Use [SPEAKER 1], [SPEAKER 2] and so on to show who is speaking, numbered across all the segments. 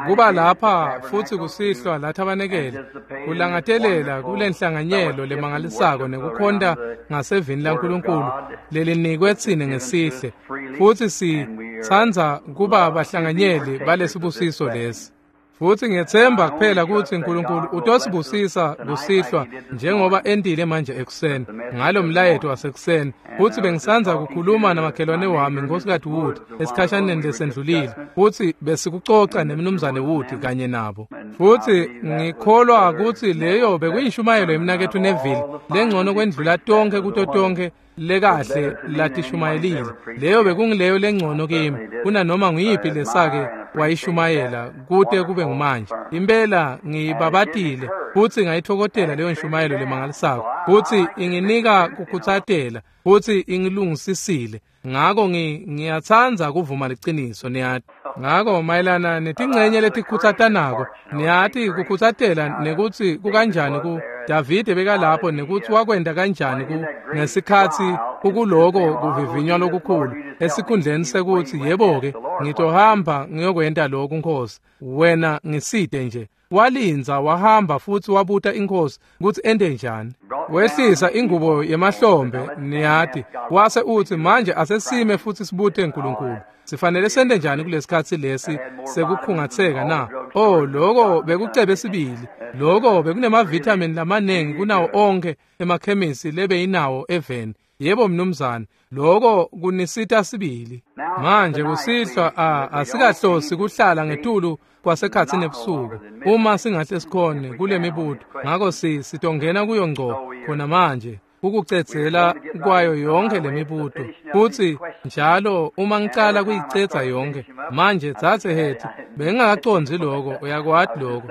[SPEAKER 1] Kuba lapha futsi kusihlwa lathabanekele kulangatelela kulenhlanganyelo lemangalisako nekukhonta ngasevini laNkulunkulu lelinikwe tsine ngesihle, futsi sitsandza kuba bahlanganyeli balesibusiso lesi. Futsi ngiyetsemba kuphela kutsi Nkulunkulu utosibusisa kusihlwa njengoba entile manje ekuseni ngalo mlayeto wasekuseni. Futsi bengisandza kukhuluma namakhelwane wami Nkosikazi Wood esikhashaneni lesendlulile, futsi besikucoca nemnumzane Wood kanye nabo. Futsi ngikholwa kutsi leyo bekuyishumayelo yemnaketfu Neville lengcono kwendlula tonkhe kuto tonkhe lekahle latishumayelile. Leyo bekungileyo lengcono kimi kunanoma nguyiphi lesake wayishumayela kute kube ngumanje. Impela ngiyibabatile futsi ngayithokotela leyo nshumayelo lemangalisako, futsi inginika kukhutsatela futsi ingilungisisile. Ngako ngiyatsandza kuvuma liciniso, niyati. Ngako mayelana netingcenye letikhutsatanako, niyati kukhutsatela nekutsi kukanjani ku Davide bekalapho nekutsi wakwenta kanjani ku ngesikhatsi kukuloko kuvivinywa lokukhulu, esikhundleni sekutsi yebo-ke ngitohamba ngiyokwenta lokhu Nkosi, wena ngisite nje. Walindza wahamba futsi wabuta iNkhosi kutsi ente njani. Wehlisa ingubo yemahlombe, niyati, wase utsi manje asesime futsi sibute Nkulunkulu. Sifanele sente njani kulesikhatsi lesi sekukhungatseka na? Oh, loko bekucebe sibili. Loko bekunemavithamini lamanengi kunawo onkhe emakhemisi lebeyinawo eveni. Yebo mnumzane, loko kunisita sibili. Manje kusihlwa asikahlosi kuhlala ngetulu kwasekhatsi nebusuku uma singahle sikhone kule mibuto. Ngako sitongena kuyo ngco khona manje ukucedzela kwayo yonke lemibuto. Futsi njalo uma ngicala kuyicedza yonke manje, dzadze Hetty, bengingakacondzi lokho, uyakwati lokho,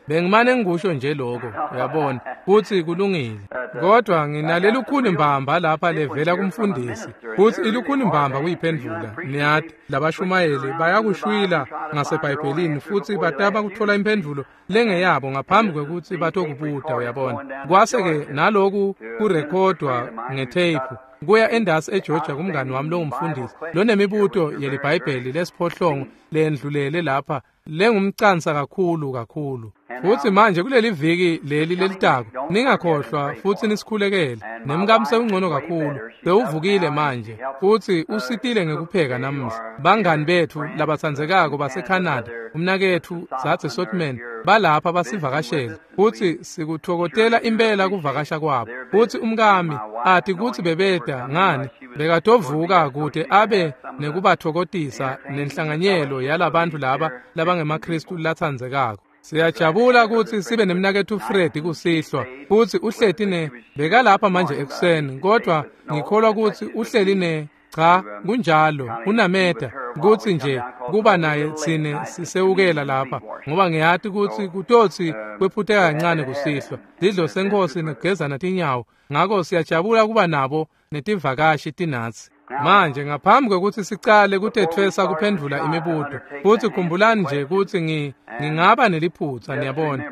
[SPEAKER 1] bengimane ngikusho nje lokho, uyabona, futsi kulungile. Kodwa nginalelukhuni mbamba lapha levela kumfundisi, futsi ilukhuni mbamba kuyiphendvula. Niyati, labashumayeli bayakushwila ngaseBhayibhelini futsi batama kutfola imphendvulo lengeyabo ngaphambi kwekutsi batokubuta, uyabona. Kwase-ke naloku kurekhodwa ngetheyiphu kuya endasi eGeorgia kumngani wami longumfundisi lonemibuto yeliBhayibheli lesiphohlongo lendlulele lapha lengumcansa kakhulu kakhulu. Futsi manje kuleli viki leli lelitako ningakhohlwa futsi nisikhulekele. Nemkami sewungcono kakhulu, sewuvukile manje futsi usitile ngekupheka namuhla. Bangani betfu labatsandzekako baseCanada, umnaketfu Dzadze Sotman, balapha basivakashele futsi sikuthokotela impela kuvakasha kwabo. Futsi umkami ati kutsi bebeta ngani, bekatovuka kute abe nekubathokotisa nenhlanganyelo yalabantu laba labangemaKhristu latsandzekako. Siyajabula kutsi sibe nemnaketfu Fred kusihlwa, futsi uhleti ne bekalapha manje ekuseni, kodwa ngikholwa kutsi uhleli ne cha kunjalo unameda kutsi nje kuba naye tsine sisewukela lapha, ngoba ngiyati kutsi kutotsi kwephuteka kancane kusihlwa sidlo seNkhosi nekugezana tinyawo. Ngako siyajabula kuba nabo netivakashi tinatsi. Manje ngaphambi kwekutsi sicale kutetfwesa kuphendvula imibuto, futsi khumbulani nje kutsi ngingaba neliphutsa, niyabona.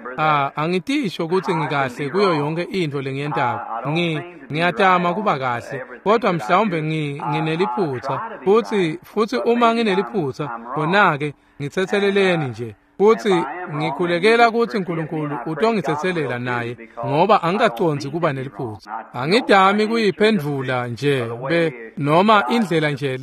[SPEAKER 1] Angitisho kutsi ngikahle kuyo yonke intfo lengiyentako. Ngiyatama kuba kahle, kodwa mhlawumbe ngineliphutsa. Futsi uma ngineliphutsa, khona-ke ngitsetseleleni nje. Futsi ngikhulekela kutsi Nkulunkulu utongitsetselela naye, ngoba angikacondzi kuba neliphutsa. Angidami kuyiphendvula nje noma indlela nje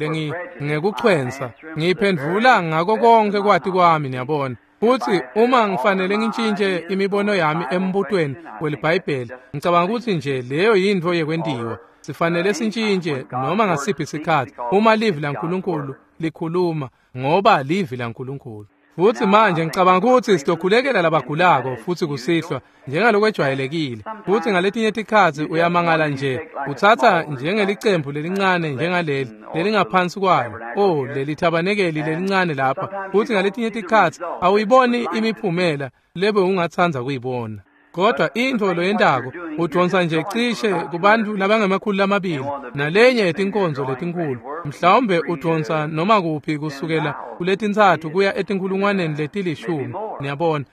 [SPEAKER 1] ngekuchwensa. Ngiyiphendvula ngako konke kwati kwami, niyabona. Futsi uma ngifanele ngitshintshe imibono yami embutweni weliBhayibheli, ngicabanga kutsi nje leyo yintfo yekwentiwa. Sifanele sitshintshe noma ngasiphi isikhatsi uma livi laNkulunkulu likhuluma, ngoba livi laNkulunkulu. Futsi manje ngicabanga kutsi sitokhulekela labagulako futsi kusihlwa njengalokwejwayelekile. Futsi ngaletinye tikhatsi uyamangala nje, utsatsa njengelicembu lelincane njengaleli lelingaphansi kwalo, oh leli thabanekeli lelincane lapha. Futsi ngaletinye tikhatsi awuyiboni imiphumela lebe ungatsandza kuyibona. Kodwa intfo loyentako Udvonsa nje cishe kubantu labangama-200 nalenye yetinkonzo letinkhulu. Mhlawumbe udvonsa noma kuphi kusukela kuletintsatfu kuya 10,000, niyabona,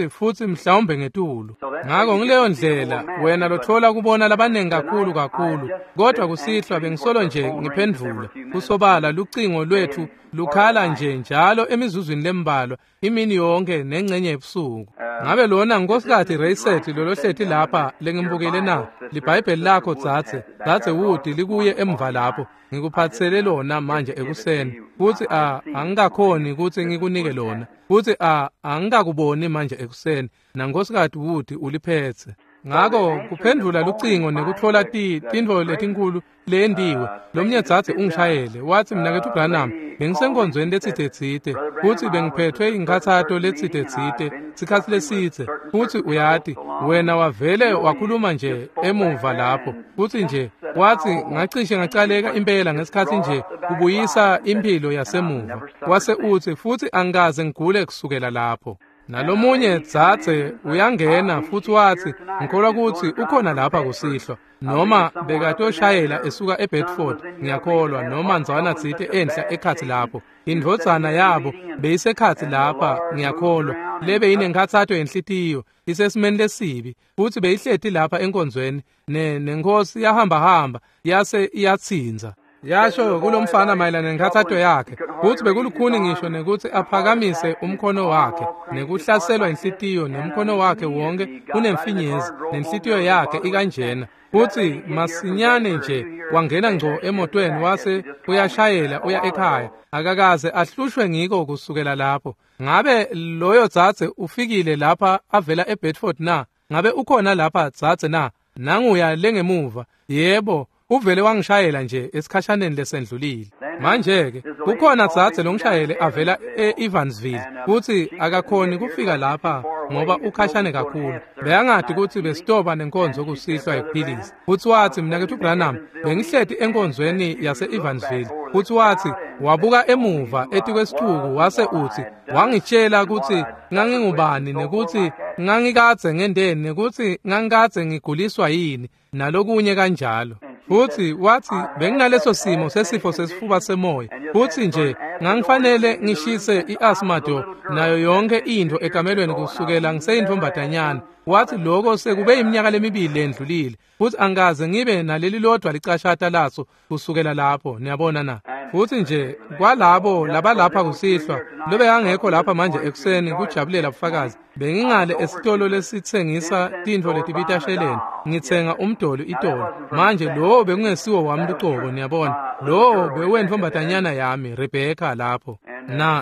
[SPEAKER 1] futsi mhlawumbe ngetulu. Ngako ngileyo ndlela wena lothola kubona labanengi kakhulu kakhulu. Kodwa kusihlwa bengisolo nje ngiphendvula. Kusobala lucingo lwethu lukhala nje njalo emizuzwini lembalwa imini yonke nengcenye ebusuku. Ngabe lona Nkosikazi Rayset lolohleti lapha lengimbukele na? LiBhayibheli lakho dzadze Wood likuye emva lapho. Ngikuphatsele lona manje ekuseni. Futsi angikakhoni kutsi ngikunike lona. Futsi angikakuboni manje ekuseni. NaNkosikazi Wood uliphetse. Ngako kuphendvula lucingo nekutfola tintfo letinkulu leyendiwe. Lomnye dzadze ungishayele watsi, "Mnaketfu Branham, bengisenkonzweni letsite-tsite futsi bengiphethwe inkhatsato letsite-tsite sikhatsi lesitse, futsi uyati wena wavele wakhuluma nje emuva lapho, futsi nje wathi ngacishe ngacaleka impela ngesikhatsi nje kubuyisa imphilo yasemuva." Wase utsi, "Futsi angikaze ngigule kusukela lapho." Nalomunye dzadze uyangena futsi watsi, "Ngikholwa kutsi ukhona lapha kusihlwa," noma bekatoshayela esuka eBedford, ngiyakholwa, noma ndzawana tsite enhla ekhatsi lapho. Indvodzana yabo beyisekhatsi lapha, ngiyakholwa, lebe yinenkhatsato yenhlitiyo, isesimeni lesibi, futsi beyihleti lapha enkonzweni, nenkosi yahambahamba yase iyatsinza. Yasho kulomfana mayelana nenkhatsato yakhe, kutsi bekulukhuni ngisho nekutsi aphakamise umkhono wakhe, nekuhlaselwa inhlitiyo, nemkhono wakhe wonke unemfinyezi, nenhlitiyo yakhe ikanjena. Futsi masinyane nje wangena ngco emotweni wase uyashayela uya ekhaya. Akakaze ahlushwe ngiko kusukela lapho. Ngabe loyo dzadze ufikile lapha avela eBedford na? Ngabe ukhona lapha dzadze na? Nanguya lengemuva. Yebo, uvele wangishayela nje esikhashaneni lesendlulile. Manje-ke kukhona dzadze longishayele avela e-Evansville, kutsi akakhoni kufika lapha ngoba ukhashane kakhulu. Bekangati kutsi besitoba nenkonzo kusihlwa yekuphilisa. Futsi watsi, "Mnaketfu Branham, bengihleti enkonzweni yase-Evansville." Futsi watsi wabuka emuva etikwesithuku wase utsi, "Wangitshela kutsi ngangingubani nekutsi ngangikadze ngendeni nekutsi ngangikadze ngiguliswa yini nalokunye kanjalo." Futsi watsi, "Benginaleso simo sesifo sesifuba semoya, futsi nje ngangifanele ngishise i-asthma nayo yonke intfo ekamelweni kusukela ngiseyintfombatanyana." Watsi lokho sekube iminyaka lemibili lendlulile, futsi angikaze ngibe naleli lodwa licashata laso kusukela lapho, niyabona na. Futsi nje kwalabo labalapha kusihlwa lobekangekho lapha manje ekuseni kujabulela bufakazi, bengingale esitolo lesitsengisa tintfo letibita sheleni, ngitsenga umdoli itolo. Manje lowo bekungesiwo wami lucobo, niyabona, lowo bewentfombatanyana yami Rebecca lapho.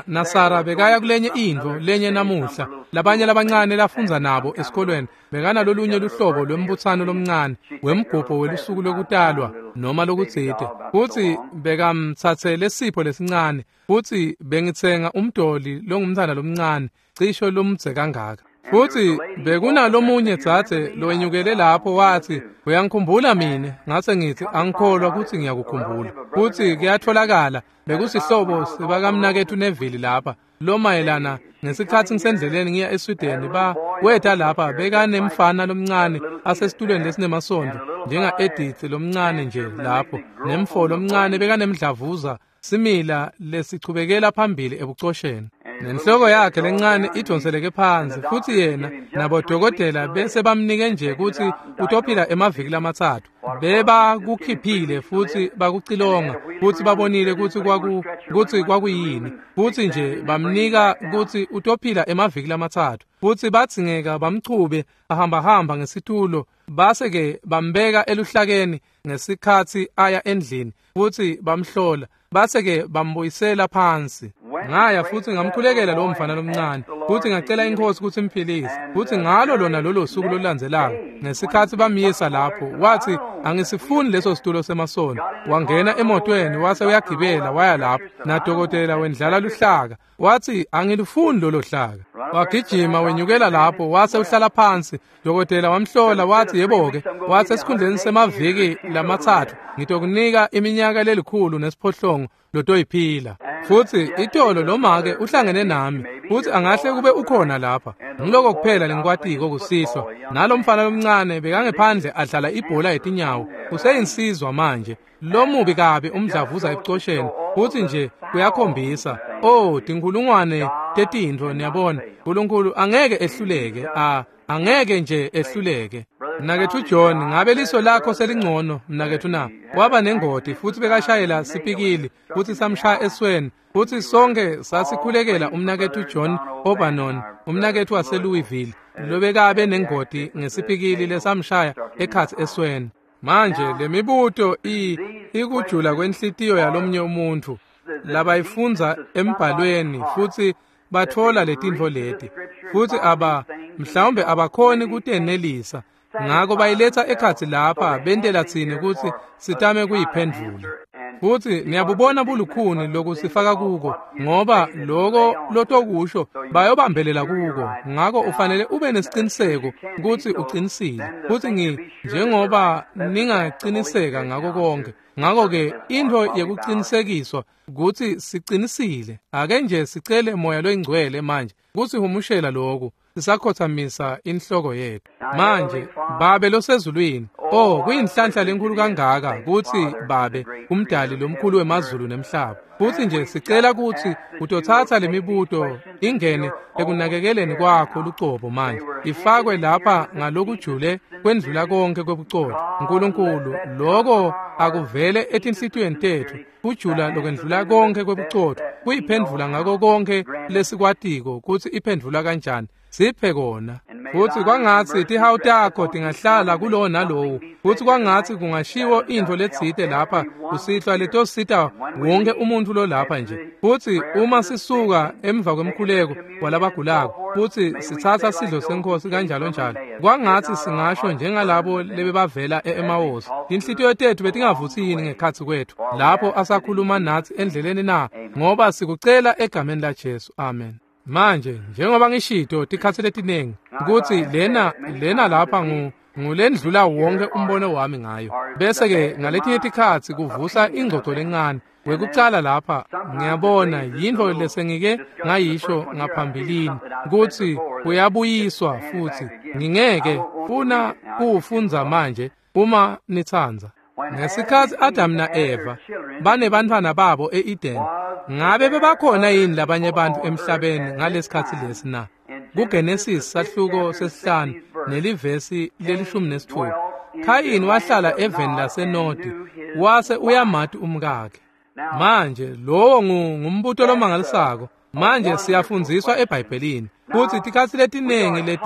[SPEAKER 1] Na Sara bekaya kulenye intfo lenye namuhla. Labanye labancane lafundza nabo esikolweni bekanalolunye luhlobo lwembutsano lomncane wemgubho welusuku lwekutalwa noma lokutsite, futsi bekamtsatsele sipho lesincane, futsi bengitsenga umdoli longumntfwana lomncane cisho lomdze kangaka. Futsi bekunalomunye dzadze lowenyukele lapho watsi, "Uyangikhumbula mine?" Ngase ngitsi, "Angikholwa kutsi ngiyakukhumbula." Futsi kuyatholakala bekusihlobo sibakamnaketfu Neville lapha lomayelana ngesikhatsi ngisendleleni ngiya eSweden, weta lapha bekanemfana lomncane asesitulweni lesinemasondvo njenga-Edith lomncane nje lapho, nemfo lomncane bekanemdlavuza simila lesichubekela phambili ebucosheni, nenhloko yakhe lencane idonseleke phansi, futsi yena nabodokotela bese bamnike nje kutsi utophila emaviki lamathathu. Bebakukhiphile futhi bakucilonga futhi babonile kutsi kwakuyini, futhi nje bamnika kutsi utophila emaviki lamathathu, futhi badzingeka bamchube ahambahamba ngesitulo, base-ke bambeka eluhlakeni ngesikhatsi aya endlini futhi bamhlola, base-ke bambuyisela phansi. Ngaya futhi ngamkhulekela lowo mfana lomncane, futhi ngacela inkosi kutsi imphilise. Futhi ngalo lona lolo suku lolulandzelako ngesikhatsi bamyisa lapho, wathi, "Angisifuni leso situlo semasondo." Wangena emotweni wase uyagibela waya lapho, nadokotela wendlala luhlaka, wathi, "Angilufuni lolo hlaka." Wagijima wenyukela lapho wase uhlala phansi. Dokotela wamhlola wathi, "Yebo-ke," wathi, "esikhundleni semaviki lamathathu ngitokunika iminyaka lelikhulu nesiphohlongo lotoyiphila." Futsi itolo lomake uhlangene nami, Futsi angahle kube ukhona lapha. Ngiloko kuphela lengikwatiko kusihlwa. Nalomfana lomncane bekangephandle adlala ibhola yetinyawo. Useyinsizwa manje. Lomubi kabi umdlavuza ebucosheni. Futsi nje kuyakhombisa. Oh, tinkhulungwane tetintfo niyabona. Nkulunkulu angeke ehluleke. Angeke nje ehluleke. Mnaketfu John, ngabe liso lakho selingcono mnaketfu na? Waba nengoti futsi bekashayela sipikili futsi samshaya esweni. Futsi sonke sasikhulekela umnaketfu John Obanon, umnaketfu waseLouisville, lobekabe nengoti ngesipikili lesamshaya ekhatsi esweni. Manje lemibuto ikujula kwenhlitiyo yalomnye umuntfu labayifundza embhalweni futsi batfola letintfo leti futsi mhlawumbe abakhoni kutenelisa, ngako bayiletsa ekhatsi lapha bentela tsine kutsi sitame kuyiphendvula. Futsi niyabubona bulukhuni lokusifaka kuko, ngoba loko lotokusho bayobambelela kuko. Ngako ufanele ube nesiciniseko kutsi ucinisile. Futsi njengoba ningaciniseka ngako konke. Ngako-ke intfo yekucinisekiswa kutsi sicinisile. Ake nje sicele Moya loyiNgcwele manje kusihumushela loku sisakhothamisa inhloko yethu. Manje Babe losezulwini, oh kuyinhlanhla lenkulu kangaka kutsi Babe umdali lomkhulu wemazulu nemhlaba. Futsi nje sicela kutsi utotsatsa lemibuto ingene ekunakekeleni kwakho lucobo manje, ifakwe lapha ngalokujule kwendlula konke kwebucotfo. Nkulunkulu, loko akuvele etinhlitiyweni tetfu, kujula lokwendlula konke kwebucotfo, kuyiphendvula ngako konke lesikwatiko kutsi iphendvula kanjani. Siphe kona. Futsi kwangatsi tihawu takho tingahlala kulowo nalowo. Futsi kwangatsi kungashiwo intfo letsite lapha kusihlwa letosita wonke umuntfu lolapha nje. Futsi uma sisuka emva kwemkhuleko walabagulako futsi sitsatsa sidlo seNkhosi kanjalo njalo, kwangatsi singasho njengalabo lebebavela e-Emawusi, tinhlitiyo tetfu betingavutsi yini ngekhatsi kwetfu lapho asakhuluma natsi endleleni na? Ngoba sikucela egameni laJesu, amen. Manje njengoba ngishito tikhatsi letinengi kutsi lena lapha ngulendlula wonke umbono wami ngayo. Bese ke ngaletinye tikhatsi kuvusa ingcoco lencane. Kwekucala lapha ngiyabona yintfo lesengike ngayisho ngaphambilini kutsi kuyabuyiswa futsi ngingeke funa kuwufundza manje uma nitsandza. Ngesikhatsi Adam na-Eva banebantfwana babo e-Eden, ngabe bebakhona yini labanye bantfu emhlabeni ngalesikhatsi lesi na? KuGenesis sahluko 5 nelivesi le-16, Khayini wahlala eveni laseNodi wase uyamati umkakhe. Manje lowo ngumbuto lomangalisako. Manje siyafundziswa eBhayibhelini kutsi tikhatsi letinengi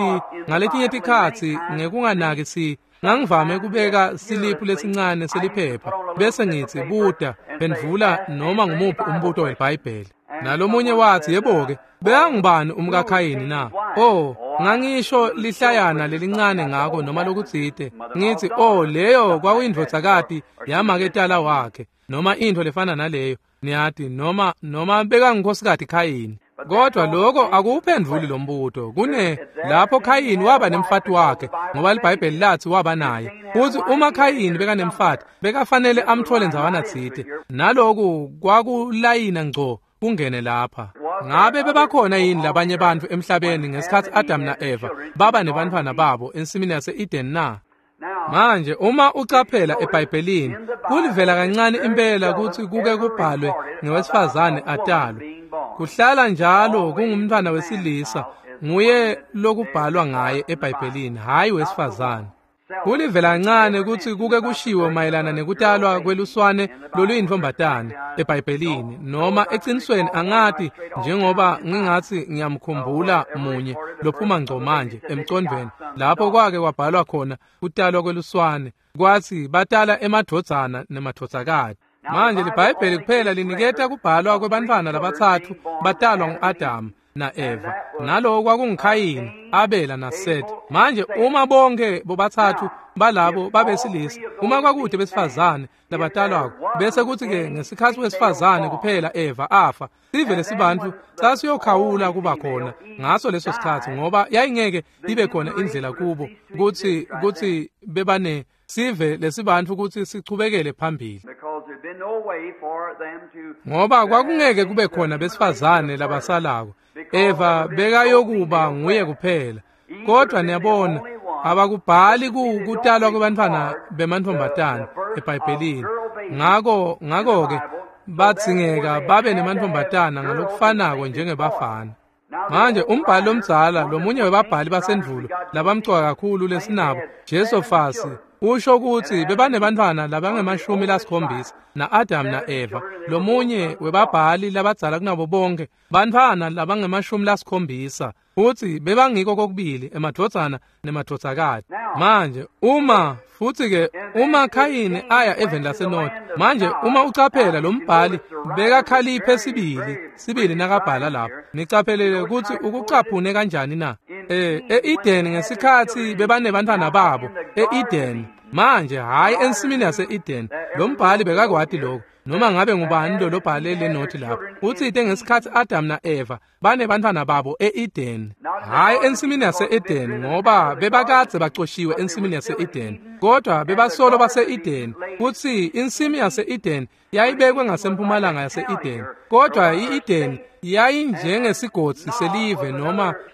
[SPEAKER 1] ngaletinye tikhatsi ngekunganaki ngangivame kubeka siliphu lesincane seliphepha bese ngitsi buta phendvula noma ngumuphi umbuto weBhayibheli. Nalomunye watsi, yebo-ke, bekangubani umkaKhayini na? Oh, ngangisho lihlayana lelincane ngako noma lokutsite. Ngithi, oh, leyo kwakuyindvodzakati yamaketala wakhe noma intfo lefana naleyo, niyati, noma bekangunkhosikati Khayini. Kodwa lokho akuwuphendvuli lo mbuto. Kune lapho Khayini waba nemfati wakhe, ngoba liBhayibheli lathi waba naye. Futsi uma Khayini bekanemfati, bekafanele amtfole ndzawana tsite. Naloku kwakulayina ngco kungene lapha. Ngabe bebakhona yini labanye bantfu emhlabeni ngesikhatsi Adam na-Eva baba nebantfwana babo ensimini yase-Eden na? Manje uma ucaphela eBhayibhelini, kulivela kancane impela kutsi kuke kubhalwe ngewesifazane atalwe. Kuhlala njalo kungumntfwana wesilisa nguye lokubhalwa ngaye eBhayibhelini, hhayi wesifazane. Kulivela kancane kutsi kuke kushiwo mayelana nekutalwa kweluswane loluyintfombatane eBhayibhelini, noma ecinisweni angati, njengoba ngingatsi ngiyamkhumbula munye lophuma ngco manje emcondvweni lapho kwake kwabhalwa khona kutalwa kweluswane, kwatsi batala emadvodzana nemadvodzakati. Manje liBhayibheli kuphela liniketa kubhalwa kwebantfwana labatsatfu batalwa ngu-Adamu na-Eva, naloko kwakunguKhayini, Abela naSeti. Manje uma bonke bobatsatfu balabo babesilisa, uma kwakude besifazane labatalwako, bese kuthi-ke ngesikhatsi wesifazane kuphela Eva afa, sive lesibantfu sasiyokhawula kuba khona ngaso leso sikhatsi, ngoba yayingeke ibe khona indlela kubo kutsi bebane sive lesibantfu kutsi sichubekele phambili, ngoba kwakungeke kube khona besifazane labasalako. Eva bekayokuba nguye kuphela. Kodwa niyabona, abakubhali kutalwa kwebantfwana bemantfombatana eBhayibhelini. Ngako-ke badzingeka babe nemantfombatana ngalokufanako njengebafana. Manje umbhali lomdzala, lomunye webabhali basendvulo labamcoka kakhulu lesinabo, Jesofasi, usho kutsi bebanebantfwana labange-70 na-Adam na-Eva. Lomunye webabhali labadzala kunabo bonke, bantfwana labange-70, futsi bebangiko kokubili emadvodzana nemadvodzakati. Manje uma futhi-ke uma Khayini aya eveni laseNodi, manje uma ucaphela lo mbhali bekakhaliphe sibili nakabhala lapho. Nicaphelele kutsi ukucaphune kanjani na? E-Eden ngesikhatsi bebanebantfwana babo e-Eden. Manje hhayi ensimini yase-Eden, lo mbhali bekakwati lokho. Noma ngabe ngubani lo lobhale le nothi lapho, utsite ngesikhatsi Adam na-Eva banebantfwana babo e-Eden, hhayi ensimini yase-Eden, ngoba bebakadze bacoshiwe ensimini yase-Eden, kodwa bebasolo base-Eden. Kutsi insimi yase-Eden yayibekwe ngasempumalanga yase-Eden, kodwa i-Eden yayinjengesigodzi selive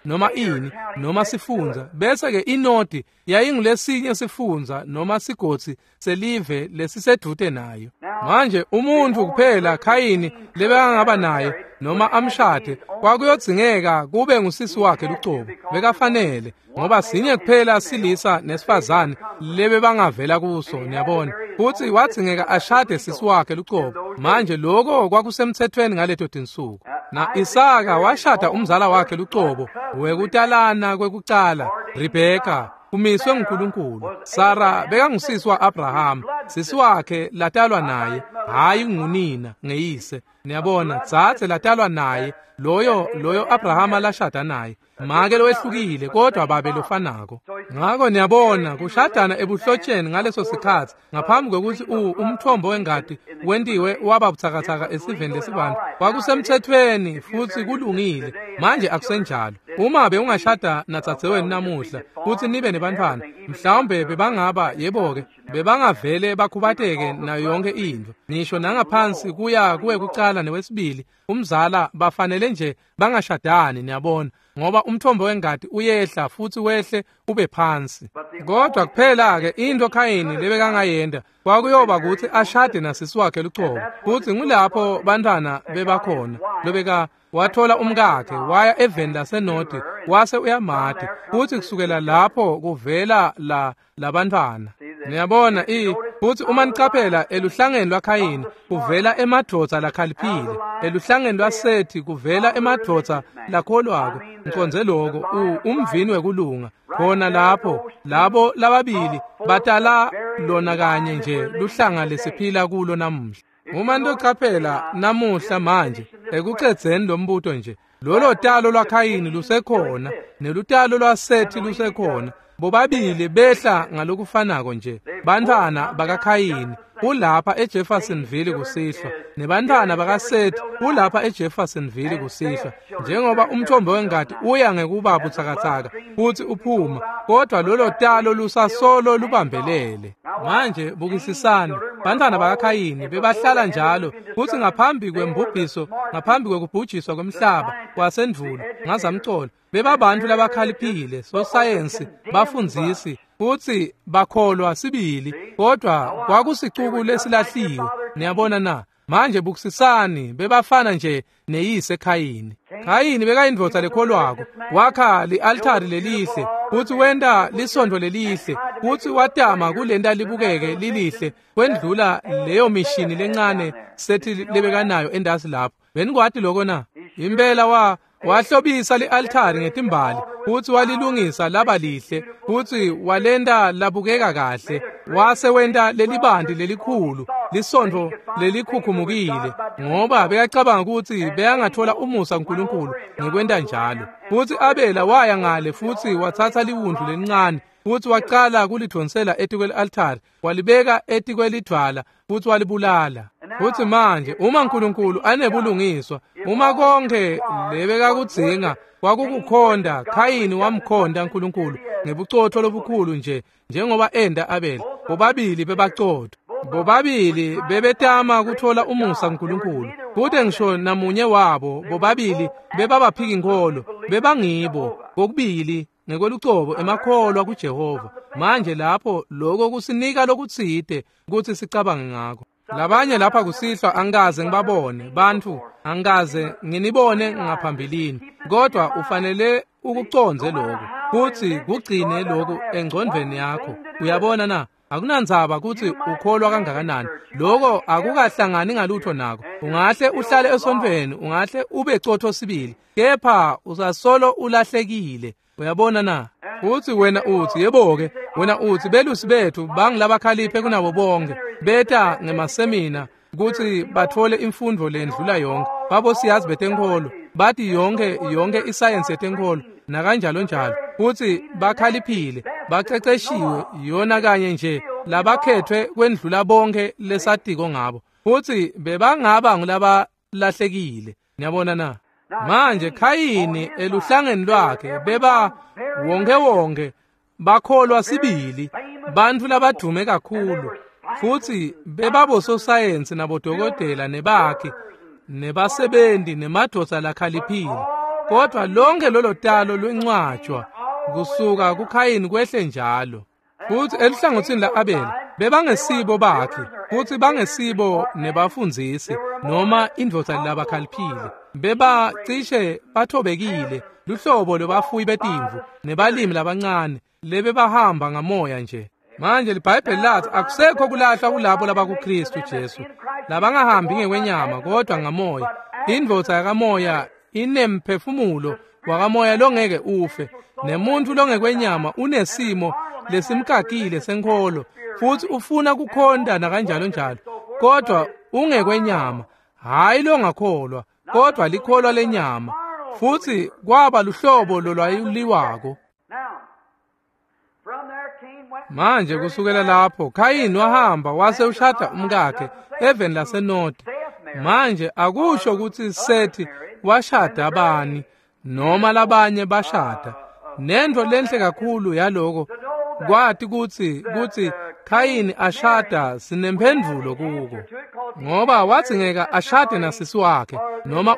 [SPEAKER 1] noma ini noma sifundza, bese-ke inodi yayingulesinye sifundza noma sigodzi selive lesisedvute nayo. Manje umuntfu kuphela Khayini lebekangaba naye noma amshade kwakuyodzingeka kube ngusisi wakhe lucobo. Bekafanele, ngoba sinye kuphela silisa nesifazane lebebangavela kuso, niyabona. Futsi wadzingeka ashade sisi wakhe lucobo. Manje lokho kwakusemthethweni ngaleto tinsuku. Na Isaka washada umzala wakhe lucobo wekutalana kwekucala, Rebheka, kumiswe nguNkulunkulu. Sara bekangusisi wa-Abraham, sisi wakhe latalwa naye, hhayi ngunina ngeyise. Niyabona, dzadze latalwa naye, loyo Abrahama lashada naye, make lowehlukile kodwa babe lofanako. Ngako niyabona, kushadana ebuhlotsheni ngaleso sikhatsi ngaphambi kwekutsi umthombo wengati wentiwe waba butsakatsaka esiveni lesibantu, kwakusemthethweni futsi kulungile. Manje akusenjalo. Uma bewungashada nadzadzewenu namuhla futsi nibe nebantfwana, mhlawumbe bebangaba, yebo-ke, bebangavele bakhubateke nayo yonke intfo, ngisho nangaphansi kuya kuwekucala newesibili umzala, bafanele nje bangashadani, niyabona, ngoba umthombo wengati uyehla futsi wehle ube phansi. Kodwa kuphela-ke into Khayini lebekangayenta kwakuyoba kutsi ashade nasisi wakhe lucobo, futsi ngulapho bantfwana bebakhona. Lobeka wathola umkakhe waya eveni laseNodi wase uyamati, futsi kusukela lapho kuvela labantfwana. Niyabona, futsi uma nicaphela eluhlangeni lwaKhayini kuvela emadvodza lakhaliphile, eluhlangeni lwaSethi kuvela emadvodza lakholwako. Ngiconze lokho, umvini wekulunga. Khona lapho labo lababili batala lona kanye nje luhlanga lesiphila kulo namuhla. Uma nitocaphela namuhla manje ekucedzeni lo mbuto nje, lolo talo lwaKhayini lusekhona nelutalo lwaSethi lusekhona. Bobabili behla ngalokufanako nje. Bantfwana bakaKhayini ulapha eJeffersonville kusihlwa, nebantfwana bakaSethi ulapha eJeffersonville kusihlwa. Njengoba umthombo wengati uya ngekuba butsakatsaka futsi uphuma, kodwa lolo talo lusasolo lubambelele. Manje bukisisani, bantfwana bakaKhayini bebahlala njalo, futsi ngaphambi kwembubhiso, ngaphambi kwekubhujiswa kwemhlaba kwasendvulo ngazamcolo, bebabantfu labakhaliphile, sosayensi, bafundzisi, futsi bakholwa sibili, kodwa kwakusicuku lesilahliwe. Niyabona na? Manje bukisisani, bebafana nje neyise Khayini. Khayini bekayindvodza lekholwako, wakha li-altari lelihle, futsi wenta lisontfo lelihle, futsi watama kulenta libukeke lilihle kwendlula leyo mishini lencane Sethi lebekanayo endasi lapho. Benikwati lokho na? Impela wahlobisa li-altari ngetimbali, futsi walilungisa laba lihle, futsi walenta labukeka kahle, wase wenta lelibanti lelikhulu, lisontfo lelikhukhumukile, ngoba bekacabanga kutsi bekangathola umusa kuNkulunkulu ngekwenta njalo. Futsi Abela waya ngale futsi watsatsa liwundlu lelincane, futsi wacala kulidvonsela etikweli-altari, walibeka etikwelidvwala, futsi walibulala. Futsi manje uma uNkulunkulu anebulungiswa, uma konke lebekakudzinga kwakukukhonda, Khayini wamkhonda uNkulunkulu ngebucotfo lobukhulu nje njengoba enda Abela. Bobabili bebacotfo. Bobabili bebetama kutfola umusa kuNkulunkulu. Kute ngisho namunye wabo bobabili bebabaphiki-nkholo, bebangibo kokubili ngekwelucobo emakholwa kuJehova. Manje lapho lokho kusinika lokutsite kutsi sicabange ngako. Labanye lapha kusihlwa angikaze ngibabone bantfu, angikaze nginibone ngaphambilini, kodwa ufanele ukucondze lokhu kutsi kugcine lokhu engcondvweni yakho. Uyabona na? Akunandzaba kutsi ukholwa kangakanani, lokho akukahlangani ngalutho nako. Ungahle uhlale esontfweni, ungahle ube cotho sibili, kepha usasolo ulahlekile. Uyabona na? Futsi wena utsi, yebo-ke, wena utsi belusi betfu bangilabakhaliphe kunabo bonke, beta ngemasemina kutsi batfole imfundvo lendlula yonke, babosiyazi betenkholo, bati yonke isayensi yetenkholo nakanjalo njalo, futsi bakhaliphile, baceceshiwe yona kanye nje labakhetfwe kwendlula bonke lesatiko ngabo, futsi bebangaba ngulabalahlekile. Niyabona na? Manje Khayini eluhlangeni lwakhe beba wonke bakholwa sibili, bantfu labadume kakhulu, futsi bebabososayensi nabodokotela nebakhi nebasebenzi nemadvodza lakhaliphile, kodwa lonke lolo talo lwencwatshwa kusuka kuKhayini kwehle njalo. Futsi eluhlangotsini la-Abela bebangesibo bakhe, futsi bangesibo nebafundzisi noma indvodza labakhaliphile, bebacishe bathobekile, luhlobo lwebafuyi betimvu nebalimi labancane lebebahamba ngamoya nje. Manje liBhayibheli lathi akusekho kulahlwa kulabo labakuKristu Jesu, labangahambi ngekwenyama kodwa ngamoya. Indvodza yakamoya inemphefumulo wakamoya longeke ufe, nemuntfu longekwenyama unesimo lesimkakile senkholo, futsi ufuna kukhonta nakanjalo njalo, kodwa ungekwenyama, hhayi longakholwa, kodwa likholwa lenyama. Futsi kwaba luhlobo lolwayuliwako. Manje kusukela lapho Khayini wahamba wase ushada umkakhe eveni laseNodi. Manje akusho kutsi Sethi washada bani noma labanye bashada. Nentfo lenhle kakhulu yaloko kwati kutsi Khayini ashada sinemphendvulo kuko, ngoba wadzingeka ashade nasisi wakhe, noma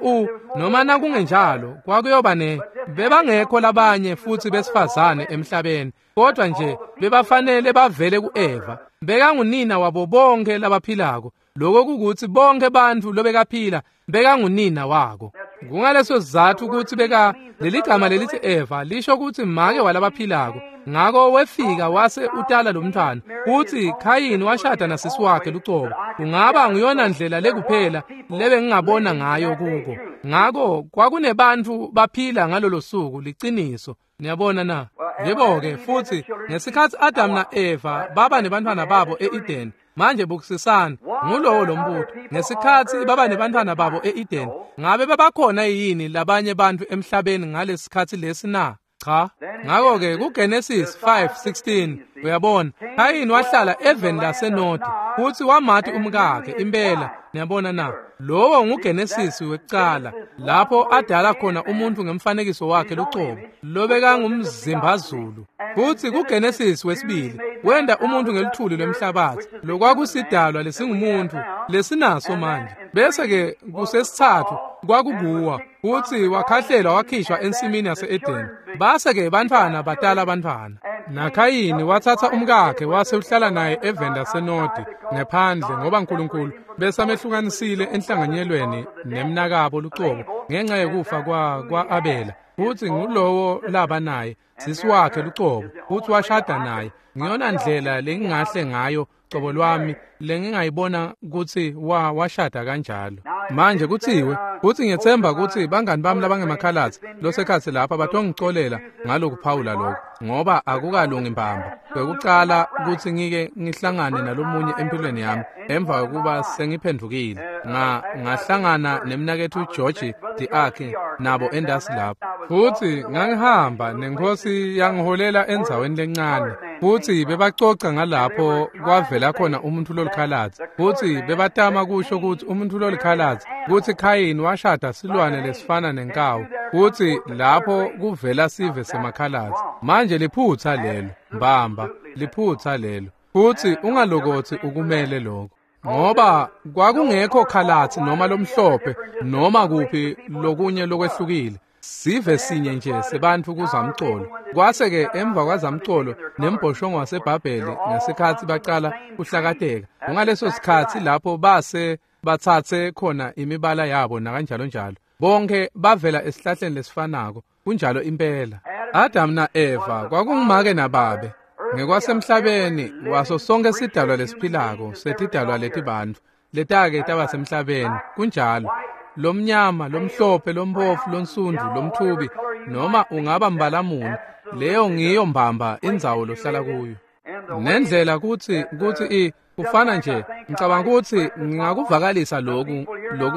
[SPEAKER 1] noma nakungenjalo kwakuyoba ne bebangekho labanye futsi besifazane emhlabeni, kodwa nje bebafanele bavele kuEva. Bekangunina wabo bonke labaphilako, lokho kukutsi bonke bantfu lobekaphila bekangunina wako. Kungaleso sizatfu kutsi beka leligama lelithi Eva lisho kutsi make walabaphilako. Ngako wefika wase utala lomntfwana, futsi Khayini washada nasisi wakhe lucobo. Kungaba nguyona ndlela lekuphela lebengingabona ngayo kuko. Ngako kwakunebantfu baphila ngalolo suku, liciniso. Niyabona na? Yebo-ke, futsi ngesikhatsi Adam na-Eva baba nebantfwana babo e-Eden, manje bukisisani, ngulowo lombuto. Ngesikhatsi baba nebantfwana babo e-Eden, ngabe babakhona yini labanye bantfu emhlabeni ngalesikhatsi lesi na? Cha. Ngako-ke kuGenesis 5:16 uyabona, Khayini wahlala eveni laseNodi, futsi wamati umkakhe impela. Niyabona na? Lowo nguGenesis wekucala, lapho adala khona umuntu ngemfanekiso wakhe lucobo, lobekangumzimbazulu. Futsi kuGenesis wesibili wenda umuntu ngeluthuli lwemhlabathi, lokwakusidalwa lesingumuntu lesinaso manje. Bese-ke kusesitsatfu kwakukuwa, futsi wakhahlelwa wakhishwa ensimini yase-Edeni. Base-ke bantfwana batala bantfwana. NaKhayini watsatsa umkakhe wase uhlala naye eveni laseNodi ngephandle, ngoba Nkulunkulu besamehlukanisile enhlanganyelweni nemnakabo lucobo ngenxa yekufa kwa-Abela. Futsi ngulowo laba naye sisi wakhe lucobo, futsi washada naye. Ngiyona ndlela lengingahle ngayo cobo lwami lengingayibona kutsi washada kanjalo. Manje kutsiwe, futsi ngiyetsemba kutsi bangani bami labangemakhalatsi losekhatsi lapha batongicolela ngalokuphawula lokho, ngoba akukalungi mbamba. Kwekucala kutsi ngike ngihlangane nalomunye empilweni yami emva kokuba sengiphendvukile, ngahlangana nemnaketfu George Diakhe nabo endasi lapho. Futsi ngangihamba nenkosi yangiholela endzaweni lencane, futsi bebacoca ngalapho kwavela khona umuntu lolikhalatsi, futsi bebatama kusho kutsi umuntu lolikhalatsi kutsi Khayini washada silwane lesifana nenkawu, futsi lapho kuvela sive semakhalatsi. Manje liphutsa lelo mbamba, liphutsa lelo. Futsi ungalokotsi ukumele lokho. Ngoba kwakungekho khalatsi noma lomhlophe noma kuphi lokunye lokwehlukile. Sive sinye nje sebantfu kuzamcolo. Kwase-ke emva kwazamcolo nembhoshongo waseBhabheli ngesikhatsi bacala kuhlakateka. Kungaleso sikhatsi lapho base batsatse khona imibala yabo nakanjalo njalo. Bonke bavela esihlahleni lesifanako. Kunjalo impela. Adam na-Eva kwakungumake nababe. Ngekwasemhlabeni waso sonke sidalwa lesiphilako setidalwa letibantfu letake taba semhlabeni. Kunjalo. Lomnyama, lomhlophe, lomphofu, lonsundvu, lomthubi noma ungaba mbalamuni, leyo ngiyo mbamba indzawo lohlala kuyo. Nendlela kutsi kufana nje, ngicabanga ukuthi ngingakuvakalisa lokhu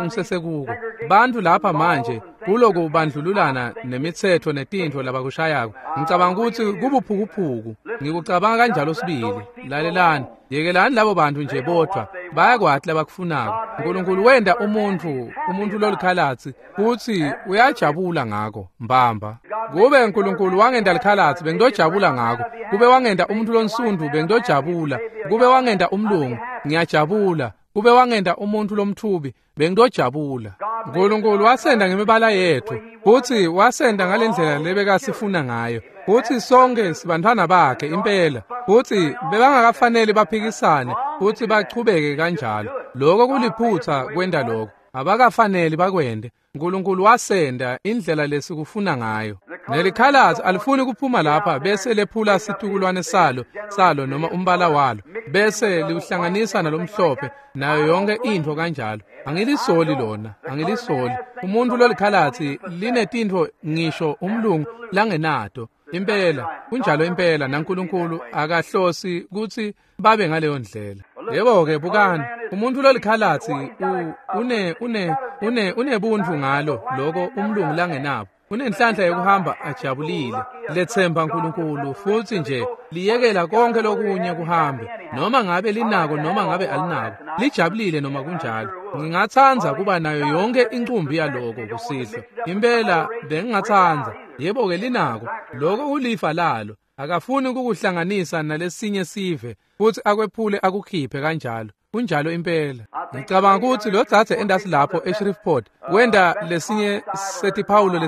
[SPEAKER 1] ngisesekuko. Bantu lapha manje kuloku bandlululana nemitsetfo netintfo labakushayako. Ngicabanga ukuthi kubuphukuphuku. Ngikucabanga kanjalo sibili. Lalelani, yekelani labo bantu nje bodvwa. Bayakwati labakufunako. uNkulunkulu wenda umuntu lolikhalatsi futhi uyajabula ngako mbamba. Kube uNkulunkulu wangenda likhalatsi bengidojabula ngako. Kube wangenda umuntu lonsundu bengidojabula. Kube wangenda umlungu ngiyajabula. Kube wangenda umuntu lomthubi bengidojabula. uNkulunkulu wasenda ngemibala yethu futhi wasenda ngalendlela lebekasifuna ngayo. Futhi sonke sibantwana bakhe impela. Futhi bebangakafanele baphikisane futhi bachubeke kanjalo. Lokho kuliphutha kwenda lokho. Abakafanele bakwende. uNkulunkulu wasenda indlela lesikufuna ngayo. Nelikhalatsi alifuni kuphuma lapha bese lephula situkulwane salo noma umbala walo bese liwuhlanganisa nalomhlophe nayo yonke intfo kanjalo. Angilisoli lona, angilisoli. Umuntu lolikhalatsi linetintfo ngisho umlungu langenato. Impela, kunjalo impela naNkulunkulu akahlosi kutsi babe ngaleyo ndlela. Yebo-ke bukani, umuntu lolikhalatsi unebuntfu ngalo loko umlungu langenabo. Unenhlanhla yokuhamba ajabulile, lethemba uNkulunkulu futhi nje liyekela konke lokunye kuhambe, noma ngabe linako noma ngabe alinako, lijabulile noma kunjalo. Ngingatsandza kuba nayo yonke incumbi yaloko kusihlwa. Impela bengingatsandza. Yebo-ke linako, loko kulifa lalo. Akafuni ukukuhlanganisa nalesinye sive futhi akwephule akukhiphe kanjalo. Kunjalo impela. Ngicabanga ukuthi lo dzadze endasi lapho eShreveport wenda lesinye setiphawulo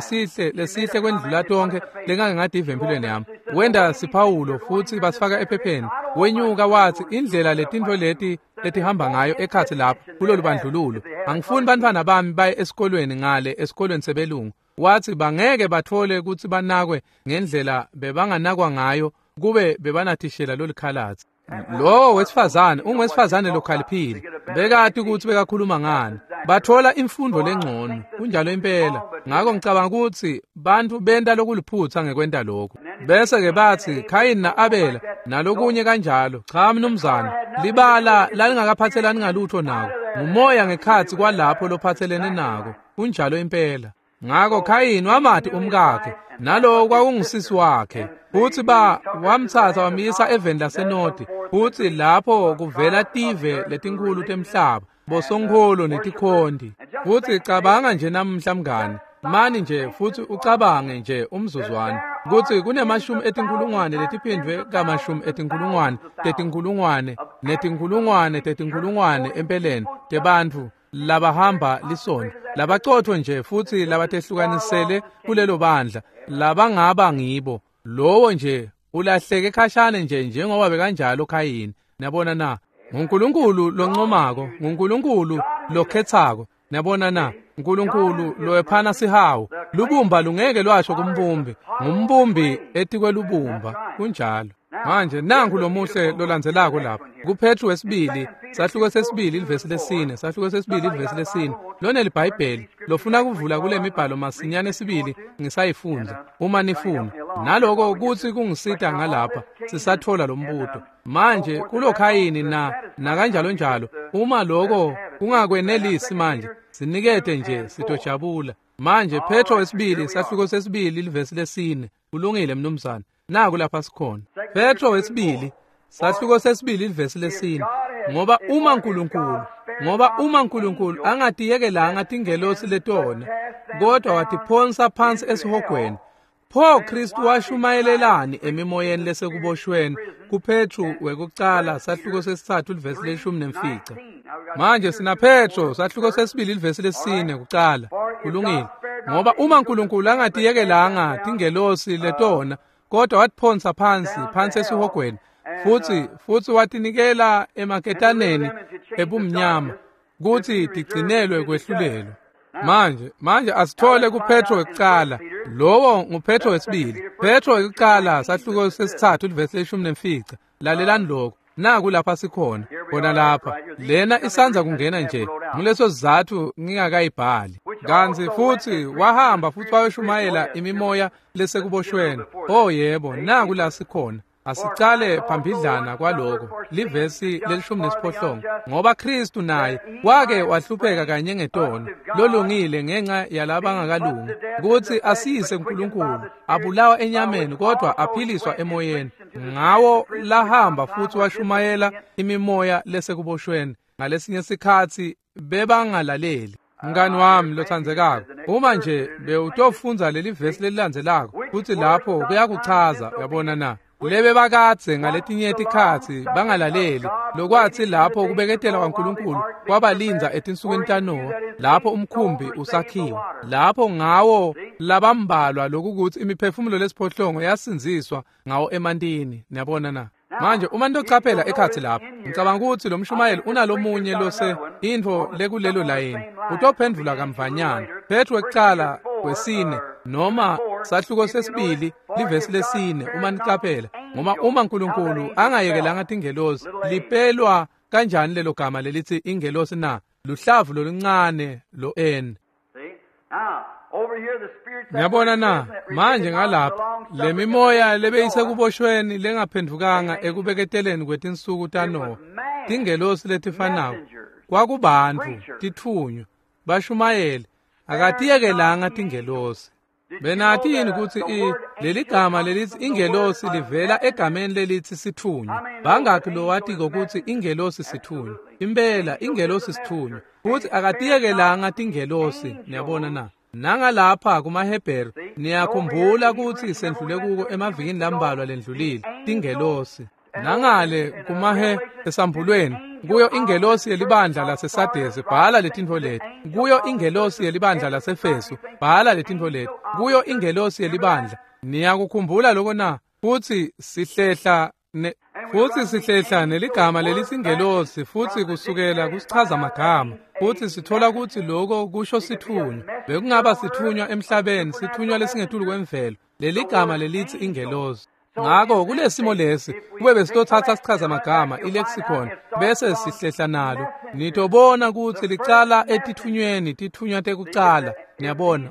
[SPEAKER 1] lesihle kwendlula tonke lengake ngadiva empilweni yami. Wenda siphawulo futhi basifaka ephepheni. Wenyuka wathi indlela letintfo leti letihamba ngayo ekhatsi lapho kulolu bandlululo. Angifuni bantfwana bami baye esikolweni ngale esikolweni sebelungu. Wathi bangeke bathole ukuthi banakwe ngendlela bebanganakwa ngayo kube bebanathishela lolikhalatsi. Lo wesifazane ungwesifazane lokhaliphile. Bekati ukuthi bekakhuluma ngani. Bathola imfundo lengcono. Kunjalo impela. Ngakho ngicabanga ukuthi bantu benta lokuliphutha ngekwenta lokho. Bese ke bathi Khayini na-Abela nalokunye kanjalo. Cha mnumzane, libala lalingakaphathelani ngalutho nako. Ngumoya ngekhatsi kwalapho lophathelene nako. Kunjalo impela. Ngakho Khayini wamati umkakhe nalowo kwakungusisi wakhe. Futhi wamthatha wamyisa eveni laseNodi. Futhi lapho kuvela tive letinkulu temhlaba, bosonkholo netikhonti. Futhi cabanga nje namhla mngani, mani nje futhi ucabange nje umzuzwana kutsi kunemashumi etinkhulungwane letiphindvwe kamashumi etinkhulungwane tetinkhulungwane netinkhulungwane tetinkhulungwane empeleni tebantfu labahamba lisonto, labacotfo nje futhi labatehlukanisele kulelo bandla, labangaba ngibo. Lowo nje ulahleke khashane nje njengoba bekanjalo Khayini. Niyabona na? nguNkulunkulu loncomako, nguNkulunkulu lokhetsako. Niyabona na? uNkulunkulu lowephana sihawu. Lubumba lungeke lwasho kumbumbi, ngumbumbi etikwelubumba. Kunjalo. Manje nangu lomuhle lolandzelako lapha kuPetru wesibili, sahluko sesibili ivesi lesine, sahluko sesibili ivesi lesine. Lona liBhayibheli lofuna kuvula kule mibhalo masinyane sibili ngisayifundza uma nifuna. Naloko kuthi kungisita ngalapha sisathola lombuto. Manje kulokhayini na nakanjalo njalo, uma lokho kungakwenelisi manje sinikete nje sitojabula. Manje Petro wesibili sahluko sesibili ivesi lesine. Kulungile mnumzane. Naku lapha sikhona. Petro wesibili sahluko sesibili ivesi lesine. Ngoba uma uNkulunkulu angatiyekelanga tingelosi letona kodwa watiphonsa phansi esihogweni, pho Kristu washumayelelani emimoyeni lesekuboshweni kuPetru wekucala sahluko sesitsatfu livesi le-15. Manje sina Petro sahluko sesibili livesi le-4 kucala. Kulungile. Ngoba uma uNkulunkulu angatiyekelanga tingelosi letona, kodwa watiphonsa phansi esihogweni, futhi watinikela emaketaneni ebumnyama kuthi tigcinelwe kwehlulelwa. Manje asithole kuPetro wekucala. Lowo nguPetro wesibili. Petro wekucala sahluko sesithathu livesi le-15. Lalelani lokho. Naku lapha sikhona, khona lapha. Lena isanza kungena nje. Nguleso sizathu ngingakayibhali. Kantsi futhi wahamba futhi wayoshumayela imimoya lesekuboshweni. Oh yebo, naku la sikhona. Asicale phambidlana kwaloko livesi le-18, ngoba Kristu naye wake wahlupheka kanye ngetono lolungile ngenxa yalabangakalungi, kutsi asiyise kuNkulunkulu, abulawa enyameni kodwa aphiliswa emoyeni. Ngawo lahamba futhi washumayela imimoya lesekuboshweni. Ngalesinye sikhatsi bebangalaleli. Mngani wami lothandzekako, uma nje bewutofundza leli vesi lelilandzelako futsi lapho kuyakuchaza, uyabona na? Lebe bakadze ngaletinye tikhatsi bangalaleli, lokwathi lapho kubeketela kwaNkulunkulu kwabalinza etinsukwini taNowa, lapho umkhumbi usakhiwa, lapho ngawo labambalwa lokukutsi imiphefumulo lesiphohlongo yasindziswa ngawo emantini. Niyabona na? Manje uma nitocaphela ekhatsi lapho, ngicabanga ukuthi lo mshumayeli unalomunye lose intfo lekulelo layini utophendvula kamvanyana. Petro wekucala wesine noma sahluko sesibili livesi lesine, uma nicaphela, ngoba uma uNkulunkulu angayekelanga tingelosi, lipelwa kanjani lelo gama lelithi ingelosi na? Luhlavu loluncane lo N. Ngiyabona na? Manje ngalapha le mimoya lebeyisekuboshweni lengaphendvukanga ekubeketeleni kwetinsuku taNowa, tingelosi letifanako kwakubantfu, titfunywa, bashumayeli, akatiyekelanga tingelosi. Benati yini kutsi leli gama lelithi ingelosi livela egameni lelithi sitfunywa? Bangakhi lowatiko kutsi ingelosi sitfunywa? Impela ingelosi sitfunywa, futsi akatiyekelanga tingelosi. Niyabona na? Nangalapha kumaHebheru, niyakhumbula kutsi sendlule kuko emavikini lambalwa lendlulile, tingelosi. Nangale kumahe esambulweni, kuyo ingelosi yelibandla laseSadesi, bhala letintfo leti. Kuyo ingelosi yelibandla laseFesu, bhala letintfo leti. Kuyo ingelosi yelibandla. Niyakukhumbula lokho na? Futsi sihlehla neligama lelithi ingelosi, futhi kusukela kusichaza magama, futhi sithola ukuthi lokho kusho sithunywa. Bekungaba sithunywa emhlabeni, sithunywa lesingetulu kwemvelo, leligama lelithi ingelosi. Ngakho kulesimo lesi, kube besitothatha sichaza magama ilexicon bese sihlehla nalo, nitobona ukuthi licala etithunyweni, tithunywa tekucala. Niyabona,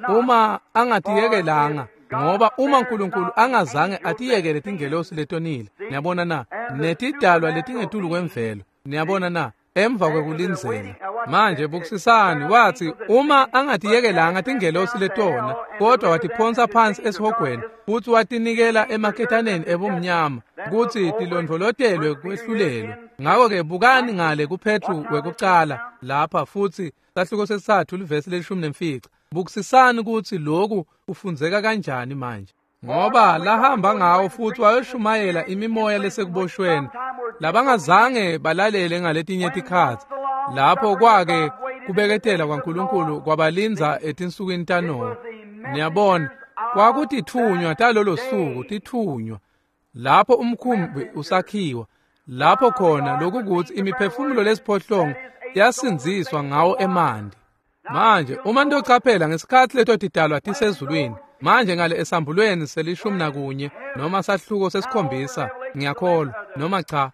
[SPEAKER 1] uma angatiyekelanga, ngoba uma uNkulunkulu angazange atiyekele tingelosi letonile, niyabona na, netidalwa letingetulu kwemvelo, niyabona na, emva kwekulindzela. Manje bukusisani, wathi uma angatiyekelanga tingelosi letona, kodwa watiphonsa phansi esihogweni futhi watinikela emaketaneni ebumnyama kutsi tilondvolotelwe kwehlulelwa. Ngakho-ke bukani ngale kuPetru wekucala lapha, futhi sahluko sesithathu livesi le-15. Bukusisani kutsi lokhu kufundzeka kanjani manje. Ngoba lahamba ngawo futhi wayoshumayela imimoya lesekuboshweni labangazange balalele ngaletinye tikhatsi, lapho kwake kubeketela kwaNkulunkulu kwabalinza etinsukwini taNowa. Niyabona, kwakutithunywa talolo suku, tithunywa lapho umkhumbi usakhiwa, lapho khona lokukutsi imiphefumulo lesiphohlongo yasindziswa ngawo emanti. Manje uma nitocaphela ngesikhatsi leto tidalwa tisezulwini, manje ngale esambulweni se-11 noma sahluko se-7, ngiyakholwa, noma cha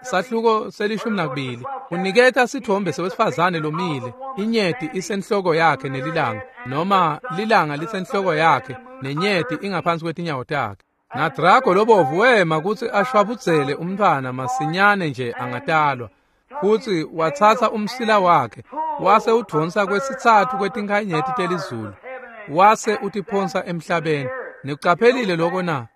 [SPEAKER 1] sahluko se-12, uniketa sithombe sewesifazane lomile, inyeti isenhloko yakhe nelilanga, noma lilanga lisenhloko yakhe nenyeti ingaphansi kwetinyawo takhe. NaDrago lobovu wema kutsi ashwabudzele umntfwana masinyane nje angatalwa, futsi watsatsa umsila wakhe wase udvonsa kwesitsatfu kwetinkhanyeti telizulu, wase utiphonsa emhlabeni. Nikucaphelile lokho na?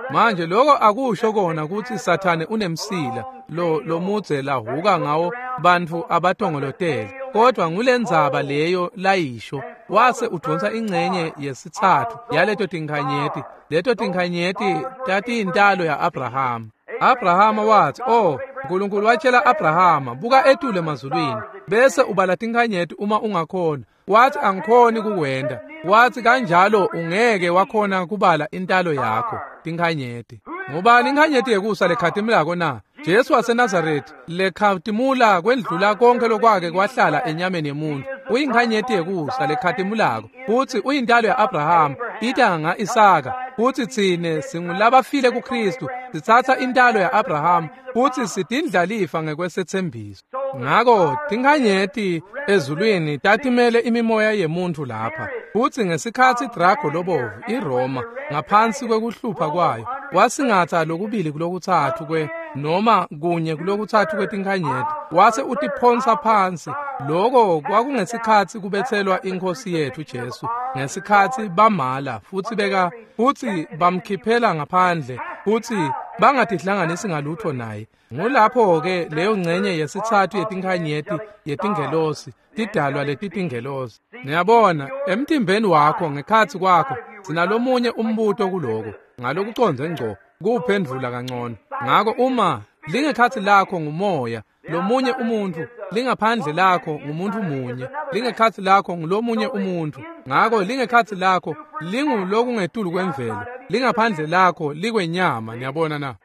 [SPEAKER 1] Manje lokho akusho kona kutsi Sathane unemsila lo lomudze lahuka ngawo bantfu abatongolotele, kodwa ngulendzaba leyo layisho. Wase udvonsa ingcenye yesitsatfu yaleto tinkhanyeti. Leto tinkhanyeti tatiyintalo ya-Abraham. Abrahama wathi, "Oh, uNkulunkulu watshela Abrahama, buka etulu emazulwini, bese ubala tinkhanyeti uma ungakhona." Wathi, "Angikhoni kukwenta." Wathi, "Kanjalo ungeke wakhona kubala intalo yakho, tinkhanyeti." Ngubani inkhanyeti yekusa lekhatimulako na? Jesu waseNazaretha, lekhatimula kwendlula konke lokwake kwahlala enyameni yemuntu. Uyinkhanyeti yekusa lekhatimulako, futhi uyintalo ya-Abrahama, itanga Isaka, futhi tsine singulabafile kuKristu, sitsatsa intalo ya-Abrahama, futhi sidindlalifa ngekwesethembiso. Ngako tinkhanyeti ezulwini tatimele imimoya yemuntu lapha. Futhi ngesikhatsi Drago lobovu iRoma ngaphansi kwekuhlupha kwayo wasingatha lokubili kulokutsatfu kwe noma kunye kulokutsatfu kwetinkhanyeti, wase utiphonsa phansi. Lokho kwakungesikhatsi kubethelwa inkosi yethu Jesu, ngesikhatsi bamala futhi beka futhi bamkhiphela ngaphandle futhi bangatihlanganisi ngalutho naye. Ngulapho-ke leyo ngcenye yesitsatfu yetinkhanyeti yetingelosi, tidalwa letitingelosi. Niyabona, emtimbeni wakho ngekhatsi kwakho sinalomunye umbuto kuloko, ngalokucondze ngco kuwuphendvula kangcono. Ngako uma lingekhatsi lakho ngumoya, lomunye umuntu, lingaphandle lakho ngumuntu munye, lingekhatsi lakho ngulomunye umuntu. Ngako lingekhatsi lakho lingulokungetulu kwemvelo, lingaphandle lakho likwenyama. Niyabona na?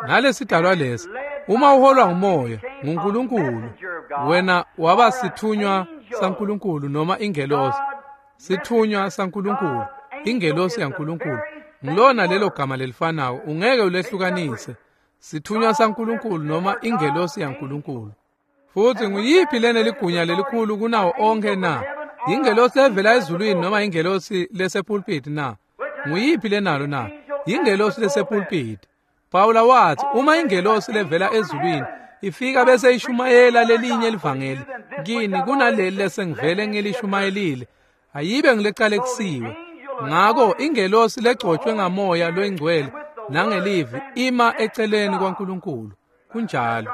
[SPEAKER 1] Nalesidalwa lesi, uma uholwa ngumoya nguNkulunkulu, wena waba sithunywa saNkulunkulu noma ingelosi. Sithunywa saNkulunkulu, ingelosi yaNkulunkulu. Ngilona lelo gama lelifanako, ungeke ulehlukanise. Sithunywa saNkulunkulu noma ingelosi yaNkulunkulu. Futhi nguyiphi lena ligunya lelikhulu kunawo onke na? Ingelosi evela ezulwini noma ingelosi lesepulpit na? Nguyiphi lenalo na? Ingelosi lesepulpit. Pawula wathi, uma ingelosi levela ezulwini ifika bese ishumayela lelinye livangeli kini kunaleli lesengivele ngilishumayelile, ayibe ngilecalekisiwe. Ngako ingelosi legcotshwe ngamoya loyingcwele nangelivi ima eceleni kwaNkulunkulu. Kunjalo.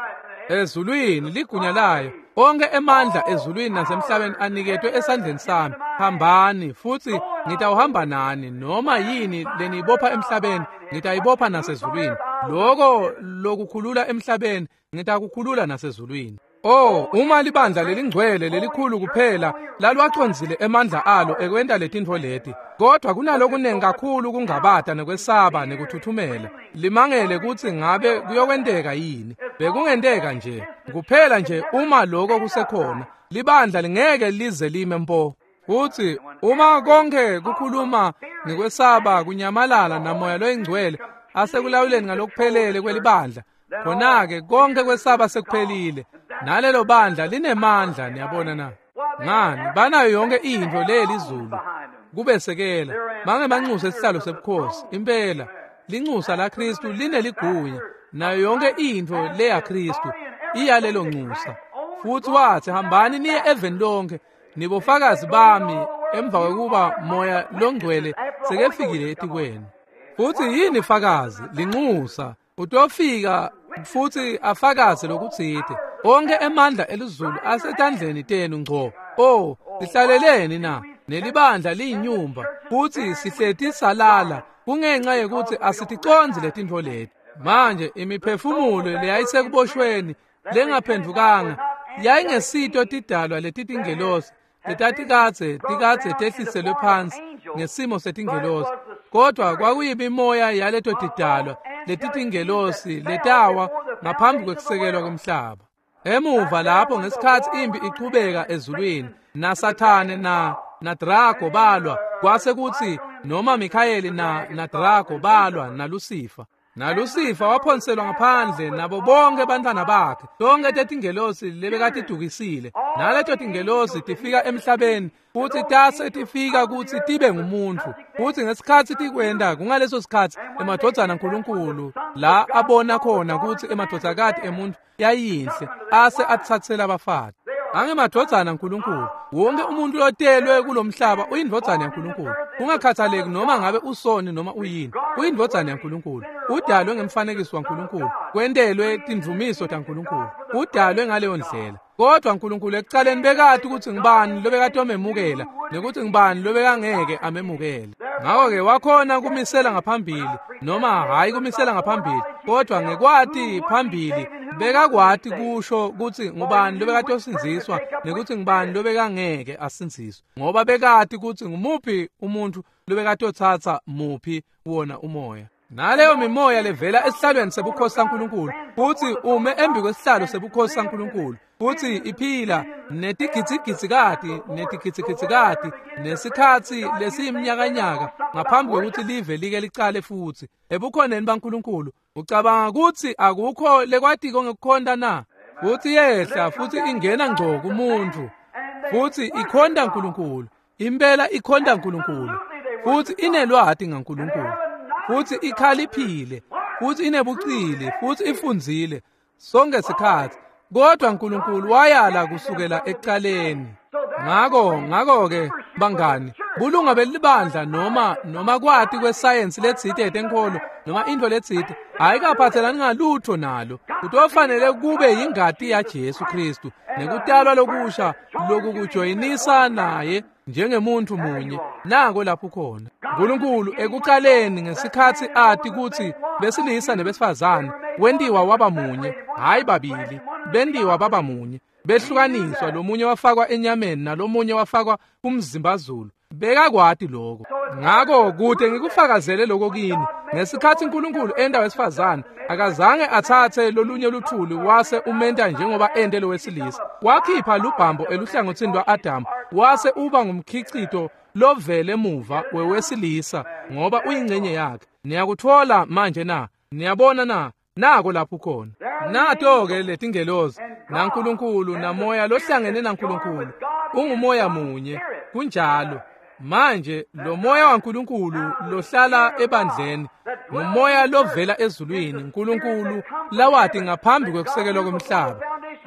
[SPEAKER 1] Ezulwini ligunya layo, onke emandla ezulwini nasemhlabeni aniketwe esandleni sami. Hambani, futhi ngitawuhamba nani. Noma yini leniyibopha emhlabeni ngitayibopha nasezulwini, loko lokukhulula emhlabeni ngitakukhulula nasezulwini. Oh, uma libandla lelingcwele lelikhulu kuphela lalwacondzile emandla alo ekwenta letintfo leti, kodwa kunalokunengi kakhulu kungabata nekwesaba nekuthuthumela. Limangele kutsi ngabe kuyokwenteka yini. Bekungenteka nje kuphela nje uma lokho kusekhona, libandla lingeke lize lime mpo. Futhi uma konke kukhuluma ngekwesaba kunyamalala namoya loyingcwele asekulawuleni ngalokuphelele kwelibandla, khona-ke konke kwesaba sekuphelile, nalelo bandla linemandla. Niyabona na? Ngani, banayo yonke intfo lelizulu kubesekela. Mange banxuse isihlalo sebukhosi. Impela linxusa la Kristu lineligunya, nayo yonke intfo leya Kristu iyalelo nxusa. Futhi wathi, hambani niye eveni lonke, nibofakazi bami, emva kwekuba moya longcwele sekefikile etikwenu. Futhi yini fakazi? Linxusa. Utofika futhi afakaze lokutsite. Onke emandla elizulu asetandleni tenu ngco. Oh, sihlaleleni na? Nelibandla liyinyumba, futhi sihleti salala kungenxa yekuthi asiticondzi letintfo leti. Manje imiphefumulo leyayisekuboshweni lengaphendvukanga yayingesito tidalwa letitingelosi letatikadze tikadze tehliselwe phansi ngesimo setingelosi, kodwa kwakuyimimoya yaleto tidalwa letitingelosi letawa ngaphambi kwekusekelwa komhlaba. Emuva lapho ngesikhatsi impi ichubeka ezulwini, naSathane na Drago balwa, kwase kutsi noma Mikhayeli na Drago balwa naLusifa. NaLusifa waphonselwa ngaphandle nabo bonke bantwana bakhe, tonke tetingelosi lebekatidukisile. Naleto tingelosi tifika emhlabeni futhi tase tifika kutsi tibe ngumuntfu. Futhi ngesikhatsi tikwenta, kungaleso sikhatsi emadvodzana aNkulunkulu la abona khona kutsi emadvodzakati emuntfu yayinhle, ase atsatsela abafati. Angemadvodzana aNkulunkulu. Wonke umuntu lotelwe kulomhlaba uyindvodzana yaNkulunkulu, kungakhathaleki noma ngabe usoni noma uyini, uyindvodzana yaNkulunkulu. Udalwe ngemfanekiso waNkulunkulu, kwentelwe tindvumiso taNkulunkulu, udalwe ngaleyo ndlela. Kodwa uNkulunkulu ekucaleni bekati ukuthi ngibani lobekatomemukela nekuthi ngibani lobekangeke amemukele. Ngako-ke wakhona kumisela ngaphambili, noma hhayi kumisela ngaphambili, kodwa ngekwati phambili bekakwati kusho kutsi ngubani lobekatosindziswa nekutsi ngubani lobekangeke asindziswe, ngoba bekati kutsi ngumuphi umuntfu lobekatotsatsa muphi wona umoya. Naleyo mimoya levela esihlalweni sebukhosi saNkulunkulu, futsi ume embi kwesihlalo sebukhosi saNkulunkulu, futsi iphila netigidzigitsikati netigidzigitsikati nesikhatsi lesiyiminyakanyaka ngaphambi kwekutsi live like licale futsi ebukhoneni baNkulunkulu. Ucabanga kutsi akukho lekwatiko ngekukhonta na? Futsi yehla futsi ingena ngco kumuntfu, futsi ikhonta Nkulunkulu, impela ikhonta Nkulunkulu, futsi inelwati ngaNkulunkulu, futsi ikhaliphile, futsi inebucili, futsi ifundzile sonke sikhatsi, kodwa Nkulunkulu wayala kusukela ekucaleni. Ngako-ke bangani, bulunga belibandla noma kwati kwesayensi letsite yetenkholo noma intfo letsite ayikaphatselani ngalutho nalo. Kutofanele kube yingati yaJesu Kristu nekutalwa lokusha lokukujoyinisa naye njengemuntfu munye. Nako lapho khona Nkulunkulu ekucaleni, ngesikhatsi ati kutsi besilisa nebesifazane wentiwa waba munye, hhayi babili, bentiwa baba munye, behlukaniswa, lomunye wafakwa enyameni nalomunye wafakwa kumzimbazulu. Bekakwati lokho. Ngako kude ngikufakazele lokho kini, ngesikhatsi Nkulunkulu enta wesifazane, akazange atsatse lolunye luthuli wase umenta njengoba ente lowesilisa. Wakhipha lubhambo eluhlangotsini lwa-Adamu, wase uba ngumkhicito lovele muva wewesilisa, ngoba uyingcenye yakhe. Niyakutfola manje na? Niyabona na? Nako lapho khona. Nato-ke letingelosi naNkulunkulu namoya lohlangene naNkulunkulu ungumoya munye. Kunjalo. Manje lo moya waNkulunkulu lohlala ebandleni ngumoya lovela ezulwini, Nkulunkulu lawati ngaphambi kwekusekelwa kwemhlaba,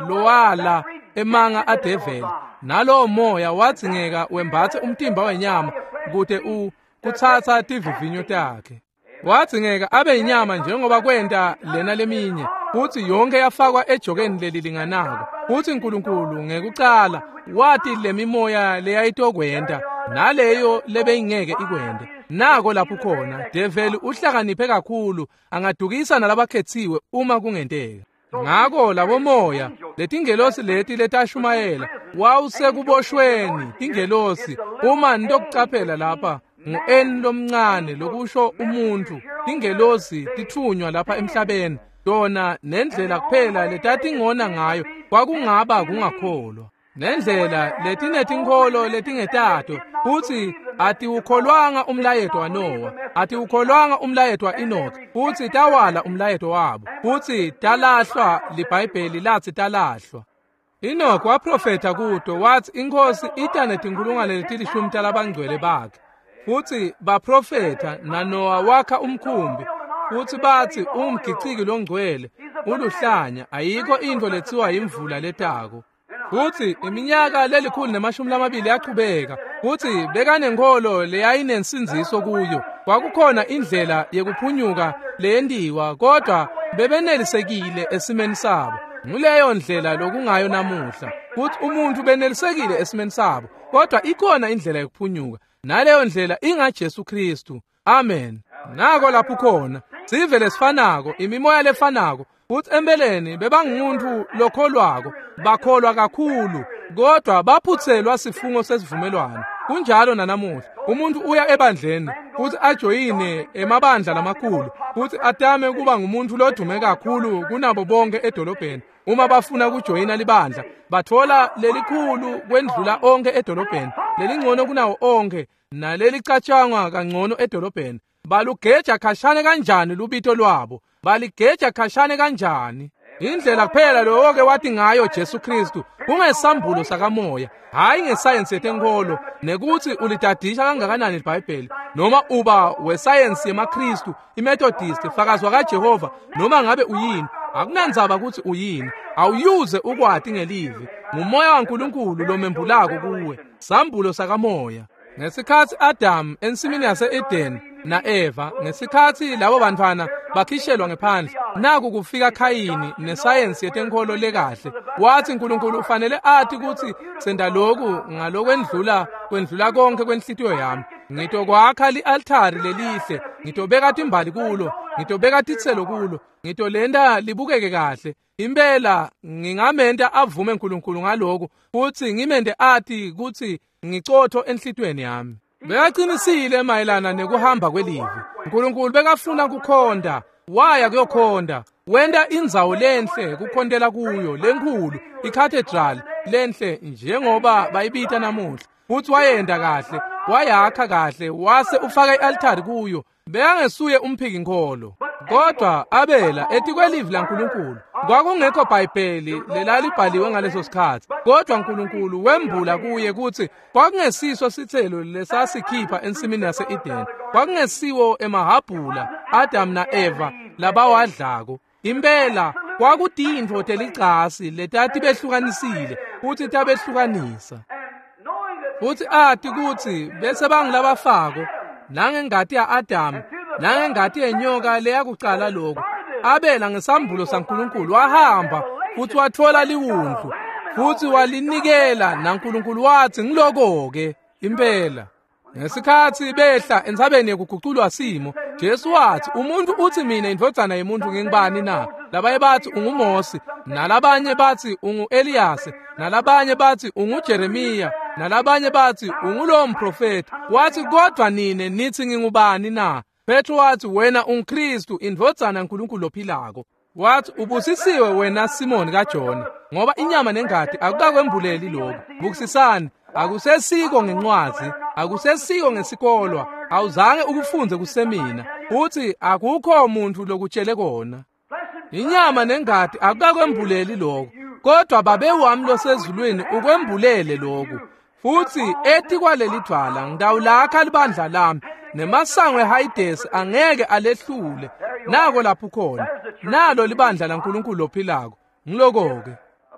[SPEAKER 1] lowala emanga adeveli. Nalowo moya wadzingeka wembatse umtimba wenyama kute kutsatsa tivivinyo takhe. Wadzingeka abe inyama njengoba kwenta lena leminye, futsi yonke yafakwa ejokeni lelilinganako. Futsi Nkulunkulu ngekucala wati lemimoya leyayitokwenta naleyo lebeyingeke ikwente. Nako lapho khona develi uhlakaniphe kakhulu, angadukisa nalabakhetsiwe uma kungenteka. Ngako labo moya letingelosi leti letashumayela wawusekuboshweni tingelosi. Uma nitokucaphela lapha ngu-N lomncane lokusho umuntfu, tingelosi titfunywa lapha emhlabeni, tona nendlela kuphela letatingona ngayo kwakungaba kungakholwa, nendlela letinetinkholo letingetato, futsi atiwukholwanga umlayeto waNowa, atiwukholwanga umlayeto wa-Enoch, futsi tawala umlayeto wabo, futsi talahlwa. LiBhayibheli latsi talahlwa. Enoch waprofetha kuto watsi iNkhosi ita netinkhulungwane letilishumi talabangcwele bakhe, futsi baprofetha naNowa wakha umkhumbi, futsi batsi ungumgiciki longcwele, uluhlanya, ayikho intfo letsiwa imvula letako. Futsi iminyaka 120 yachubeka, futsi bekanenkholo leyayinensindziso kuyo. Kwakukhona indlela yekuphunyuka leyentiwa, kodwa bebenelisekile esimeni sabo. Nguleyo ndlela lokungayo namuhla, futsi umuntfu benelisekile esimeni sabo, kodwa ikhona indlela yekuphunyuka, naleyo ndlela ingaJesu Kristu. Amen. Nako lapho khona sive lesifanako, imimoya lefanako, futsi empeleni bebangumuntu lokholwako, bakholwa kakhulu, kodwa baphutselwa sifungo sesivumelwano. Kunjalo nanamuhla, umuntu uya ebandleni futsi ajoyine emabandla lamakhulu, futsi atame kuba ngumuntu lodume kakhulu kunabo bonke edolobheni. Uma bafuna kujoyina libandla, batfola lelikhulu kwendlula onke edolobheni, lelingcono kunawo onke, nalelicatshangwa kangcono edolobheni. Balugeja khashane kanjani lubito lwabo, baligeja khashane kanjani. Indlela kuphela lowoke wathi ngayo Jesu Kristu kungesambulo sakamoya, hhayi ngesayensi yetenkholo, nekuthi ulitadisha kangakanani iBhayibheli, noma uba wesayensi yemaKristu, iMethodist, fakazi kaJehova, noma ngabe uyini. Akunandzaba ukuthi uyini, awuyuze ukwati ngelivi. Ngumoya waNkulunkulu lomembulako kuwe, sambulo sakamoya. Ngesikhatsi Adam ensimini yase-Eden na-Eva, ngesikhatsi labo bantfwana bakhishelwa ngephandle, naku kufika Khayini nesayensi yetenkholo lekahle. Wathi Nkulunkulu ufanele ati kutsi senta loku ngalokwendlula kwendlula konke kwenhlitiyo yami. Ngitokwakha li-altari lelihle, ngitobeka timbali kulo, ngitobeka titselo kulo, ngitolenta libukeke kahle. Impela ngingamenta avume uNkulunkulu ngaloko, futhi ngimente ati kutsi ngicotho enhlitiyweni yami. Bekaqinisile mayelana nekuhamba kwelivi. uNkulunkulu bekafuna kukhonta, waya kuyokhonta, wenta indzawo lenhle kukhontela kuyo lenkhulu, icathedral lenhle njengoba bayibita namuhla. Futhi wayenda kahle, wayakha kahle, wase ufaka i-altari kuyo. Bekangesuye umphikinkholo, kodwa Abela etikwelivi laNkulunkulu. Kwakungekho Bhayibheli lelalibhaliwe ngaleso sikhathi, kodwa uNkulunkulu wembula kuye kutsi kwakungesiso sitselo lesasikhipha ensimini yase-Edeni, kwakungesiwo emahabhula Adam na-Eva labawadlako. Impela kwakutintfo telicasi letatibehlukanisile futhi tabehlukanisa. Futhi ati kutsi bese bangilabafako nangengati ya-Adamu nangengati yenyoka leyakucala lokho. Abela ngesambulo saNkulunkulu wahamba futhi wathola liwundlu futhi walinikela, naNkulunkulu wathi ngiloko-ke impela. Ngesikhathi behla entsabeni yekuguculwa simo, Jesu wathi, umuntu uthi mina indvodzana yemuntu ngingubani na? Labanye bathi unguMosi, nalabanye bathi ungu-Eliyasi, nalabanye bathi unguJeremiya, nalabanye bathi ungulowo mprofeti. Wathi kodwa nine nithi ngingubani na? Petro wathi wena unguKristu, indvodzana yaNkulunkulu lophilako. Wathi ubusisiwe wena Simoni kaJona, ngoba inyama nengati akukakwembuleli lokhu. Bukisisani, akusesiko ngencwazi, akusesiko ngesikolwa, awuzange ukufunze kusemina, uthi akukho muntu lokutshele kona. Inyama nengati akukakwembuleli lokhu, kodwa Babe wami losezulwini ukwembulele lokhu. Futhi etikwaleli dvwala ngitawulakha libandla lami, nemasango eHayidesi angeke alehlule. Nako lapho khona, nalo libandla laNkulunkulu lophilako. Ngiloko-ke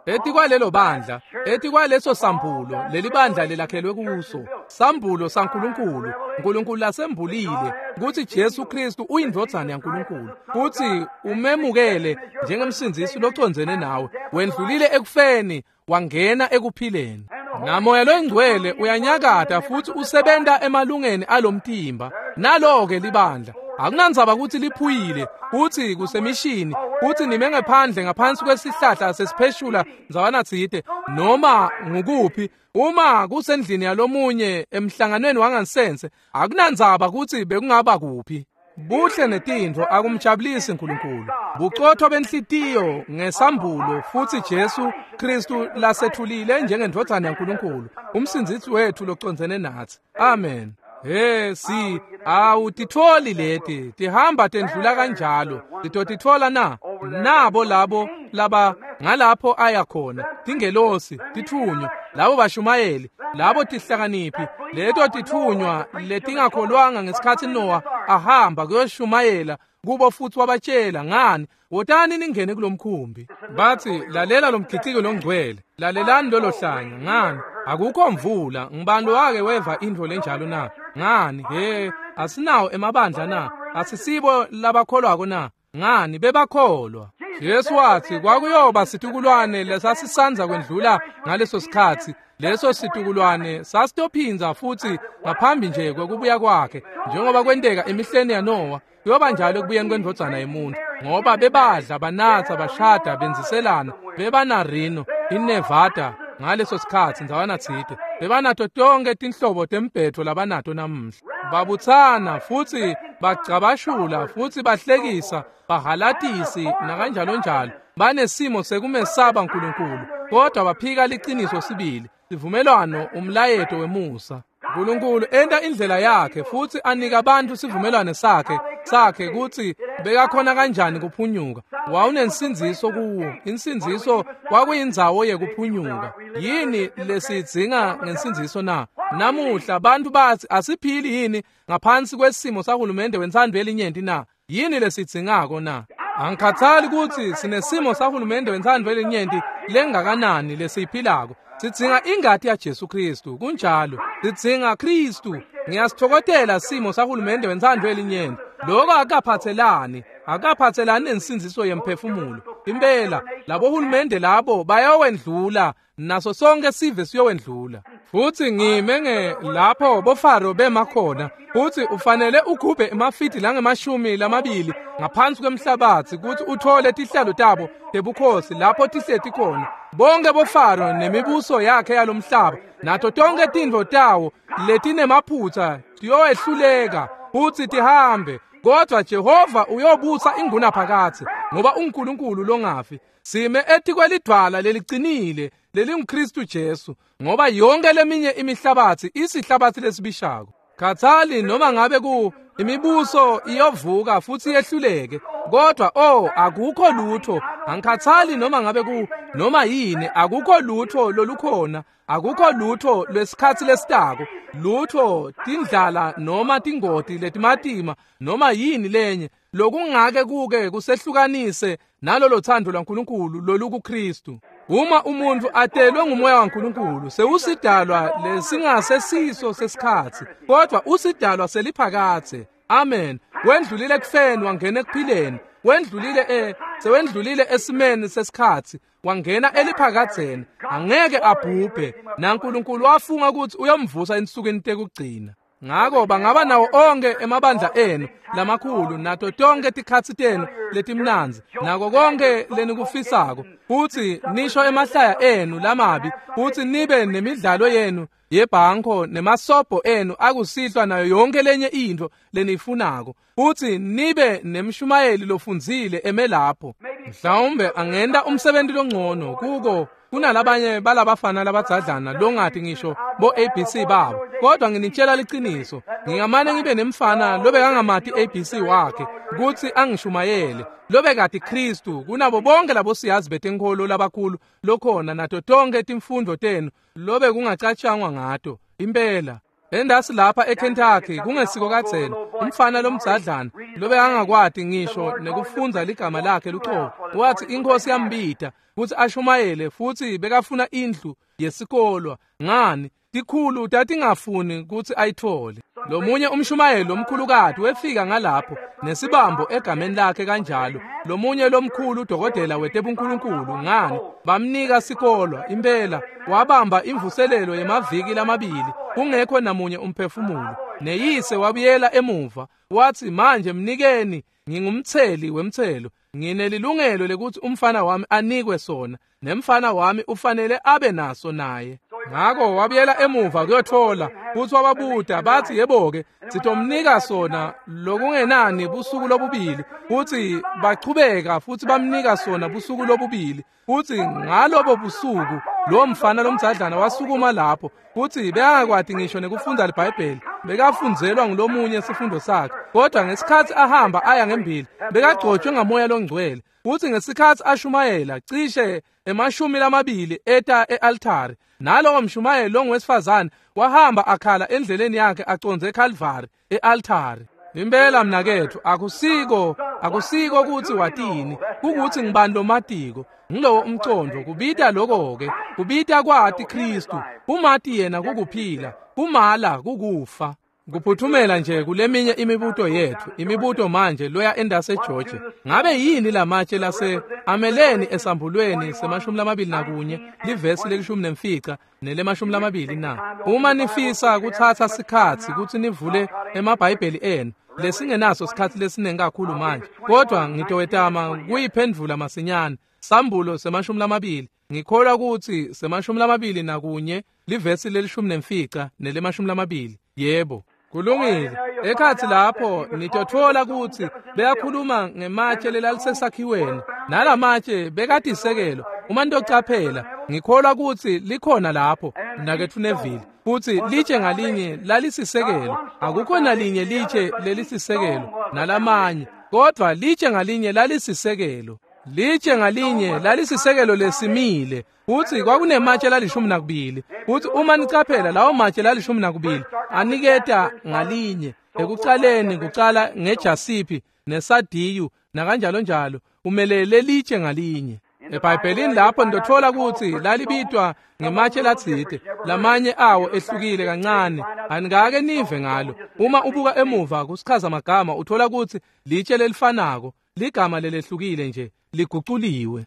[SPEAKER 1] etikwalelo bandla, etikwaleso sambulo leli bandla lelakhelwe kuso, sambulo saNkulunkulu. uNkulunkulu lasembulile kutsi Jesu Kristu uyindvodzana yaNkulunkulu, kutsi umemukele njengemsindzisi locondzene nawe, wendlulile ekufeni wangena ekuphileni. Namoya loyingcwele uyanyakata futhi usebenta emalungeni alomtimba. Nalo-ke libandla akunandzaba kutsi liphuyile, kutsi kusemishini, kutsi nime ngephandle ngaphansi kwesihlahla sesipheshula ndzawana tsite, noma ngukuphi, uma kusendlini yalomunye emhlanganweni wangansense, akunandzaba kutsi bekungaba kuphi. Buhle netintfo akumjabulisi uNkulunkulu. Bucotho benhlitiyo ngesambulo futhi Jesu Kristu lasethulile njengendvodzana yaNkulunkulu, umsindzisi wethu locondzene natsi. Amen. He si awutitfoli leti tihamba tendlula kanjalo, titotitfola na? Nabo labo laba ngalapho aya khona, tingelosi, titfunywa, labo bashumayeli, labo tihlakaniphi, leto titfunywa letingakholwanga ngesikhathi Noah ahamba kuyoshumayela kubo futhi wabatshela ngani, wotani ningene kulomkhumbi. Bathi lalela lomgiciko longcwele, lalelani lolo hlanya, ngani akukho mvula, ngibani wake weva intfo lenjalo na? Ngani he asinawo emabandla na? Asisibo labakholwako na? Ngani bebakholwa. Jesu wathi kwakuyoba situkulwane lesasisandza kwendlula ngaleso sikhathi. Leso situkulwane sasitophinza futhi ngaphambi nje kwekubuya kwakhe, njengoba kwenteka emihleni yaNoah, kuyoba njalo ekubuyeni kwendvodzana yemuntu, ngoba bebadla, banatsa, bashada, benziselana, bebanarino, iNevada ngaleso sikhathi ndzawana tsite, bebanato tonke tinhlobo tembhetfo labanato namuhla. Babutsana futhi bagcabashula futhi bahlekisa, bahalatisi nakanjalo njalo, banesimo sekumesaba uNkulunkulu, kodwa baphika liciniso sibili, sivumelwano, umlayeto wemusa. uNkulunkulu enta indlela yakhe futhi anika abantu sivumelwano sakhe kutsi bekakhona kanjani kuphunyuka. Wawunensindziso kuwo, insindziso kwakuyindzawo yekuphunyuka. Yini lesidzinga ngensindziso na? Namuhla bantu bathi asiphili yini ngaphansi kwesimo sahulumende wentsandvo yelinyenti na? Yini lesidzingako na? Angikhathali kutsi sinesimo sahulumende wentsandvo yelinyenti lengakanani lesiyiphilako. Sidzinga ingati yaJesu Kristu, kunjalo. Sidzinga Kristu. Ngiyasithokotela simo sahulumende wentsandvo yelinyenti. Lokho akaphatselani, akaphatselani nensindziso yemphefumulo. Impela labohulumende labo bayawendlula, naso sonke sive siyowendlula. Futhi ngime nge lapho boFaro bema khona, futhi ufanele ugubhe emafidi langemashumi lamabili ngaphansi kwemhlabathi ukuthi uthole tihlalo tabo tebukhosi lapho tihleti khona. Bonke boFaro nemibuso yakhe yalomhlaba nato tonke tintfo tawo letinemaphutsa tiyowehluleka futhi tihambe, kodwa Jehova uyobusa ingunaphakadze, ngoba uNkulunkulu longafi. Sime etikwelidvwala lelicinile lelinguKristu Jesu, ngoba yonke leminye imihlabathi isihlabathi lesibishako. Khathali noma ngabe ku imibuso iyovuka futhi yehluleke, kodwa akukho lutho. Angikhathali noma ngabe ku noma yini, akukho lutho lolukhona, akukho lutho lwesikhathi lesitako, lutho tindlala noma tingoti letimatima noma yini lenye lokungake kuke kusehlukanise nalolo thando lwaNkulunkulu lolukuKristu. Uma umuntu atelwe ngumoya waNkulunkulu, sewusidalwa lesingasesiso sesikhathi, kodwa usidalwa seliphakadze. Amen. Wendlulile ekufeni wangena ekuphileni, wendlulile sewendlulile esimeni sesikhathi wangena eliphakadzeni. Angeke abhubhe, naNkulunkulu wafunga ukuthi uyomvusa ensukwini tekugcina. Ngako bangaba nawo onke emabandla enu lamakhulu nato tonke tikhatsi tenu letimnandzi nako konke lenikufisako, futhi nisho emahlaya enu lamabi, futhi nibe nemidlalo yenu yebhanko nemasobho enu akusihlwa nayo yonke lenye intfo leniyifunako, futhi nibe nemshumayeli lofundzile emelapho. Mhlawumbe angenta umsebenzi longcono kuko kunalabanye balabafana labadzadlana longathi ngisho bo ABC babo, kodwa nginitshela liqiniso, ngingamane ngibe nemfana lobekangamati ABC wakhe kutsi angishumayele, lobekati Kristu kunabo bonke labo siyazi betenkholo labakhulu lokhona nato tonke timfundo tenu lobe kungacatshangwa ngato. Impela endasi lapha eKentucky kungesiko kadzeni, umfana lomdzadlana lobekangakwati ngisho nekufundza ligama lakhe luqobo, wathi inkosi yambita kutsi ashumayele, futhi bekafuna indlu yesikolwa. Ngani, tikhulu tatingafuni kutsi ayithole. Lomunye umshumayeli lomkhulukati wefika ngalapho nesibambo egameni lakhe kanjalo, lomunye lomkhulu udokotela wetebunkulunkulu. Ngani, bamnika sikolwa. Impela wabamba imvuselelo yemaviki lamabili kungekho namunye umphefumulo. Neyise wabuyela emuva wathi, manje mnikeni, ngingumtheli wemthelo, nginelilungelo lekuthi umfana wami anikwe sona, nemfana wami ufanele abe naso naye. Ngako wabuyela emuva kuyothola, futhi wababuta bathi, yebo-ke sitomnika sona lokungenani busuku lobubili. Futhi bachubeka futhi bamnika sona busuku lobubili. Futhi ngalobo busuku lo mfana lomdzadlana wasukuma lapho, futhi bekangakwati ngisho nekufundza liBhayibheli, bekafundzelwa ngulomunye sifundo sakhe, kodwa ngesikhathi ahamba aya ngembili bekagcotshwe ngamoya longcwele. Futhi ngesikhathi ashumayela cishe 20 eta e-altari, nalowo mshumayeli longowesifazane wahamba akhala endleleni yakhe aconze eCalvary e-altari. Impela mnakethu, akusiko ukuthi watini, kukuthi ngibani lomatiko. Ngilowo umcondo kubita lokho-ke, kubita kwati Kristu, kumati yena kukuphila, kumala kukufa. Kuphuthumela nje kuleminye imibuto yethu, imibuto manje loya endase Georgia. Ngabe yini lamatshe lase ameleni esambulweni se-21 livesi le-15 nele-20 na? Uma nifisa kuthatha sikhatsi kutsi nivule emaBhayibheli enu, lesingenaso sikhatsi lesiningi kakhulu manje, kodwa ngitowetama kuyiphendvula masinyane. Sambulo se-20, ngikholwa kutsi se-21 livesi le-15 nele-20. Yebo, kulungile. Ekhatsi lapho nitotfola kutsi beyakhuluma ngematshe lelalisesakhiweni, nalamatshe bekatisekelo. Uma nitocaphela, ngikholwa kutsi likhona lapho mnaketfu Neville, futsi litshe ngalinye lalisisekelo. Akukho nalinye litshe lelisisekelo nalamanye, kodwa litshe ngalinye lalisisekelo. Litshe ngalinye lalisisekelo lesimile, futsi kwakunematshe lali-12. Futsi uma nicaphela lawo matshe lali-12 aniketa ngalinye ekucaleni, kucala ngejasiphi nesadiyu nakanjalo njalo, umelele litshe ngalinye. EBhayibhelini lapho nitotfola kutsi lalibitwa ngematshe latsite, lamanye awo ehlukile kancane, anikake nive ngalo. Uma ubuka emuva kusichaza magama uthola kutsi litshe lelifanako, ligama lelehlukile nje. liguculiwe.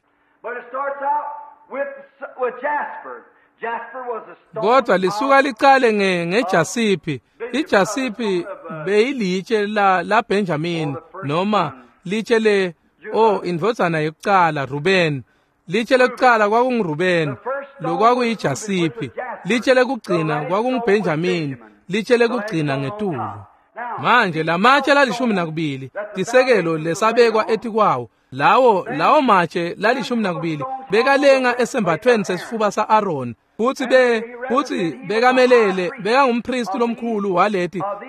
[SPEAKER 1] Kodwa lisuka licale ngejasiphi. Ijasiphi beyilitshe la Benjamin, noma litshe le indvodzana yokucala Ruben. Litshe lokucala kwakunguRuben, lokwakuyijasiphi. Litshe lekugcina kwakunguBenjamin, litshe lekugcina ngetulu. Manje lamatshe la-12 tisekelo lesabekwa etikwawo. Lawo matshe la-12 bekalenga esembathweni sesifuba sa-Aaron, futhi bekamelele bekangumpristi lomkhulu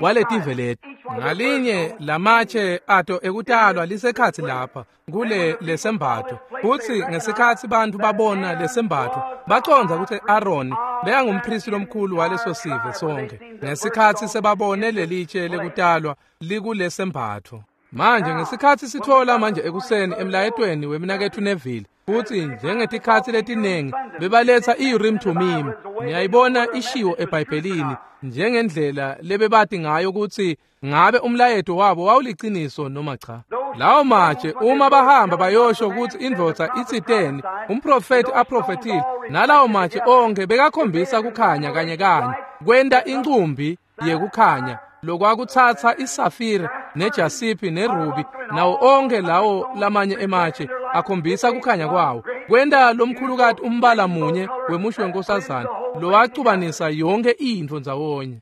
[SPEAKER 1] waletive leti. Ngalinye lamatshe ato ekutalwa lisekhatsi lapha kule lesembatho, futhi ngesikhatsi bantu babona lesembatho bacondza ukuthi Aaron bekangumpristi lomkhulu waleso sive sonke ngesikhatsi sebabone lelitshe lekutalwa likulesembatho. Manje ngesikhatsi sithola manje ekuseni emlayetweni wemnaketfu Neville, futhi njengetikhatsi letiningi bebaletha i-Urim Thummim. Niyayibona ishiwo eBhayibhelini njengendlela lebebati ngayo ukuthi ngabe umlayeto wabo wawuliciniso noma cha. Lawo matshe uma bahamba bayosho ukuthi indvodza itsiteni, umprofeti aprofetile, nalawo matshe onke bekakhombisa kukhanya kanye kanye, kwenta incumbi yekukhanya lokwakutsatsa isafire nejasiphi nerubi nawo onke lawo lamanye ematshe akhombisa kukhanya kwawo, kwenta lomkhulukati umbala munye wemusho wenkosazana lowacubanisa yonke intfo ndzawonye.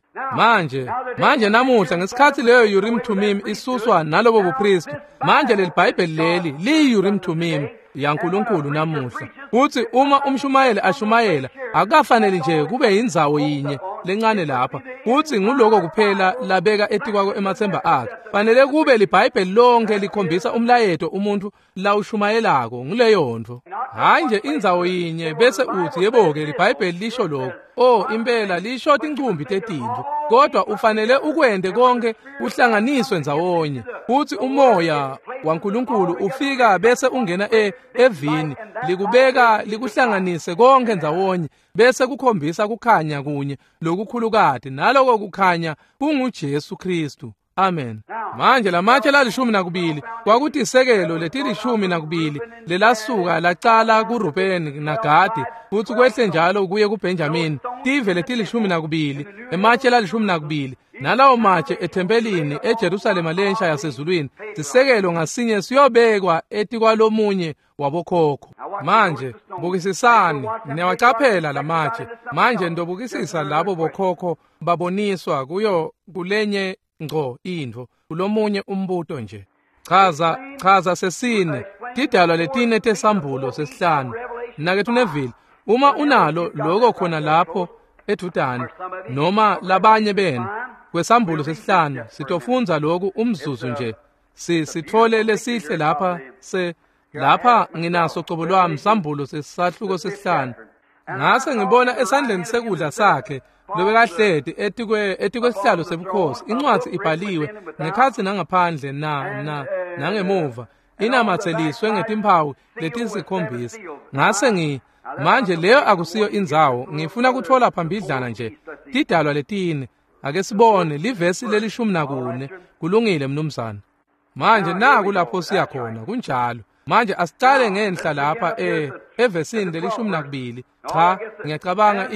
[SPEAKER 1] Manje namuhla ngesikhatsi leyo Urim Thummim isuswa nalobo bupristi, manje leli Bhayibheli leli liyi-Urim Thummim yaNkulunkulu namuhla. Futhi uma umshumayeli ashumayela, akukafanele nje kube yindzawo yinye lencane lapha, futhi nguloko kuphela labeka etikwako emathemba akhe. Fanele kube liBhayibheli lonke likhombisa umlayeto umuntu lawushumayelako nguleyo nto. Hayi nje indzawo yinye bese uthi yebo-ke liBhayibheli lisho lokho. Impela lisho tincumbi tetintfo, kodwa ufanele ukwente konke kuhlanganiswe ndzawonye. Futhi umoya waNkulunkulu ufika bese ungena evini, likubeka likuhlanganise konke ndzawonye, bese kukhombisa kukhanya kunye lokukhulukati, naloko kukhanya kunguJesu Kristu. Amen. Manje lamatshe la-12 kwakutisekelo leti-12 lelasuka lacala kuRubeni naGadi, futhi kwehle njalo kuye kuBenjamin, tive leti-12, ematshe la-12, nalawo matshe ethempelini eJerusalema lensha yasezulwini. Sisekelo ngasinye siyobekwa etikwalomunye wabokhokho. Manje bukisisani, niyawacaphela lamatshe. Manje ndobukisisa labo bokhokho baboniswa kuyo kulenye ngco intfo, kulomunye umbuto nje. Chaza sesine, tidalwa letine tesambulo sesihlanu. Mnaketfu Neville, uma unalo lokho khona lapho edudane noma labanye benu kwesambulo sesihlanu, sitofundza lokhu umzuzu nje. Sithole lesihle lapha lapha nginaso cobo lwami sambulo sesahluko sesihlanu. Ngase ngibona esandleni sekudla sakhe lobekahleti etikwesihlalo sebukhosi incwadi ibhaliwe ngekhatsi nangaphandle na nangemuva, inamatseliswe ngetimphawu letisikhombisa. Ngase manje leyo akusiyo indzawo, ngifuna kutfola phambidlana nje tidalwa letine. Ake sibone livesi leli-14. Kulungile mnumzana. Manje naku lapho siya khona, kunjalo. Manje asicale ngenhla lapha evesini leli-12. Cha, ngiyacabanga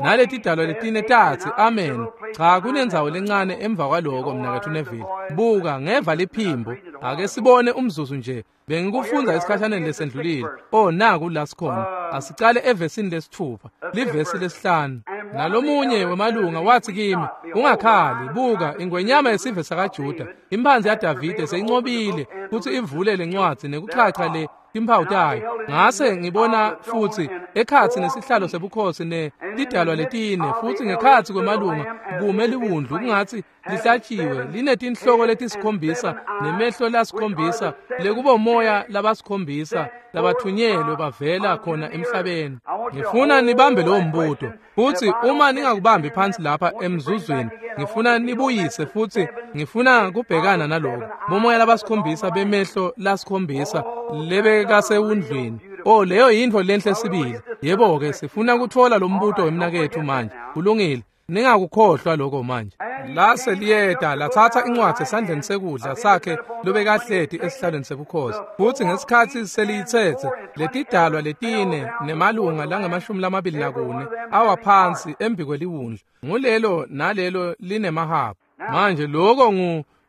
[SPEAKER 1] naleti dalwa letine tatsi amen. Cha, kunendzawo lencane emva kwaloko mnaketfu Neville. Buka, ngeva liphimbo. Ake sibone umzuzu nje. Bengikufundza esikhashaneni lesendlulile. Naku la sikhona. Asicale evesini lesi-6, livesi lesi-5. Nalomunye wemalunga wathi kimi, ungakhali, buka ingwenyama yesive sakaJuda, imphanzi yaDavide seyincobile futhi ivule lencwadzi nekuchacha le timphawu tayo. Ngase ngibona futhi ekhatsi nesihlalo sebukhosi netidalwa letine, futhi ngekhatsi kwemalunga kume liwundlu kungatsi lihlatshiwe, linetinhloko letisikhombisa nemehlo lasikhombisa, lekubomoya labasikhombisa labathunyelwe bavela khona emhlabeni. Ngifuna nibambe lowo mbuto, futhi uma ningakubambi phansi lapha emzuzwini, ngifuna nibuyise futhi ngifuna kubhekana naloko. Bomoya labasikhombisa bemehlo lasikhombisa lebekasewundlwini. Leyo yintfo lenhle sibili. Yebo-ke, sifuna kutfola lo mbuto wemnaketfu manje. Kulungile, ningakukhohlwa lokho manje. Lase liyeta latsatsa incwadzi esandleni sekudla sakhe lobekahleti esihlalweni sebukhosi. Futsi ngesikhatsi seliyitsetse letidalwa letine nemalunga langama-24 awa phansi embikweliwundlu. Ngulelo nalelo linemahabhu. Manje lokho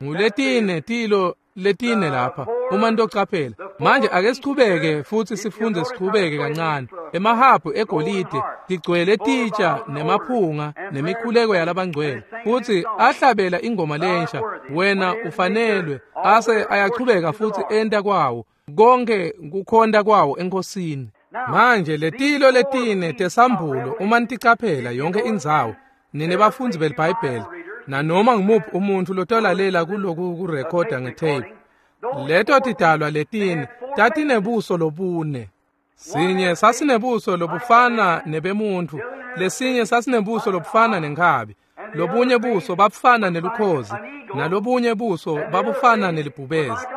[SPEAKER 1] nguletine tilo letine lapha uma nitocaphela. Manje ake sichubeke futhi sifunde sichubeke kancane. Emahabhu egolide tigcwele titsha nemaphunga nemikhuleko yalabangcwele, futhi ahlabela ingoma lensha, wena ufanelwe. Ase ayachubeka futhi enta kwawo konke kukhonta kwawo enkosini. Manje letilo letine tesambulo uma niticaphela yonke indzawo, nine bafundzi beliBhayibheli nanoma ngimuphi umuntu lotolalela kuloku kurekhoda ngetape, leto tidalwa letine tatinebuso lobune. Sinye sasinebuso lobufana nebemuntu, lesinye sasinebuso lobufana nenkhabi, lobunye buso babufana nelukhozi, nalobunye buso babufana nelibhubezi.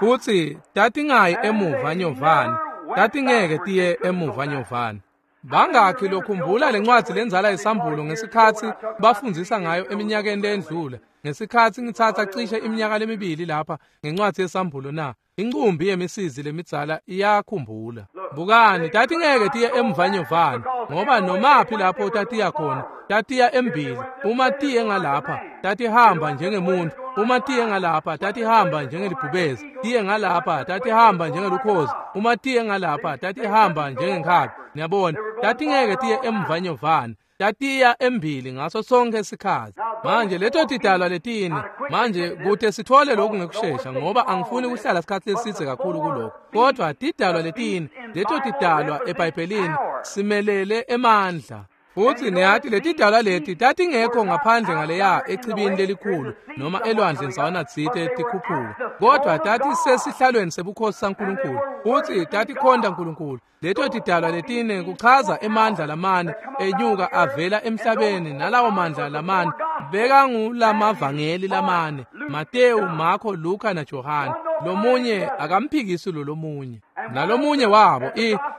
[SPEAKER 1] Futsi tatingayi emuva nyovane, tatingeke tiye emuva nyovane. Bangakhi lokhumbula lencwadzi lendzala yesambulo ngesikhatsi bafundzisa ngayo eminyakeni lendlula, ngesikhatsi ngitsatsa cishe iminyaka lemibili lapha ngencwadzi yesambulo na? Incumbi yemisizi lemidzala iyakhumbula. Bukani, tatingeke tiye emvanyovane, ngoba nomaphi lapho tatiya khona tatiya embili. Uma tiye ngalapha tatihamba njengemuntu, uma tiye ngalapha tatihamba njengelibhubezi, tiye ngalapha tatihamba njengelukhozi, uma tiye ngalapha tatihamba njengenkhabi. Niyabona, tatingeke tiye emvanyovane, tatiya embili ngaso sonke isikhatsi. Manje leto tidalwa letine, manje kute sithole lokhu ngekushesha ngoba angifuni kuhlala isikhatsi lesidze kakhulu kulokho, kodwa tidalwa letine, leto tidalwa eBhayibhelini simelele emandla. Futsi niyati letidalwa leti tatingekho ngaphandle ngaleya echibini lelikhulu noma elwandle ndzawana tsite tikhuphuka, kodwa tatisesihlalweni sebukhosi saNkulunkulu futsi tatikhonta Nkulunkulu. Leto tidalwa letine kuchaza emandla lamane enyuka avela emhlabeni, nalawo mandla lamane bekangulamavangeli lamane, Matewu, Marko, Luka naJohane. Lomunye akamphikisi lo lomunye. Nalomunye wabo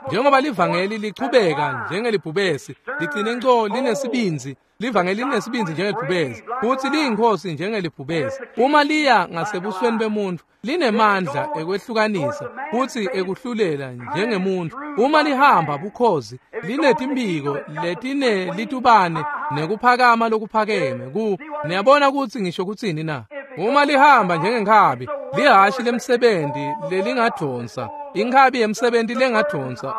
[SPEAKER 1] njengoba livangeli lichubeka njengelibhubesi, ligcine nco linesibindzi, livangeli linesibindzi njengelibhubesi, futsi liyinkhosi njengelibhubesi. Uma liya ngasebusweni bemuntu, linemandla ekwehlukanisa futsi ekuhlulela njengemuntu. Uma lihamba bukhozi, linetimphiko letine litubane nekuphakama lokuphakeme. Niyabona kutsi ngisho kutsini na? Uma lihamba njengenkhabi, lihashi lemsebenzi lelingadonsa, inkhabi yemsebenzi lengadonsa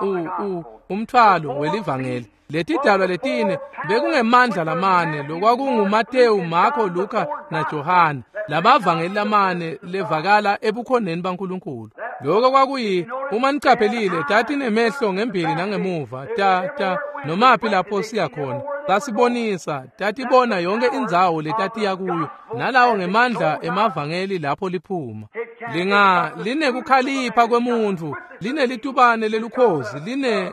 [SPEAKER 1] umthwalo welivangeli. Letidalwa letine bekungemandla lamane, lokwakunguMatewu, Marko, Luka naJohane, lamavangeli lamane levakala ebukhoneni baNkulunkulu. Lokho kwakuyi, uma nicaphelile, tatinemehlo ngembili nangemuva, ta nomaphi lapho siya khona tasibonisa, tatibona yonke indzawo letatiya kuyo, nalawo ngemandla emavangeli lapho liphuma. Linga linekukhalipha kwemuntu, linelitubane lelukhozi, line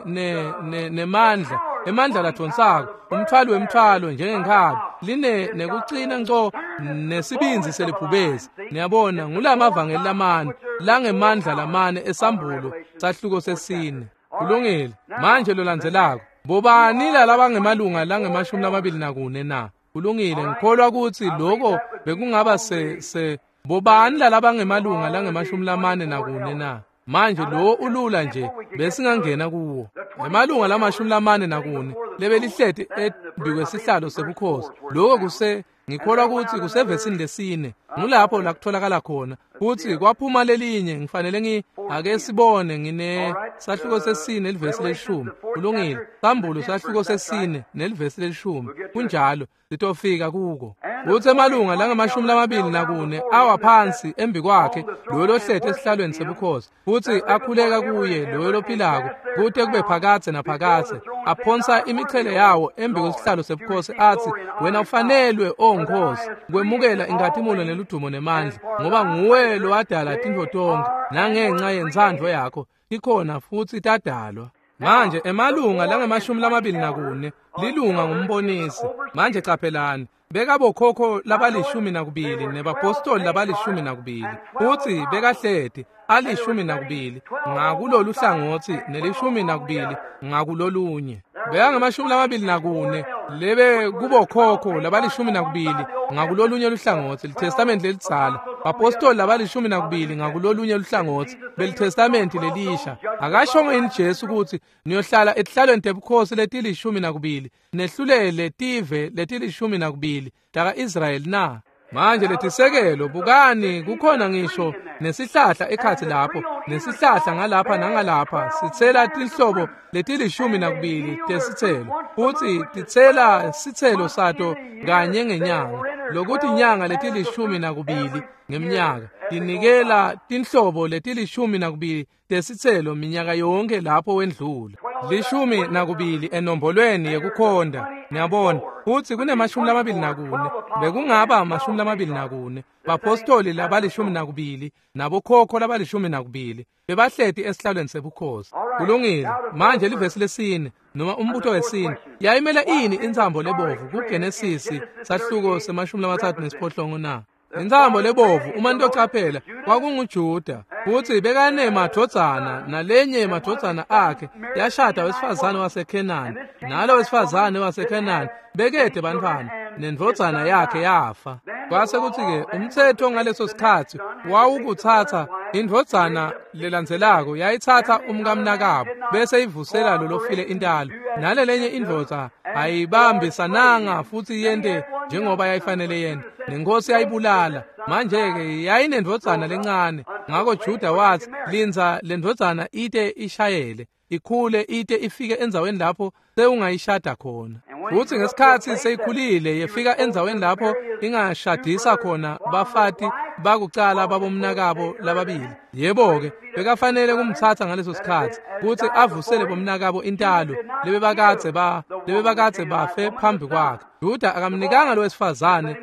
[SPEAKER 1] nemandla, emandla ladonsako, umthwalo wemthwalo njengenkhabi, line nekucina nco nesibindzi selibhubesi. Niyabona, ngulamavangeli lamane langemandla lamane esambulo sahluko sesine. Kulungile. Manje lolandzelako, bobani labangemalunga langama-24 na? Kulungile, ngikholwa kutsi lokho bekungaba se bobani labangemalunga langama-44 na? Manje lo ulula nje besingangena kuwo. Emalunga lama-44 lebelihleti embikwesihlalo sebukhosi. Lokho kuse ngikholwa kutsi kusevesini lesine, ngulapho la kutholakala khona. Futsi kwaphuma lelinye, ngifanele ake sibone ngine sahluko sesine elivesi lelishumi. Kulungile, sambulo sahluko sesine nelivesi lelishumi. Kunjalo, sitofika kuko. Utsi emalunga langama-24 awa phansi embikwakhe loyo lohleti esihlalweni sebukhosi, futsi akhuleka kuye loyo lophilako kute kube phakadze naphakadze, aphonsa imichele yawo embikwesihlalo sebukhosi atsi, wena ufanelwe, O Nkosi, kwemukela inkhatimulo neludumo nemandla, ngoba nguwe lowadala tintfo tonkhe, nangenxa yentsandvo yakho tikhona futsi tadalwa. Manje emalunga langama-24 lilunga ngumbonisi. Manje caphelani, bekabokhokho labali-12 nebapostoli labali-12, futsi bekahleti ali-12 ngakulolu hlangotsi neli-12 ngakulolunye. Bekangama-24 lebe kubokhokho labali 12 ngakulolunye luhlangotsi litestamenti lelidzala, bapostoli labali 12 ngakulolunye luhlangotsi belitestamenti lelisha. Akashongo yini Jesu ukuthi niyohlala etihlalweni tebukhosi letili 12 nehlulele tive letili 12 taka-Israyeli na? Manje letisekelo, bukani, kukhona ngisho nesihlahla ekhatsi lapho, nesihlahla ngalapha nangalapha, sitsela tinhlobo letili 12 tesitselo, futsi titsela sitselo sato kanye ngenyanga, lokuthi inyanga letili 12 ngemnyaka, tinikela tinhlobo letili 12 tesitselo minyaka yonke lapho wendlula. 12 enombolweni yekukhonda, niyabona, futsi kunema-24, bekungaba 24 bapostoli labali 12 nabokhokho labali 12 bebahleti esihlalweni sebukhosi. Kulungile. Manje livesi lesine noma umbuto wesine, yayimele ini intsambo lebovu kuGenesisi sahluko se-38 na? Intsambo lebovu, uma nitocaphela, kwakunguJuda, futsi bekanemadvodzana, nalenye yemadvodzana akhe yashada wesifazane waseKhenani, nalo wesifazane waseKhenani bekede bantfwana, nendvodzana yakhe yafa. Kwase kutsi-ke umtsetfo ngaleso sikhatsi wawukutsatsa indvodzana lelandzelako yayitsatsa umkamnakabo bese ivusela lolofile intalo, nalelenye indvodza ayibambisananga futsi yente njengoba yayifanele yente, nenkosi yayibulala. Manje-ke yayinendvodzana lencane, ngako Juda watsi lindza lendvodzana ite ishayele, ikhule ite ifike endzaweni lapho sewungayishada khona. Futsi ngesikhatsi seyikhulile yefika endzaweni lapho ingashadisa khona bafati bakucala babomnakabo lababili. Yebo-ke, bekafanele kumtsatsa ngaleso sikhatsi kutsi avusele bomnakabo intalo lebebakadze bafe phambi kwakhe. Juda akamnikanga lowesifazane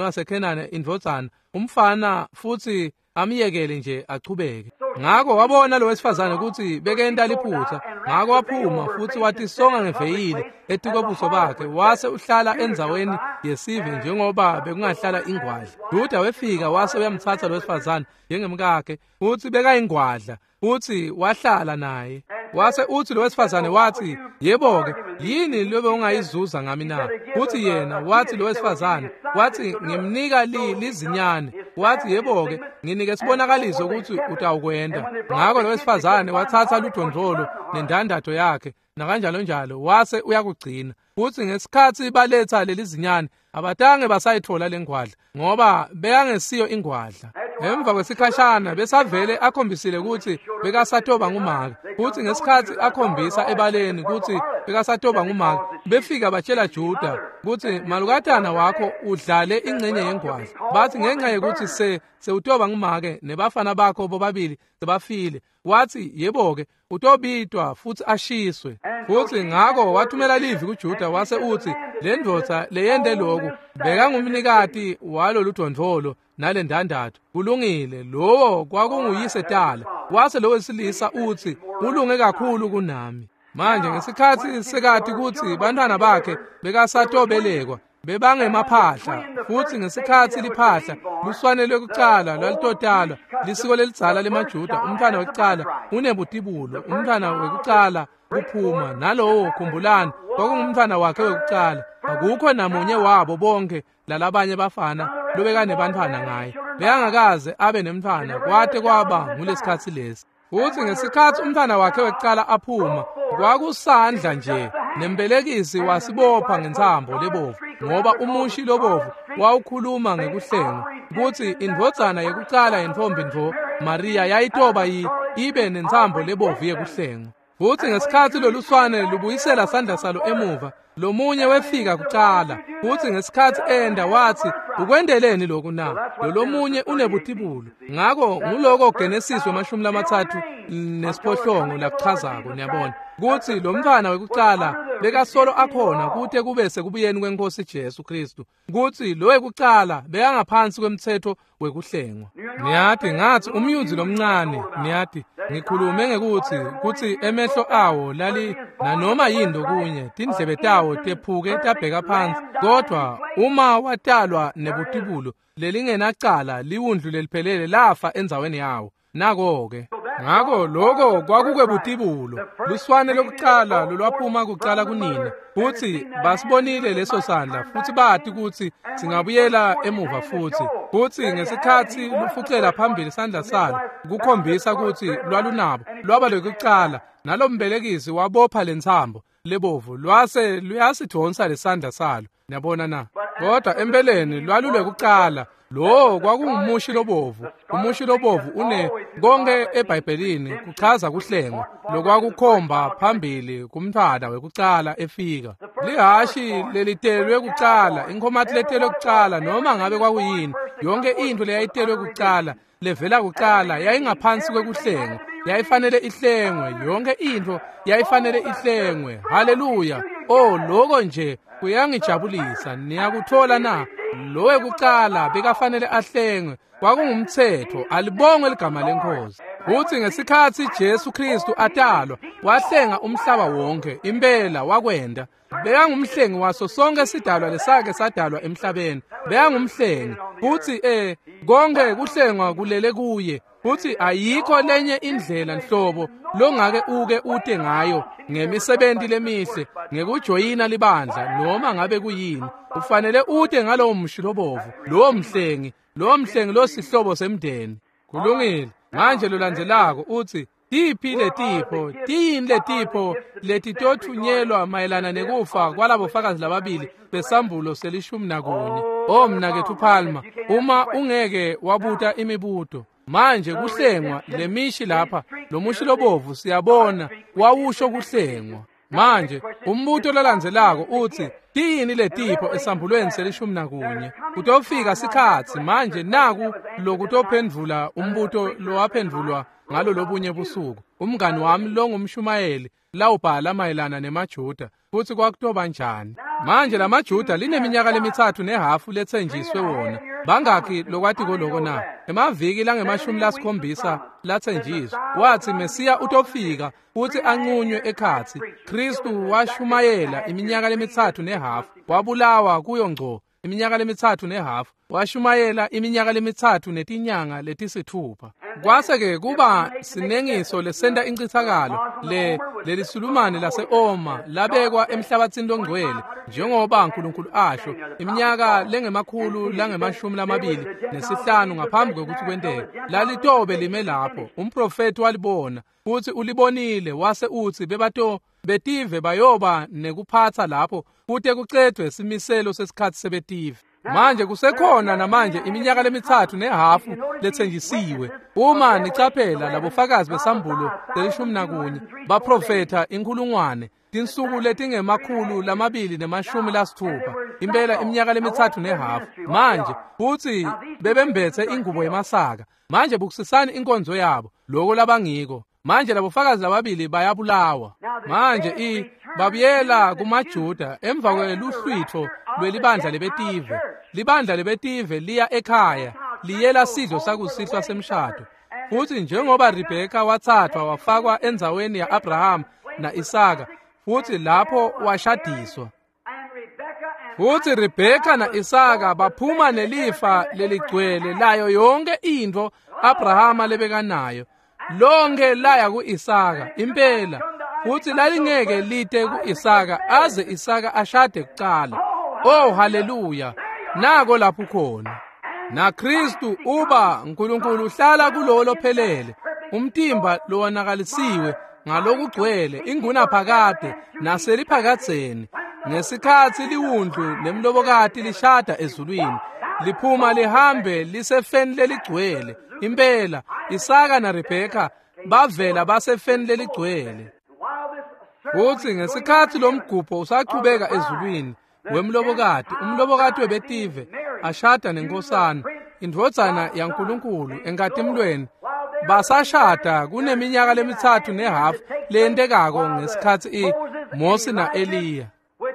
[SPEAKER 1] waseKhenani indvodzana, umfana, futsi amyekele nje achubeke. Ngako wabona lowesifazane kutsi bekenta liphutsa, ngako waphuma futsi watisonga ngeveyili etikwebuso bakhe, wase uhlala endzaweni yesive njengoba bekungahlala ingwadla. Juda wefika wase uyamtsatsa lowesifazane njengemkakhe, futsi bekayingwadla, futsi wahlala naye. Wase utsi lowesifazane watsi, yebo-ke, yini lobe ungayizuza ngami na? Futsi yena watsi lowesifazane, watsi ngimnika lizinyane. Watsi yebo-ke, nginike sibonakaliso ukuthi utawukwenda. Ngako lowesifazane watsatsa ludvondvolo nendandatho yakhe nakanjalo njalo, wase uyakugcina. Futsi ngesikhatsi baletsa lelizinyane, abatange basayitfola lengwadla, ngoba bekangesiyo ingwadla. Emva kwesikhashana besavele akhombisile kutsi bekasatoba ngumake. Futsi ngesikhatsi akhombisa ebaleni kutsi bekasatoba ngumake, befika batshela Juda kutsi malukatana wakho udlale ingcenye yengwadla. Bathi ngenxa yekuthi sewutoba ngumake nebafana bakho bobabili sebafile. Watsi yebo-ke, utobitwa futsi ashiswe. Futsi ngako wathumela livi kuJuda wase utsi lendvodza leyente loku bekangumnikati waloludvondvolo nalendandatho. Kulungile, lowo kwakunguyise tala. Wase lo wesilisa utsi ulunge kakhulu kunami. Manje ngesikhatsi sekati kutsi bantfwana bakhe bekasatobelekwa bebangemaphahla, futsi ngesikhatsi liphahla luswane lwekucala lwalitotalwa, lisiko lelidzala lemaJuda, umntfwana wekucala unebutibulo, umntfwana wekucala kuphuma, nalowo khumbulani kwakungumntfwana wakhe wekucala. Akukho namunye wabo bonke lalabanye bafana lobekanebantfwana ngaye, bekangakaze abe nemntfwana kwate kwaba ngulesikhatsi lesi. Futsi ngesikhatsi umntfwana wakhe wekucala aphuma, kwakusandla nje, nembelekisi wasibopha ngentsambo lebovu, ngoba umushi lobovu wawukhuluma ngekuhlengwa kutsi indvodzana yekucala yentfombi ntfo Maria yayitoba ibe nentsambo lebovu yekuhlengwa. Futsi ngesikhatsi loluswane lubuyisela sandla salo emuva, lomunye wefika kucala. Futsi ngesikhatsi enda watsi, ukwendeleni lokhu na? Lolomunye unebutibulo. Ngako nguloko Genesis 38 lakuchazako, niyabona, kutsi lo mntfwana wekucala bekasolo akhona kute kube sekubuyeni kwenkosi Jesu Kristu, kutsi lo wekucala bekangaphansi kwemtsetfo wekuhlengwa. Niyati ngathi umyuzi lomncane, niyati ngikhulume ngekuthi kutsi emehlo awo lali nanoma yini kunye, tindlebe tawo tephuke tabheka phansi, kodwa uma watalwa nebutibulo lelingenacala, liwundlu leliphelele lafa endzaweni yawo. Nako-ke. Ngako lokho kwakukwebutibulo, luswane lokucala lolwaphuma kucala kunina, futhi basibonile leso sandla futhi bathi ukuthi singabuyela emuva futhi. Futhi ngesikhathi lufucela phambili isandla salo kukhombisa ukuthi lwalunabo, lwaba lokucala, nalombelekisi wabopha lentsambo lebovu lwase luyasidonsa lesandla salo. Niyabona na? Kodwa empeleni lwalulekucala. Lo kwakungumushi lobovu. Umushi lobovu une konke eBhayibhelini kuchaza kuhlengwa lokwakukhomba phambili kumntwana wekucala efika. Lihashi lelitelwe kucala, inkhomati letelwe kucala, noma ngabe kwakuyini, yonke into leyayitelwe kucala levela kucala yayingaphansi kwekuhlengwa, yayifanele ihlengwe, yonke into yayifanele ihlengwe. Haleluya! Oh, lokho nje kuyangijabulisa. Niyakuthola na? Lo wekucala bekafanele ahlengwe, kwakungumthetho. Alibongwe ligama leNkosi. Futhi ngesikhathi Jesu Kristu atalwa, wahlenga umhlaba wonke. Impela wakwenda. Bekangumhlengi waso sonke sidalwa lesake sadalwa emhlabeni. Bekangumhlengi. Futhi konke kuhlengwa kulele kuye. Futhi ayikho lenye indlela nhlobo longake uke ute ngayo ngemisebenzi lemihle, ngekujoyina libandla noma ngabe kuyini. Ufanele ute ngalowo mshi lobovu, lowo mhlengi, lowo mhlengi losihlobo semndeni. Kulungile. Manje lolandzelako uthi tiphi letipho, tiyini letipho letitothunyelwa mayelana nekufa kwalabo fakazi lababili besambulo se-11? Oh mnakethu Palma, uma ungeke wabuta imibuto. Manje kuhlengwa lemishi lapha, lomushi lobovu siyabona wawusho kuhlengwa. Manje umbuto lolandzelako uthi tiyini letipho esambulweni se-11? Kutofika sikhatsi manje naku lokutophendvula umbuto lowaphendvulwa ngalo lobunye busuku. Umngani wami longumshumayeli lawubhala mayelana nemaJuda futhi kwakutoba njani. Manje lamaJuda lineminyaka lemi-3 nehafu lethenjiswe wona. Bangakhi lokwatiko loko na? Emaviki langama-70 lathenjiswa. Wathi Mesiya utofika futhi anqunywe ekhatsi. Kristu washumayela iminyaka lemi-3 nehafu, wabulawa kuyo ngco iminyaka lemi-3 nehafu, washumayela iminyaka lemi-3 netinyanga leti-6. Kwase-ke kuba sinengiso lesenta incithakalo lelisulumane lase-Oma labekwa emhlabathini longcwele njengoba uNkulunkulu asho iminyaka lengama-225 ngaphambi kwekuthi kwenteke. Lalitobe lime lapho, umprofeti walibona futhi ulibonile, wase uthi bebato betive bayoba nekuphatha lapho kute kucedwe simiselo sesikhathi sebetive. Manje kusekhona namanje iminyaka lemi-3 nehafu lethenjisiwe. Uma nicaphela labofakazi besambulo se-11 baprofetha 1,000 tinsuku letingama-260, impela iminyaka lemi-3 nehafu. Manje futhi bebembethe ingubo yemasaka. Manje bukusisani inkonzo yabo, lokho labangiko. Manje labofakazi lababili bayabulawa. Manje babuyela kumaJuda emva kweluhlwitho lwelibandla lebetive. Libandla lebetive liya ekhaya, liyela sidlo sakusihlwa semshado. Futhi njengoba Rebeka wathathwa wafakwa endzaweni ya-Abraham na-Isaka, futhi lapho washadiswa. Futhi Rebeka na-Isaka baphuma nelifa leligcwele layo yonke into Abrahama lebekanayo. Lonke laya ku-Isaka impela, futhi lalingeke lite ku-Isaka aze Isaka ashade kucala. Oh haleluya, nako lapho khona. Na Kristu uba uNkulunkulu uhlala kulowo lophelele, umtimba lowonakalisiwe ngalokugcwele ingunaphakade naseliphakadzeni. Ngesikhathi liwundlu nemlobokati lishada ezulwini, liphuma lihambe lisefeni leligcwele. Impela Isaka na Rebeka bavela basefeni leligcwele. Futhi ngesikhathi lomgubho usachubeka ezulwini wemlobokati, umlobokati webetive ashada nenkosana, indvodzana yaNkulunkulu enkatimlweni, basashada kuneminyaka lemi-3 nehafu leyentekako ngesikhathi Mose na-Eliya.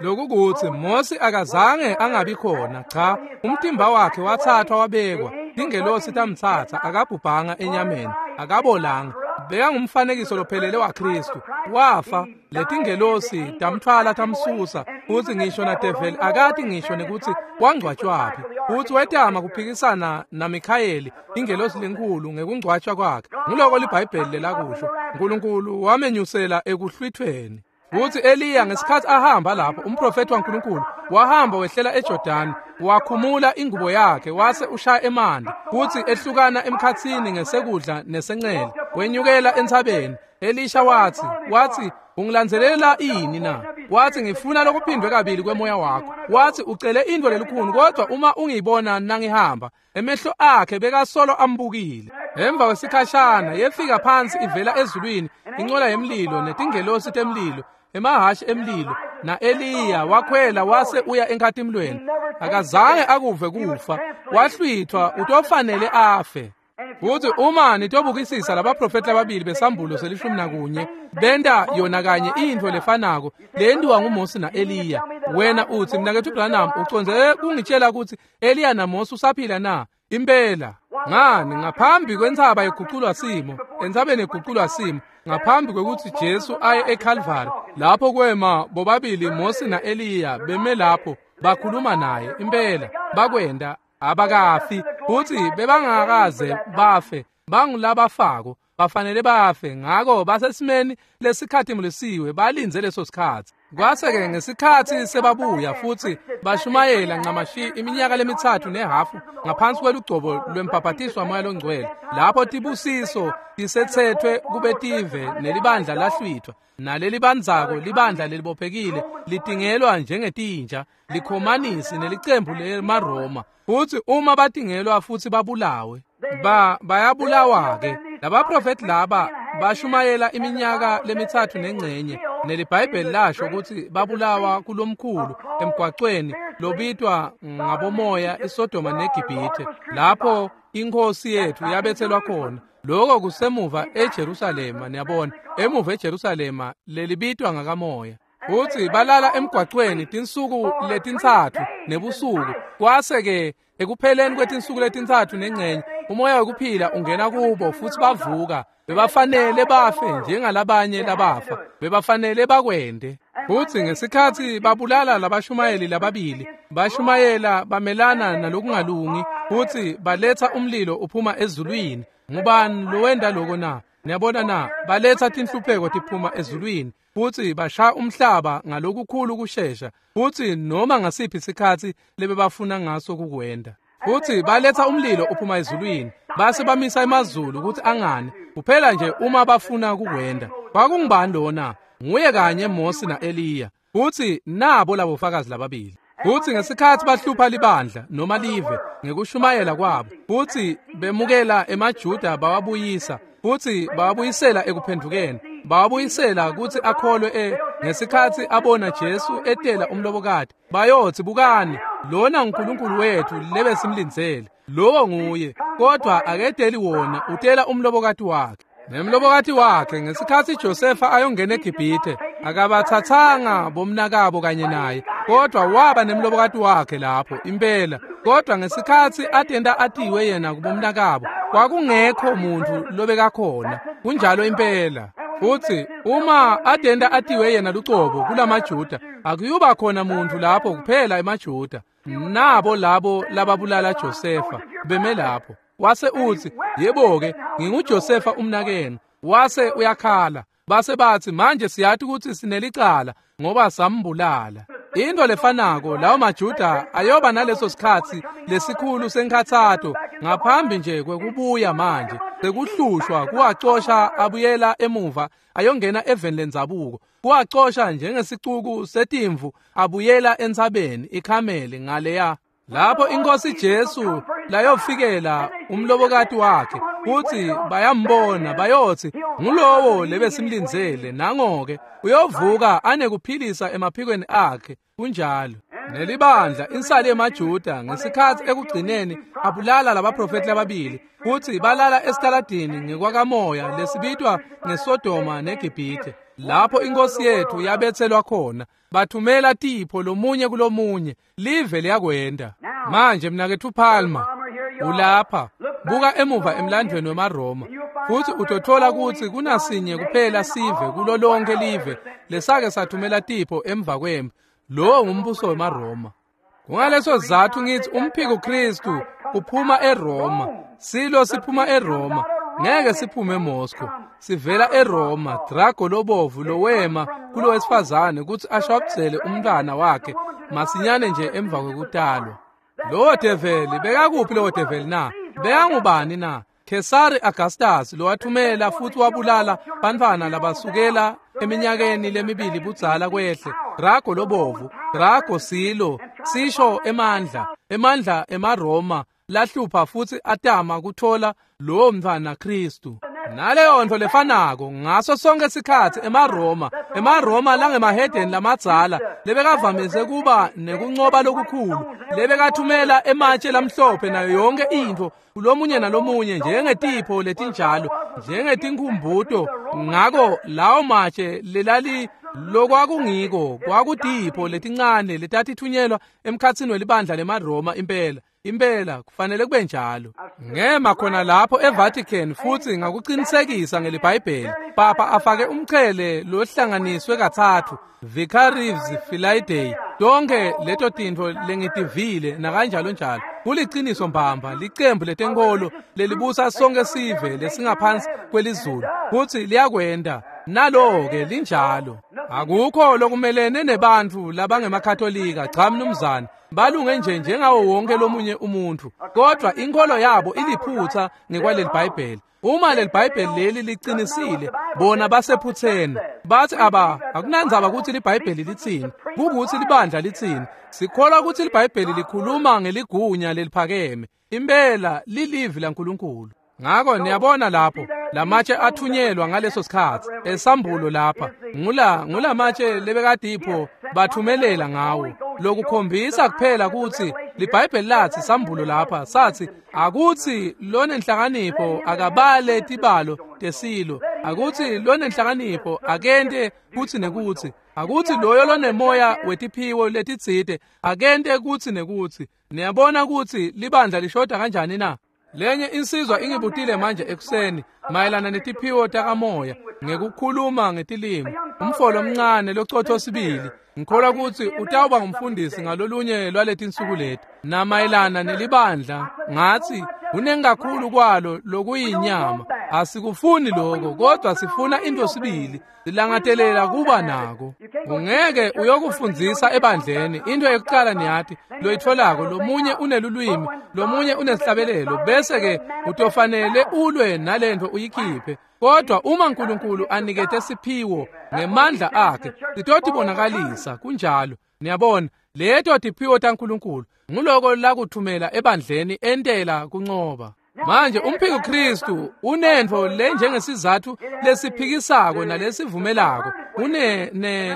[SPEAKER 1] Lokukuthi Mose akazange angabi khona, cha, umtimba wakhe wathathwa wabekwa, ingelosi tamthatha, akabhubhanga enyameni, akabolanga. Bekangumfanekiso lophelele waKristu. Wafa, letingelosi tamtfwala tamsusa, futsi ngisho nadeveli akati ngisho nekutsi wangcwatshwaphi. Futsi wetama kuphikisana naMikhayeli, ingelosi lenkulu, ngekungcwatshwa kwakhe. Nguloko liBhayibheli lelakusho. Nkulunkulu wamenyusela ekuhlwithweni. Futsi Eliya ngesikhatsi ahamba lapho, umprofethi waNkulunkulu, wahamba wehlela eJordani, wakhumula ingubo yakhe wase ushaya emanti, futsi ehlukana emkhatsini ngesekudla nesencele, wenyukela entsabeni. Elisha watsi, ungilandzelela ini na? Watsi, ngifuna lokuphindwe kabili kwemoya wakho. Watsi, ucele intfo lelukhuni, kodwa uma ungiyibona nangihamba. Emehlo akhe bekasolo ambukile. Emva kwesikhashana yefika phansi ivela ezulwini incola yemlilo netingelosi temlilo, emahhashi emlilo, na-Eliya wakhwela wase uya enkhatimlweni. Akazange akuve kufa, wahlwithwa, utofanele afe. Futsi uma nitobukisisa labaprofethi lababili besambulo se-11 benta yona kanye intfo lefanako leyentiwa nguMosi na-Eliya. Wena utsi, mnaketfu Branham, ucondze kungitshela kutsi Eliya naMosi usaphila na? Impela. Ngani, ngaphambi kwentsaba yeguculwa simo, entsabeni yeguculwa simo, ngaphambi kwekutsi Jesu aye eKalvari, lapho kwema bobabili Mosi na-Eliya beme lapho bakhuluma naye. Impela bakwenta, abakafi, futsi bebangakaze bafe, bangulabafako, bafanele bafe. Ngako basesimeni lesikhatimulisiwe, balindze leso sikhatsi. Kwase-ke ngesikhatsi sebabuya futsi bashumayela ncamashi iminyaka le-3.5 ngaphansi kwelugcobo lwembhabhatiso waMoya loNgcwele, lapho tibusiso tisetsetfwe kubetive nelibandla lahlwithwa, nalelibandzako libandla lelibophekile litingelwa njengetinja, likhomanisi nelicembu lemaRoma. Futsi uma batingelwa futsi babulawe, bayabulawa-ke. Labaprofethi laba bashumayela iminyaka le-3.5, neliBhayibheli lasho kutsi babulawa kulomkhulu emgwacweni lobitwa ngabomoya iSodoma neGibhithe, lapho iNkhosi yethu yabethelwa khona. Lokho kusemuva eJerusalema, niyabona, emuva eJerusalema lelibitwa ngakamoya. Futsi balala emgwacweni tinsuku letintsatfu nebusuku. Kwase-ke ekupheleni kwetinsuku le-3.5 umoya wekuphila ungena kubo futsi bavuka. Bebafanele bafe njengalabanye labafa, bebafanele bakwente. Futsi ngesikhatsi babulala labashumayeli lababili, bashumayela bamelana nalokungalungi, futsi baletsa umlilo uphuma ezulwini. Ngubani lowenta loko na? Niyabona na? Baletsa tinhlupheko tiphuma ezulwini, futsi bashaya umhlaba ngalokukhulu kushesha, futsi noma ngasiphi isikhatsi lebebafuna ngaso kukwenta. Futsi baletsa umlilo uphuma ezulwini, base bamisa emazulu kutsi angani, kuphela nje uma bafuna kukwenta. Kwakungubani lona? Nguye kanye Mosi na-Eliya. Futsi nabo labofakazi lababili. Futsi ngesikhatsi bahlupha libandla noma live ngekushumayela kwabo, futsi bemukela emaJuda bawabuyisa, futsi bawabuyisela ekuphendvukeni, bawabuyisela kutsi akholwe ngesikhatsi abona Jesu etela umlobokati, bayotsi, bukani, lona nguNkulunkulu wethu lebesimlindzele, lowo nguye, kodwa aketeli wona, utela umlobokati wakhe. Nemlobokati wakhe ngesikhatsi Josefa ayongena eGibhithe, akabathathanga bomnakabo kanye naye, kodwa waba nemlobokati wakhe lapho impela. Kodwa ngesikhatsi atenta atiwe yena kubomnakabo, kwakungekho muntfu lobekakhona. Kunjalo impela. Futsi uma atenta atiwe yena lucobo kulamaJuda, akuyuba khona muntfu lapho kuphela emaJuda. Nabo labo lababulala Josefa beme lapho. Wase utsi, yebo-ke, nginguJosefa umnakenu. Wase uyakhala. Base batsi, manje siyati kutsi sinelicala ngoba sambulala. Into lefanako lawo maJuda ayoba naleso sikhatsi lesikhulu senkhatsato ngaphambi nje kwekubuya manje sekuhlushwa kuwacosha abuyela emuva ayongena eveni lendzabuko, kuwacosha njengesicuku setimvu abuyela entsabeni iKhameli ngaleya. Lapho iNkosi Jesu layofikela umlobokati wakhe, futsi bayambona bayotsi, ngulowo lebesimlindzele, nangoke uyovuka anekuphilisa emaphikweni akhe. Kunjalo. Nelibandla insali yemaJuda ngesikhatsi ekugcineni abulala labaprofethi lababili, futsi balala esitaladini ngekwakamoya lesibitwa ngeSodoma neGibhithe, lapho iNkosi yethu yabetselwa khona. Bathumela tipho lomunye kulomunye, live liyakwenta. Manje mnaketfu Palmer, ulapha, buka emuva emlandvweni wemaRoma. Futsi utotfola kutsi kunasinye kuphela sive kulo lonke live lesake sathumela tipho emva kwemphi. Lowo ngumbuso wemaRoma. Kungaleso sizatfu ngithi umphiko Kristu uphuma eRoma. Silo siphuma eRoma, ngeke siphume eMoscow. Sivela eRoma, drago lobovu lowema kulowesifazane kutsi ashwabuzele umntwana wakhe masinyane nje emva kwekutalwa. Lowo develi bekakuphi lowo develi na? Bekangubani na? Khesari Augustus lowathumela futsi wabulala bantfwana labasukela eminyakeni lemibili budzala kwehle. Drago lobovu, drago silo, sisho emandla, emandla emaRoma lahlupha futsi atama kuthola lowo mntfwana Kristu. Naleyo ntfo lefanako ngaso sonke sikhatsi emaRoma langemahedeni lamadzala lebekavamise kuba nekuncoba lokukhulu, lebekathumela ematshe lamhlophe nayo yonke intfo kulomunye nalomunye njengetipho letinjalo, njengetinkhumbuto. Ngako lawo matshe lelali lokwakungiko kwakutipho letincane letatithunyelwa emkhatsini welibandla lemaRoma impela. Impela kufanele kube njalo. Ngema khona lapho eVatican futsi ngakuqinisekisa ngeliBhayibheli. Papa afake umchele lohlanganiswe katsatfu, Vicarius Filii Dei. Tonke leto tintfo lengitivile nakanjalo njalo. Kuliciniso mbamba licembu letenkolo lelibusa sonke sive lesingaphansi kwelizulu futsi liyakwenta. Nalo-ke linjalo. Akukho lokumelene nebantfu labangemakatolika, cha mnumzane. Balunge nje njengawo wonke lomunye umuntfu, kodwa inkholo yabo iliphutsa ngekwaleli Bhayibheli. Uma leli Bhayibheli leli liqinisile, bona basephutseni. Bathi aba akunandzaba kutsi liBhayibheli litsini, kukutsi libandla litsini. Sikholwa kutsi liBhayibheli likhuluma ngeligunya leliphakeme. Impela lilivi laNkulunkulu. Ngako niyabona lapho lamatshe athunyelwa ngaleso sikhatsi esambulo lapha ngulamatshe lebekadipho bathumelela ngawo, lokukhombisa kuphela kutsi liBhayibheli lathi sambulo lapha sathi akutsi lonenhlakanipho akabale tibalo tesilo, akutsi lonenhlakanipho akente kutsi nekutsi, akutsi loyo lonemoya wetiphiwo letitsite akente kutsi nekutsi. Niyabona kutsi libandla lishoda kanjani na? Lenye insizwa ingibutile manje ekuseni mayelana netiphiwo takamoya ngekukhuluma ngetilimi. Umfolo omncane locotho sibili, ngikholwa kutsi utawuba ngumfundisi ngalolunye lwaletinsuku leti. Namayelana nelibandla ngathi kunengi kakhulu kwalo lokuyinyama. Asikufuni lokho, kodwa sifuna into sibili, silangatelela kuba nako. Ungeke uyokufundzisa ebandleni into yokuqala niyathi loyitfolako, lomunye unelulwimi, lomunye unesihlabelelo, bese ke utofanele ulwe nalento uyikhiphe. Kodwa uma uNkulunkulu anikete siphiwo ngemandla akhe, sitotibonakalisa kunjalo. Niyabona, leto tiphiwo taNkulunkulu nguloko lakuthumela ebandleni entela kuncoba. Manje umphiko Kristu unentfo lenjengesizathu lesiphikisako nalesivumelako, une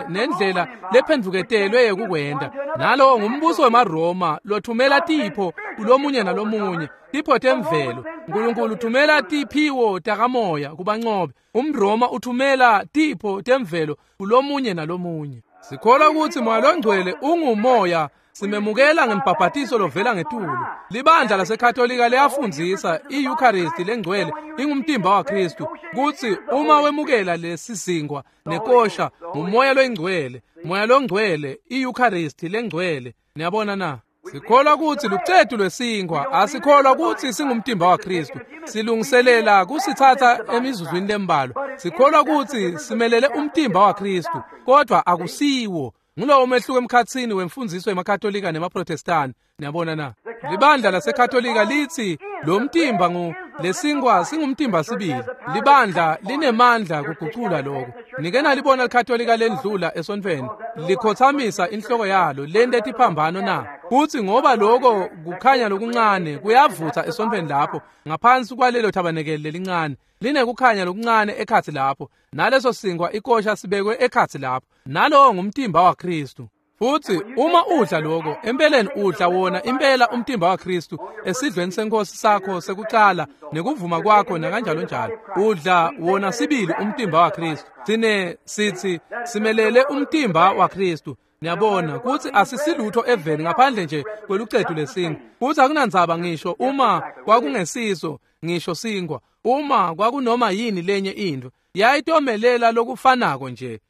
[SPEAKER 1] nendlela lephendvuketelwe yekukwenta. Nalowo ngumbuso wemaRoma lothumela tipho kulomunye nalomunye, tipho temvelo. Nkulunkulu uthumela tiphiwo takamoya kubancobe. UmRoma uthumela tipho temvelo kulomunye nalomunye. Sikholwa kutsi Moya loNgcwele ungumoya simemukela ngembhabhatiso lovela ngetulu. Libandla laseKatolika liyafundzisa i-Eucharist lengcwele ingumtimba waKristu, kutsi uma wemukela lesisinkwa nekosha ngumoya loyingcwele, moya longcwele, i-Eucharist lengcwele. Niyabona na? Sikholwa kutsi lucetu lwesinkwa, asikholwa kutsi singumtimba waKristu. Silungiselela kusitsatsa emizuzwini lembalwa. Sikholwa kutsi simelele umtimba waKristu, kodwa akusiwo. Ngulowo umehluko emkhatsini wemfundziso yemaKatolika nemaProtestani. Niyabona na? Libandla laseKatolika litsi lo mtimba lesinkwa singumtimba sibili. Libandla linemandla kugucula lokho. Nike nalibona liKatolika lendlula esontfweni likhothamisa inhloko yalo lente tiphambano na? Futsi ngoba lokho kukhanya lokuncane kuyavutsa esontfweni lapho ngaphansi kwalelo thabanekeli lelincane, linekukhanya lokuncane ekhatsi lapho, naleso sinkwa ikosha sibekwe ekhatsi lapho. Nalowo ngumtimba waKristu. Futsi uma udla lokho, empeleni udla wona impela umtimba waKristu esidlweni senkosi sakho sekucala nekuvuma kwakho nakanjalo njalo. Udla wona sibili umtimba waKristu. Sine sithi simelele umtimba waKristu. Niyabona kutsi asisilutho eveni ngaphandle nje kwelucetu lesinkwa. Futsi akunandzaba ngisho uma kwakungesiso ngisho sinkwa. Uma kwakunoma yini lenye intfo yayitomelela lokufanako nje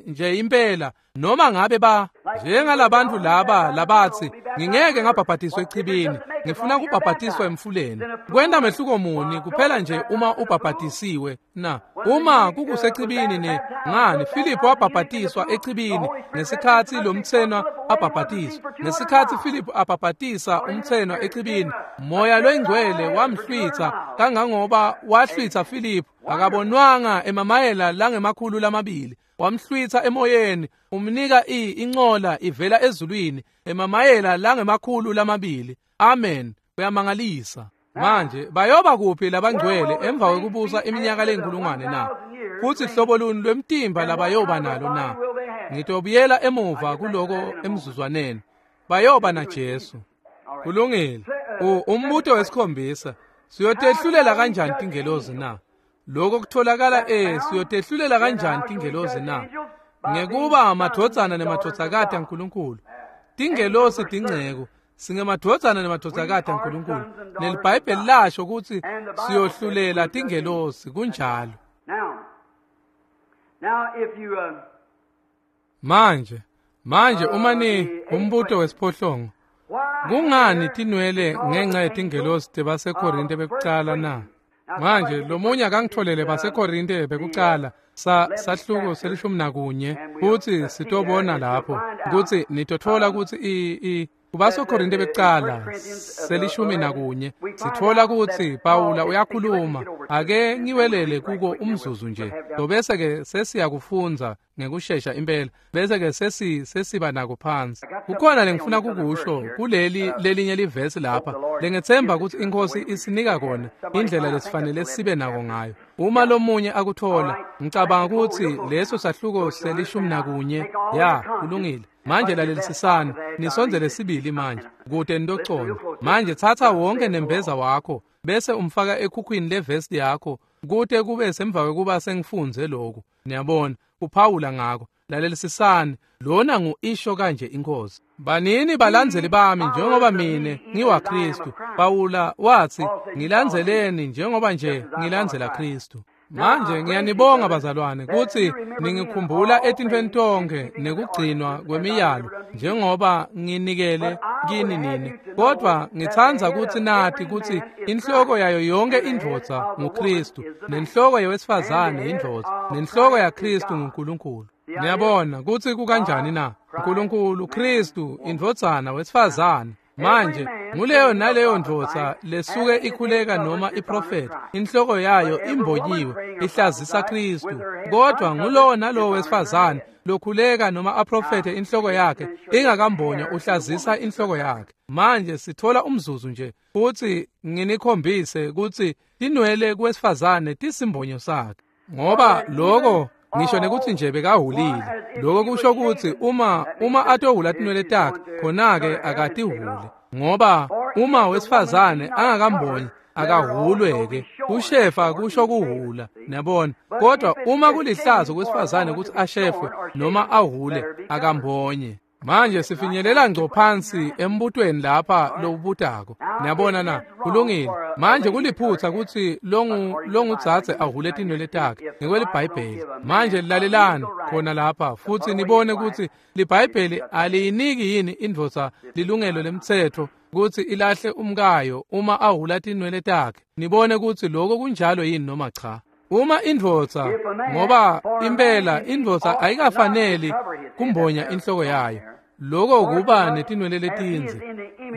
[SPEAKER 1] nje impela, noma ngabe ba njengalabantu laba labatsi ngingeke ngabhabhatiswa echibini, ngifuna kubhabhatiswa emfuleni. Kwenta mehluko muni kuphela nje uma ubhabhatisiwe na? Uma kukusechibini ne ngani Philip wabhabhatiswa echibini ngesikhatsi lomtsenwa abhabhatiswa. Ngesikhatsi Philip abhabhatisa umtsenwa echibini, Moya loyingcwele wamhlwitsa kangangoba wahlwitsa Philip akabonwanga emamayela langema-200. Wamhlwitsa emoyeni, umnika incola ivela ezulwini emamayela langema-200. Amen. Kuyamangalisa. Manje bayoba kuphi labangcwele emva kwekubusa iminyaka leyinkulungwane na? Futsi hlobo luni lwemtimba labayoba nalo na? Ngitobuyela emuva kuloko emzuzwaneni. Bayoba na Jesu. Kulungile. Umbuto wesikhombisa, siyotehlulela kanjani tingelozi na? Lokho kutholakala siyotehlulela kanjani tingelozi na? Ngekuba amadvodzana nemadvodzakati aNkulunkulu. Tingelosi tinceku, singemadvodzana nemadvodzakati aNkulunkulu. NeliBhayibheli lasho kutsi siyohlulela tingelosi, kunjalo. Manje uma ni umbuto wesiphohlongo, kungani tinwele ngenxa yetingelosi tebaseKorinte bekucala na? Manje lomunye akangitholele baseKorinte bekucala sahluko se-11, futsi sitobona lapho kutsi nitotfola kutsi kubaseKorinte bekucala se-11 sitfola kutsi Pawula uyakhuluma. Ake ngiwelele kuko umzuzu nje, bese ke sesiyakufundza ngekushesha impela, bese ke sesiba nako phansi. Kukhona lengifuna kukusho kuleli lelinye livesi lapha lengethemba kutsi iNkhosi isinika kona indlela lesifanele sibe nako ngayo. Uma lomunye akuthola, ngicabanga kutsi leso sahluko se-11. Ya, kulungile. Manje lalelisisani, nisondzele sibili manje kute nitocondza. Manje thatha wonke nembeza wakho bese umfaka ekhukhwini levesti yakho kute kube semva kwekuba sengifundze lokhu. Niyabona, uphawula ngako. Lalelisisani, lona ngu-isho kanje iNkhosi. Banini balandzeli bami njengoba mine ngiwaKristu. Pawula watsi, ngilandzeleni njengoba nje ngilandzela Kristu. Manje ngiyanibonga bazalwane kutsi ningikhumbula etintfweni tonkhe nekugcinwa kwemiyalo njengoba nginikele kini nini. Kodwa ngitsandza kutsi nati kutsi inhloko yayo yonke indvodza nguKristu, nenhloko yewesifazane yindvodza, nenhloko yaKristu nguNkulunkulu. Niyabona kutsi kukanjani na? Nkulunkulu, Kristu, indvodzana, wesifazane. Manje nguleyo naleyo ndvodza lesuke ikhuleka noma iprofeti, inhloko yayo imbonyiwe, ihlazisa Kristu. Kodwa ngulowo nalowo wesifazane lokhuleka noma aprofete inhloko yakhe ingakambonywa, uhlazisa inhloko yakhe. Manje sithola umzuzu nje futhi nginikhombise kutsi tinwele kuwesifazane tisimbonyo sakhe, ngoba loko ngisho nekuthi nje bekahulile. Lokho kusho kutsi uma atohula tinwele takhe, khona-ke akatihule, ngoba uma wesifazane angakambonyi akahulwe-ke. Kushefa kusho kuhula, niyabona. Kodwa uma kulihlazo kwesifazane kutsi ashefwe noma ahule, akambonye. Manje sifinyelela ngco phansi embutweni lapha lowubutako. Niyabona na? Kulungile. Manje kuliphutsa kutsi longudzadze ahule tinwele takhe ngekweliBhayibheli. Manje lalelani khona lapha futsi nibone kutsi liBhayibheli aliyiniki yini indvodza lilungelo lemtsetfo kutsi ilahle umkayo uma ahula tinwele takhe. Nibone kutsi lokho kunjalo yini noma cha. Uma indvodza, ngoba impela indvodza ayikafaneli kumbonya inhloko yayo, lokho kuba netinwele letindze.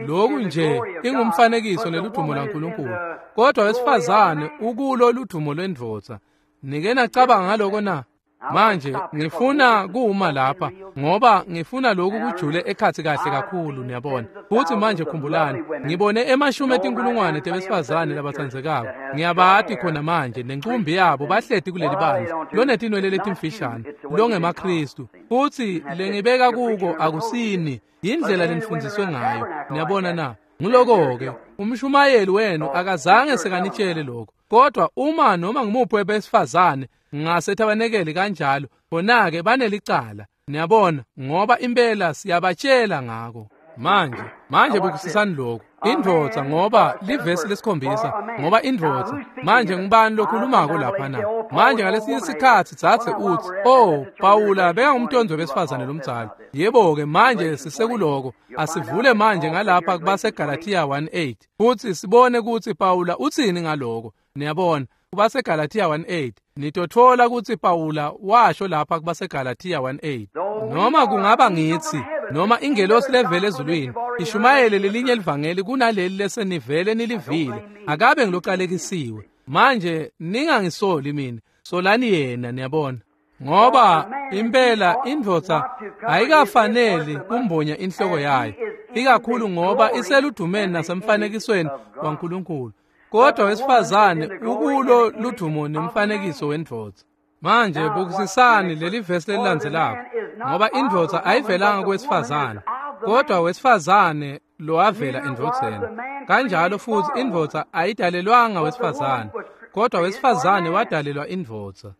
[SPEAKER 1] Lokhu nje ingumfanekiso neludumo laNkulunkulu. Kodwa wesifazane ukulo ludumo lwendvodza. Nike nacabanga ngaloko na? Manje ngifuna kuma lapha ngoba ngifuna lokhu kujule ekhatsi kahle kakhulu, niyabona. Futhi manje khumbulani, ngibone emashumi etinkulungwane tebesifazane labatsandzekako. Ngiyabati khona manje nenqumbi yabo bahleti kuleli bandla lonetinwele letimfishane longemaKristu. Futhi lengibeka kuko akusini indlela lenifundziswe ngayo. Niyabona na? Nguloko-ke umshumayeli wenu akazange sekanitshele lokho. Kodwa uma noma ngumuphi webesifazane ngasethabanekeli kanjalo, bona-ke banelicala. Niyabona, ngoba impela siyabatshela ngako. Manje bukisisani lokhu. Indvodza, ngoba livesi lesikhombisa, ngoba indvodza. Manje ngubani lokhulumako lapha na? Manje ngalesinye isikhatsi dzadze utsi, "Oh, Pawula bekangumntondzi wesifazane lomdzala." Yebo-ke, manje sisekuloko. Asivule manje ngalapha kubaseGalathiya 1:8 futsi sibone kutsi Pawula utsini ngaloko. Niyabona, kubaseGalathiya 1:8 nitotfola kutsi Pawula washo lapha kubaseGalathiya 1:8, noma kungaba ngitsi noma ingelosi levele ezulwini ishumayele lelinye livangeli kunaleli lesenivele nilivile, akabe ngilocalekisiwe. Manje ningangisoli mina, solani yena. Niyabona, ngoba impela indvodza ayikafaneli kumbonya inhloko yayo, ikakhulu ngoba iseludumeni nasemfanekisweni waNkulunkulu, kodwa wesifazane ukulo ludumo nemfanekiso wendvodza. Manje bukisisani leli vesi lelilandzelako, ngoba indvodza ayivelanga kwesifazane, kodwa wesifazane lowavela endvodzeni. Kanjalo futhi indvodza ayidalelwanga wesifazane, kodwa wesifazane wadalelwa indvodza.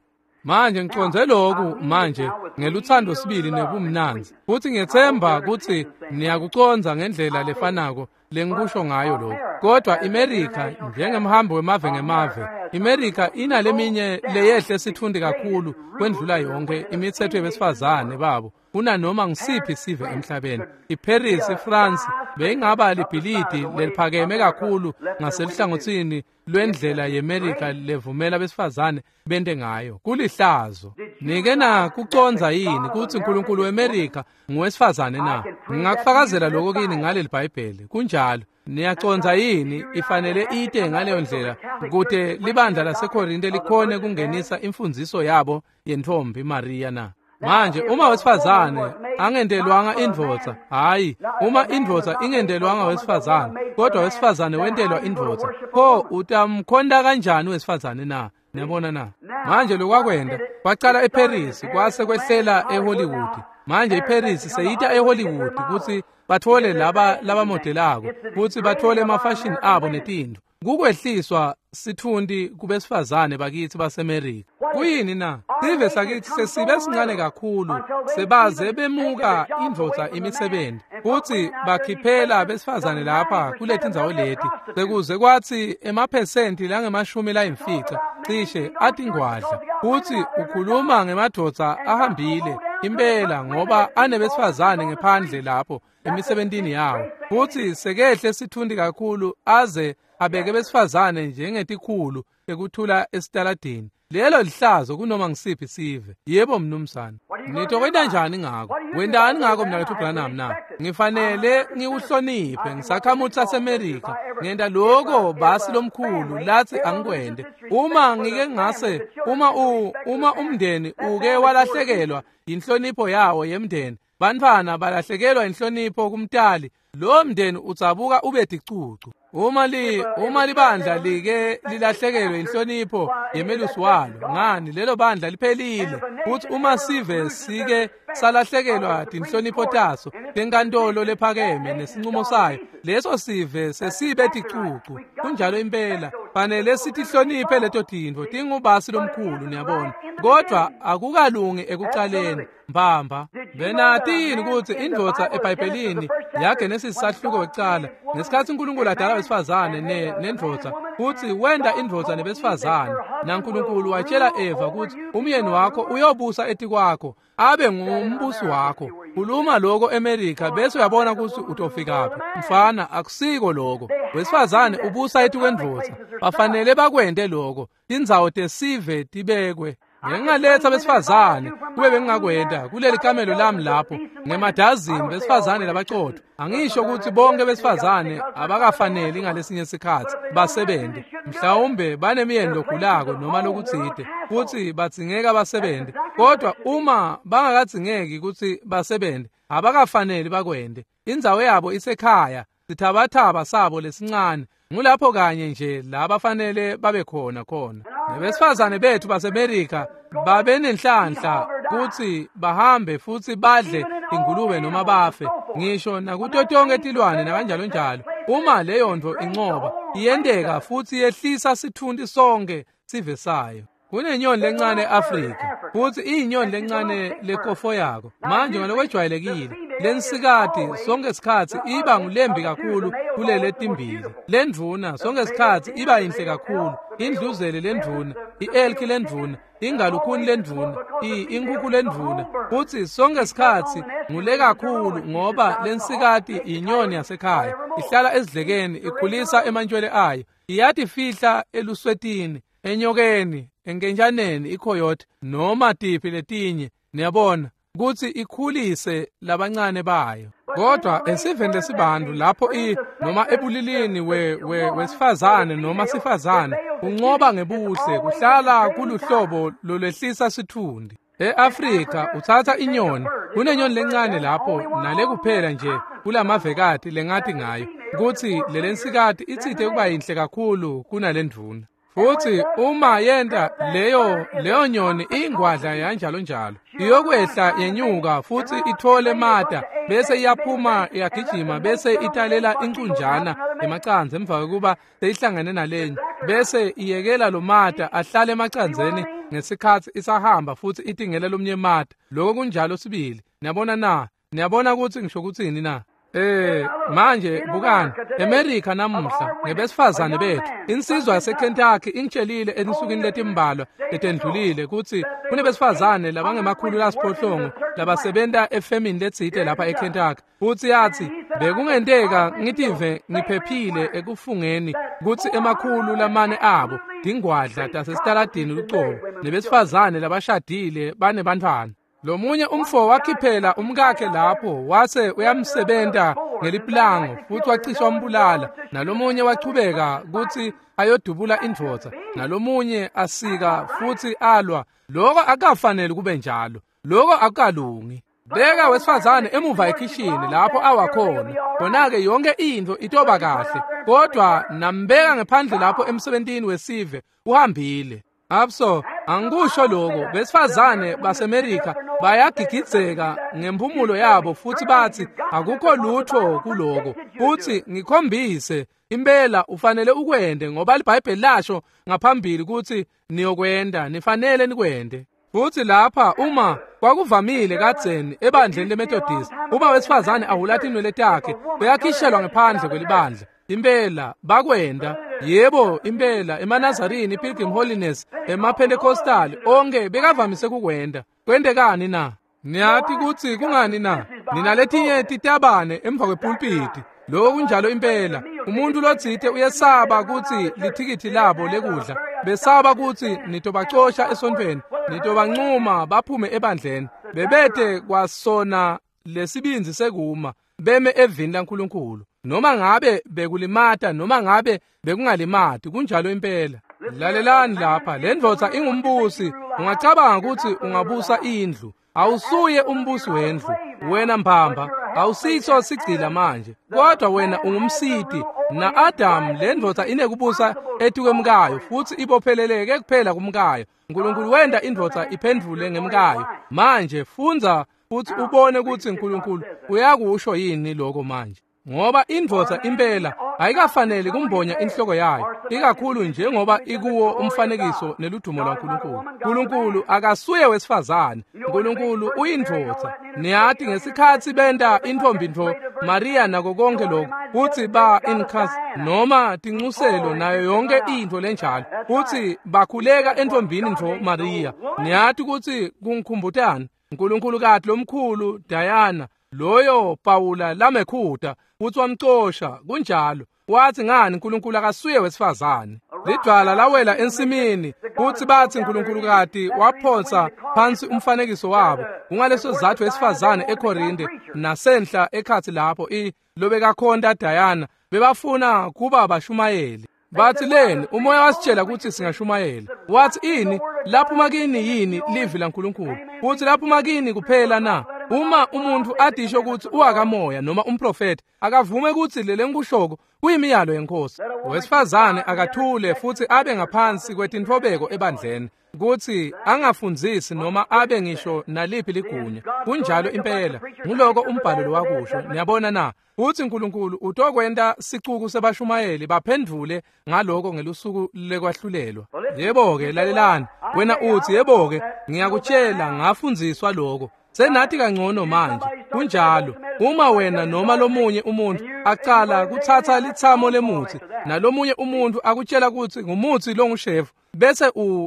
[SPEAKER 1] Manje ngiconze lokhu manje ngeluthando sibili nebumnandzi, futhi ngiyethemba kutsi niyakucondza ngendlela lefanako lengikusho ngayo lokhu. Kodwa iMerika, njengemhambo wemave ngemave, iMerika inaleminye leyehle sithundi kakhulu kwendlula yonke imithetho yebesifazane babo kunanoma ngisiphi sive emhlabeni. IParis, iFrance beyingaba libhilidi leliphakeme kakhulu ngaseluhlangothini lwendlela yeMerika levumela besifazane bente ngayo. Kulihlazo. Nike na kucondza yini kutsi uNkulunkulu weMerika nguwesifazane na? Ngingakufakazela lokho kini ngaleli Bhayibheli. Kunjalo. Niyacondza yini ifanele ite ngaleyo ndlela kute libandla laseKorinte likhone kungenisa imfundziso yabo yentfombi Maria na? Manje uma wesifazane angentelwanga indvodza, hayi, uma indvodza ingentelwanga wesifazane, kodwa wesifazane wentelwa indvodza, pho utamkhonta kanjani wesifazane na? Niyabona na? Manje lokwakwenda kwacala eParis kwase kwehlela eHollywood. Manje iParis seyita eHollywood kutsi bathole laba labamodelako kutsi bathole emafashini abo netintfo. Kukwehliswa sitfunti kubesifazane bakithi baseMerika. Kuyini na? Sive sakithi sesibe sincane kakhulu, sebaze bemuka indvodza imisebenzi kutsi bakhiphela besifazane lapha kuletindzawo leti, sekuze kwatsi emaphesenti langemashumi layimfica cishe atingwadla. Kutsi ukhuluma ngemadvodza ahambile impela ngoba anebesifazane ngephandle lapho emisebentini yawo, futsi sekehle sitfunti kakhulu aze abeke besifazane njengetikhulu ekuthula esitaladini. Lelo lihlazo kunoma ngisiphi sive. Yebo mnumzane. Nitokwenta njani ngako? Wentani ngako mnaketfu Branham na? Ngifanele ngiwuhloniphe ngisakhamuti saseMerika. Ngenta lokho basi lomkhulu lathi angikwente. Uma ngike ngase uma umndeni uke walahlekelwa inhlonipho yawo yemndeni, bantfwana balahlekelwa inhlonipho kumtali, lo mndeni utsabuka ube ticucu. Uma libandla like lilahlekelwe inhlonipho yemelusi walo, ngani lelo bandla liphelile. Futhi uma sive sike salahlekelwa tinhlonipho taso tenkantolo lephakeme nesinqumo sayo, leso sive sesibe ticucu. Kunjalo impela, fanele sitihloniphe leto tintfo, tingubasi lomkhulu, niyabona. Kodwa akukalungi ekucaleni mbamba. Benati yini kutsi indvodza eBhayibhelini yaGenesis sahluko wekucala, ngesikhatsi uNkulunkulu adala wesifazane nendvodza, futsi wenta indvodza nebesifazane, naNkulunkulu watshela Eva kutsi umyeni wakho uyobusa etikwakho, abe ngumbusi wakho. Khuluma lokho eMerika bese uyabona kutsi utofikaphi. Mfana, akusiko lokho. Wesifazane ubusa etikwendvodza. Bafanele bakwente lokho. Tindzawo tesive tibekwe. Ngingaletha besifazane kube bengingakwenta kuleli kamelo lami lapho ngemadazini besifazane labaqotho. Angisho ukuthi bonke besifazane abakafaneli ngalesinye isikhathi basebenze, mhlawumbe banemiyeni logulako noma lokutsite futhi badzingeka basebenze, kodwa uma bangakadzingeki ukuthi basebenze abakafaneli bakwente. Indzawo yabo isekhaya, sithabathaba sabo lesincane, ngulapho kanye nje la bafanele babe khona khona. Nebesifazane bethu baseMerika babenenhlanhla kutsi bahambe futhi badle ingulube noma bafe, ngisho nakuto tonke tilwane nakanjalo njalo. Uma leyo nto incoba iyenteka futhi yehlisa sitfunti sonke sive sayo. Kunenyoni lencane eAfrika, futhi iyinyoni lencane lekofo yako. Manje ngalokwejwayelekile Lensikati sonke sikhatsi iba ngulembi kakhulu kulele timbili. Lendvuna sonke sikhatsi iba yinhle kakhulu. Indluzele lendvuna, i-elki lendvuna, ingalukhuni lendvuna, inkukhu lendvuna. Futsi sonke sikhatsi ngule kakhulu ngoba lensikati inyoni yasekhaya. Ihlala esidlekeni, ikhulisa emantshwele ayo. Iyatifihla eluswetini, enyokeni, enkentshaneni, ikhoyote noma tiphi letinye. Niyabona kutsi ikhulise labancane bayo. Kodwa esiveni lesibantu lapho noma ebulilini wesifazane noma sifazane uncoba ngebuhle kuhlala kuluhlobo lolwehlisa sitfundi. E-Afrika utsatsa inyoni, kunenyoni lencane lapho nale kuphela nje kulamavekati lengati ngayo kutsi lelensikati itsite kuba yinhle kakhulu kunalendvuna. Futsi uma yenta leyo nyoni ingwadla yanjalo njalo iyokwehla yenyuka futsi ithole mata bese iyaphuma iyagijima bese italela incunjana emacandza emva kokuba seyihlangene nalenye bese iyekela lo mata ahlale emacandzeni ngesikhatsi isahamba futsi itingela lomnye mata. Lokho kunjalo sibili. Niyabona na? Niyabona kutsi ngisho kutsini na? Manje bukani America namuhla ngebesifazane bethu. Insizwa yaseKentucky ingitshelile ensukwini letimbalwa letendlulile kutsi kunebesifazane labangemakhulu lasiphohlongo labasebenta efemini letsite lapha eKentucky. Futsi yatsi bekungenteka ngitive ngiphephile ekufungeni kutsi emakhulu lamane abo tingwadla tasesitaladini lucobo nebesifazane labashadile banebantfwana. Lomunye umfo wakhiphela umkakhe lapho wase uyamsebenta ngeliplango futhi wacisha umbulala, nalomunye wachubeka kutsi ayodubula indvodza, nalomunye asika futsi alwa. Lokho akukafanele kube njalo, lokho akukalungi. Beka wesifazane emuva ekhishini lapho awakhona, khona-ke yonke intfo itoba kahle, kodwa nambeka ngephandle lapho emsebentini wesive uhambile. Abso, angikusho lokho, besifazane baseMerika bayagigidzeka ngemphumulo yabo futsi batsi akukho lutho kuloko. Futsi ngikhombise impela ufanele ukwende ngoba iBhayibheli lasho ngaphambili kutsi niyokwenda, nifanele nikwende. Futsi lapha uma kwakuvamile kadzeni ebandleni leMethodist, uma wesifazane ahula tinwele takhe uyakhishelwa ngephandle kwelibandla. Impela bakwenda. Yebo, impela emaNazarini, Pilgrim Holiness, emaPentecostal onke bekavamise kukwenda. Kwentekani na? Niyati kutsi kungani na? Ninaletinye titabane emva kwepulpiti. Lokho kunjalo impela. Umuntu lotsite uyesaba kutsi lithikithi labo lekudla, besaba kutsi nitobacosha esontfweni, nitobancuma baphume ebandleni. Bebete kwasona lesibindzi sekuma beme evini laNkulunkulu. Noma ngabe bekulimata noma ngabe bekungalimati, kunjalo impela. Lalelani lapha, le ndvodza ingumbusi. Ungacabanga kutsi ungabusa indlu. Awusuye umbusi wendlu wena mbamba, awusiso sigcila manje, kodwa wena ungumsiti. Na-Adamu le ndvodza inekubusa etikwemkayo futsi ibopheleleke kuphela kumkayo. Nkulunkulu wenta indvodza iphendvule ngemkayo. Manje fundza futsi ubone kutsi Nkulunkulu uyakusho yini lokho manje. Ngoba indvodza impela ayikafanele kumbonya inhloko yayo, ikakhulu njengoba ikuwo umfanekiso neludumo lwaNkulunkulu. Nkulunkulu akasuye wesifazane, Nkulunkulu uyindvodza. Niyati ngesikhatsi benta intfombi ntfo Maria nako konke lokho, kutsi ba incas noma tincuselo nayo yonke intfo lenjalo, kutsi bakhuleka entfombini ntfo Maria. Niyati kutsi kungikhumbutani Nkulunkulu kati lomkhulu Diana loyo Pawula lamekhuta futsi wamcosha. Kunjalo. Wathi ngani Nkulunkulu akasuye wesifazane. Lidwala lawela ensimini futsi batsi Nkulunkulu kati waphonsa phansi umfanekiso wabo. Kungaleso sizatfu wesifazane eKorinte nasenhla ekhatsi lapho lobekakhonta Diana bebafuna kuba bashumayeli. Bathi leni umoya wasitshela kutsi singashumayela. Wathi ini laphuma kini yini livi laNkulunkulu? Futhi laphuma kini kuphela na? Uma umuntu adisho kutsi uwakamoya noma umprofeti, akavume kutsi lelengikushoko kuyimiyalo yenkosi. Wesifazane akathule futsi abe ngaphansi kwetintfobeko ebandleni, kutsi angafundzisi noma abe ngisho naliphi ligunya. Kunjalo impela, nguloko umbhalo lowakusho. Niyabona na? Utsi Nkulunkulu utokwenta sicuku sebashumayeli baphendvule ngaloko ngelusuku lekwahlulelwa. Yebo-ke, lalelani. Wena utsi yebo-ke, ngiyakutshela ngafundziswa lokho. Senathi kangcono manje. Kunjalo. Uma wena noma lomunye umuntu acala kutsatsa litsamo lemutsi nalomunye umuntu akutshela kutsi ngumutsi longushefu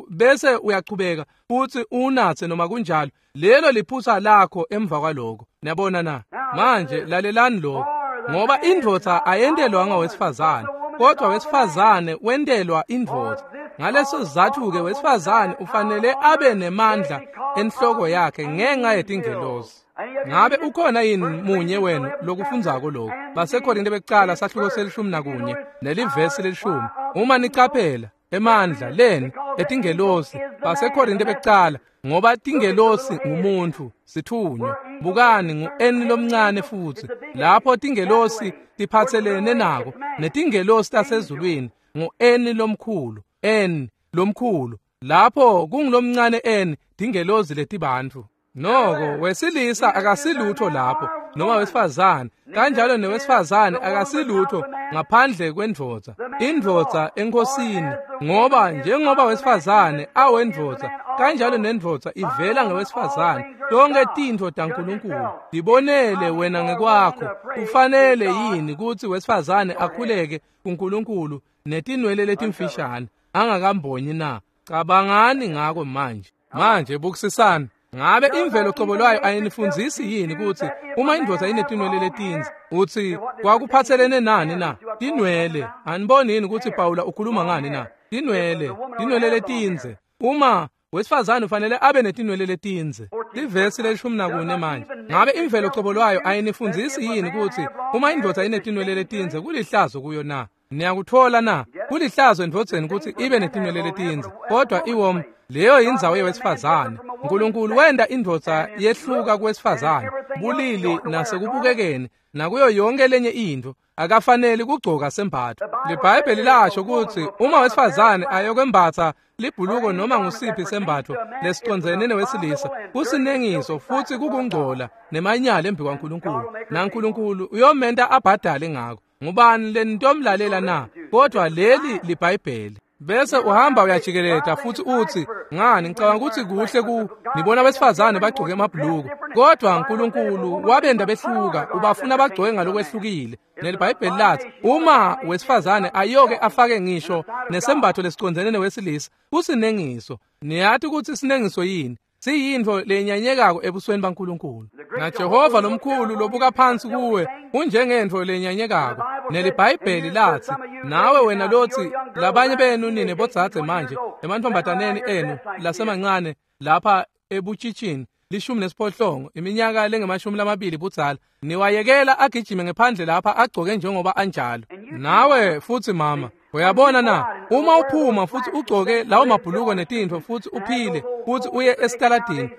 [SPEAKER 1] bese uyachubeka futhi unatse noma kunjalo, lelo liphutsa lakho emva kwaloko. Niyabona na? Manje lalelani lokho. Ngoba indvodza ayentelwanga wesifazane, kodwa wesifazane wentelwa indvodza. Ngaleso sizatfu-ke wesifazane ufanele abe nemandla enhloko yakhe ngenxa yetingelosi. Ngabe ukhona yini munye wenu lokufundzako lokhu? BaseKorinte bekucala sahluko 11 nelivesi 10. Uma nicaphela emandla leni etingelosi baseKorinte bekucala, ngoba tingelosi ngumuntu sithunywa. Bukani ngu-N lomncane futhi lapho tingelosi tiphathelene nako, netingelosi tasezulwini ngu-N lomkhulu, N lomkhulu. Lapho kungulomncane N tingelosi letibantfu. Noko wesilisa akasilutho lapho noma wesifazane, kanjalo newesifazane akasilutho ngaphandle kwendvodza. Indvodza enkosini, ngoba njengoba wesifazane awendvodza, kanjalo nendvodza ivela ngewesifazane. Tonke tintfo taNkulunkulu tibonele wena ngekwakho. Kufanele yini kutsi wesifazane akhuleke kuNkulunkulu netinwele letimfishane angakambonyi na? Cabangani ngako manje. Manje bukisisani. Ngabe imvelo cobo lwayo ayinifundzisi yini kutsi uma indvodza inetinwele letindze, utsi kwakuphatselene nani na? Tinwele. Aniboni yini kutsi Pawula ukhuluma ngani na? Tinwele, tinwele letindze. Uma wesifazane ufanele abe netinwele letindze. Livesi 14 manje. Ngabe imvelo cobo lwayo ayinifundzisi yini kutsi uma indvodza inetinwele letindze kulihlazo kuyo na? Niyakuthola na? Kulihlazo endvodzeni kutsi ibe netinwele letindze, kodwa iwom leyo yindzawo yewesifazane. Nkulunkulu wenta indvodza yehluka kuwesifazane bulili nasekubukekeni nakuyo yonke lenye intfo. Akafanele kugcoka sembatfo. LiBhayibheli lasho kutsi uma wesifazane ayokwembatsa libhuluko noma ngusiphi sembatfo lesicondzene newesilisa, kusinengiso futhi kukungcola nemanyala embi kwaNkulunkulu, naNkulunkulu uyomenta abhadale ngako. Ngubani lenitomlalela na? Kodwa leli liBhayibheli. Bese uhamba uyajikeleta futhi uthi, ngani ngicabanga ukuthi kuhle ku nibona abesifazane bagcoke emabhuluko, kodwa uNkulunkulu wabenda behluka, ubafuna bagcoke ngalokwehlukile. NeliBhayibheli lathi uma wesifazane ayoke afake ngisho nesembatho lesicondzene newesilisa, kusinengiso. Niyati ukuthi sinengiso yini? Siyintfo lenyanyekako ebusweni baNkulunkulu. NaJehova lomkhulu lobuka phansi kuwe unjengentfo lenyanyekako. NeliBhayibheli lathi nawe wena lothi labanye benu nine bodzadze manje emantfombataneni enu lasemancane lapha ebutshitshini 18 iminyaka lengama-20 budzala, niwayekela agijime ngephandle lapha agcoke njengoba anjalo. Nawe futhi mama, uyabona na? Uma uphuma futhi ugcoke lawo mabhuluko netintfo futhi uphile futhi uye esitaladini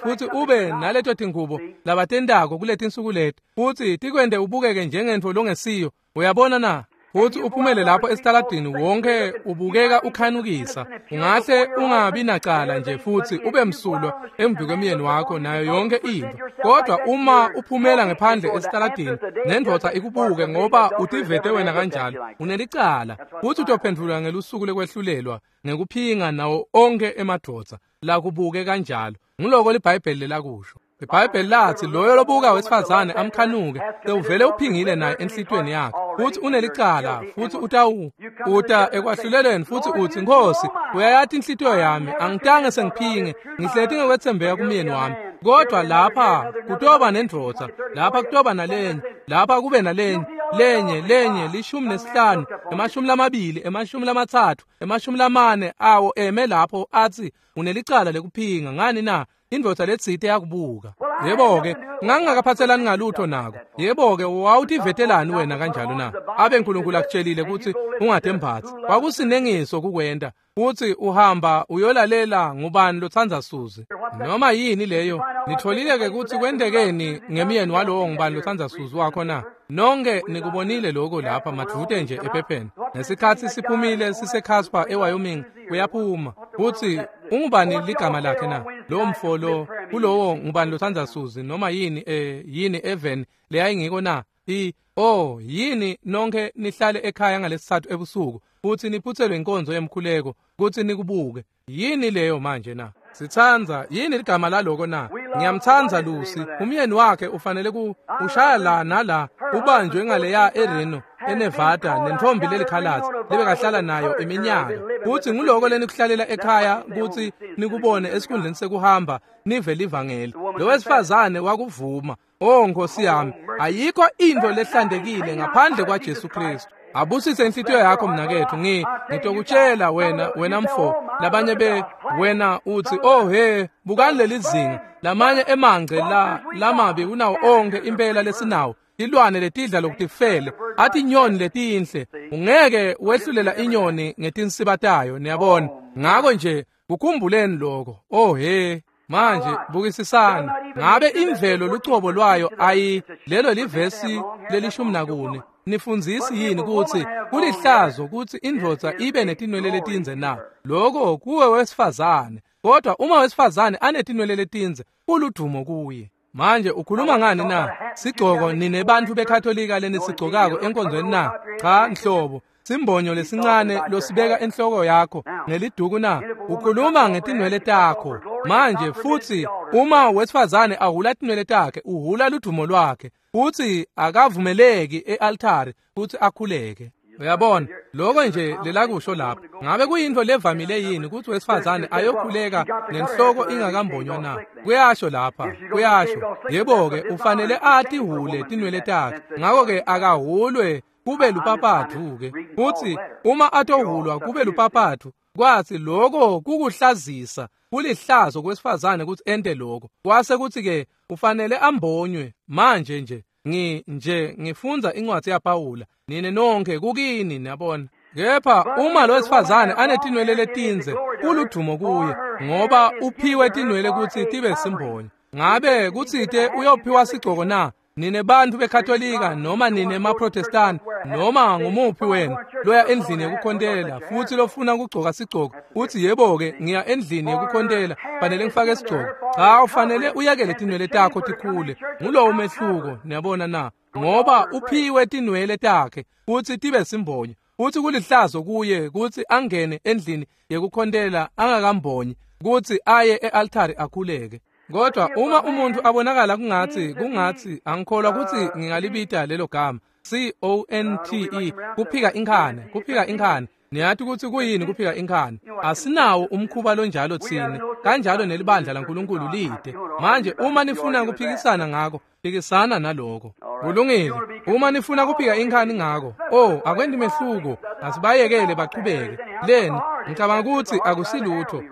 [SPEAKER 1] futhi ube naleto tingubo labatentako kuletinsuku leti futhi tikwente ubukeke njengentfo longesiyo. Uyabona na? Futhi uphumele lapho esitaladini wonke ubukeka ukhanukisa. Ungahle ungabi nacala nje futhi ube msulwa embi kwemyeni wakho nayo yonke intfo. Kodwa uma uphumela ngephandle esitaladini nendvodza ikubuke ngoba utivete wena kanjalo, unelicala futhi utophendvula ngelusuku lekwehlulelwa ngekuphinga nawo onke emadvodza lakubuke kanjalo. Nguloko liBhayibheli lelakusho. IBhayibheli lathi loyo lobuka wesifazane amkhanuke sewuvele uphingile naye enhlitiyweni yakhe, futhi unelicala futhi uta ekwahlulelweni futhi uthi, Nkosi, uyayati inhlitiyo yami, angitange sengiphinge, ngihleti ngekwetsembeka kumyeni wami. Kodwa lapha kutoba nendvodza, lapha kutoba nalenye, lapha kube nalenye, lenye 15, 20, 30, 40 awo eme lapho athi unelicala lekuphinga. Ngani na? Indvodza letsite yakubuka. Yebo-ke, ngangingakaphathelani ngalutho nako. Yebo-ke, wawutivetelani wena kanjalo na? Abe Nkulunkulu akutshelile kutsi ungatembatsi. Kwakusinengiso kukwenta. Futhi uhamba uyolalela ngubani lotsandza Suzi. Noma yini leyo? Nitholile-ke kutsi kwentekeni ngemyeni walowo ngubani lotsandza Suzi wakho na? Nonke nikubonile lokho lapha madvute nje ephepheni. Ngesikhatsi siphumile siseCasper eWyoming, uyaphuma. Futhi ungubani ligama lakhe na? Lo mfo lo kulowo ngubani lotsandza Suzi noma yini yini Evan leyayingiko na? Yini nonke nihlale ekhaya ngalesithathu ebusuku futhi niphuthelwe inkonzo yemkhuleko kuthi nikubuke. Yini leyo manje na? Sitsandza yini ligama laloko na? Ngiyamtsandza Lucy, umyeni wakhe ufanele ku ushaya la nala, ubanjwe ngaleya eReno, eNevada, nentombi lelikhalatsi lebekahlala nayo iminyaka. Kutsi nguloko lenikuhlalela ekhaya kutsi nikubone esikhundleni sekuhamba nive livangeli. Lo wesifazane wakuvuma. Oh Nkosi yami, ayikho into lehlantekile ngaphandle kwaJesu Kristu. Abusise inhlitiyo yakho mnaketfu. Ngitokutshela wena mfo, labanye be wena uthi oh he, bukani leli zinga lamanye emangce la lamabi kunawo onke impela lesinawo, tilwane letidla lokutifele, athi inyoni letinhle. Ungeke wehlulela inyoni ngetinsiba tayo, niyabona. Ngako nje kukhumbuleni lokho. Oh he, manje bukisisani, ngabe imvelo lucobo lwayo ayi lelo livesi leli-14 nifundzisi yini kutsi kulihlazo kutsi indvodza ibe netinwele letindze na? Lokho kuwe wesifazane, kodwa uma wesifazane anetinwele letindze kuludumo kuye. Manje ukhuluma ngani na? Sigcoko nine bantfu beKatolika lenisigcokako enkonzweni na? Cha nhlobo. Simbonyo lesincane losibeka enhloko yakho ngeliduku na? Ukhuluma ngetinwele takho. Manje futsi uma wesifazane ahula tinwele takhe, uhula ludumo lwakhe, futsi akavumeleki e-altari kutsi akhuleke. Uyabona, lokho nje lelakusho lapha. Ngabe kuyinto levamile yini kutsi wesifazane ayokhuleka nenhloko ingakambonywa na? Kuyasho lapha, kuyasho. Yebo-ke, ufanele atihule tinwele takhe. Ngako-ke akahulwe kube lupapathu-ke. Futsi uma atohulwa kube lupapathu, kwatsi lokho kukuhlazisa, kulihlazo kwesifazane kutsi ente lokho. Kwase kutsi-ke ufanele ambonywe. Manje nje ngifundza incwadzi yaPawula, nine nonke kukini, niyabona. Kepha uma lo wesifazane anetinwele letindze, kuludumo kuye, ngoba uphiwe tinwele kutsi tibe simbonyo. Ngabe kutsite uyophiwa sigcoko na? Nine bantfu beKatolika noma nine maProtestant noma ngumuphi wenu loya endlini yekukhontela futsi lofuna kugcoka sigcoko, uthi yebo-ke ngiya endlini yekukhontela fanele ngifake sigcoko. Cha, ufanele uyekele tinwele takho tikhule. Ngulowo umehluko, niyabona na? Ngoba uphiwe tinwele takhe kutsi tibe simbonyo, futsi kulihlazo kuye kutsi angene endlini yekukhontela angakambonyi, kutsi aye e-altari akhuleke. Kodwa uma umuntu abonakala kungatsi angikholwa kutsi ngingalibita lelo gama C-O-N-T-E, kuphika inkhani. Niyati kutsi kuyini kuphika inkhani? Asinawo umkhuba lonjalo tsine, kanjalo nelibandla laNkulunkulu lide. Manje uma nifuna kuphikisana ngako, phikisana naloko. Kulungile. Uma nifuna kuphika inkhani ngako, oh akwendi mehluko, asibayekele bachubeke. Leni, ngicabanga kutsi akusilutho.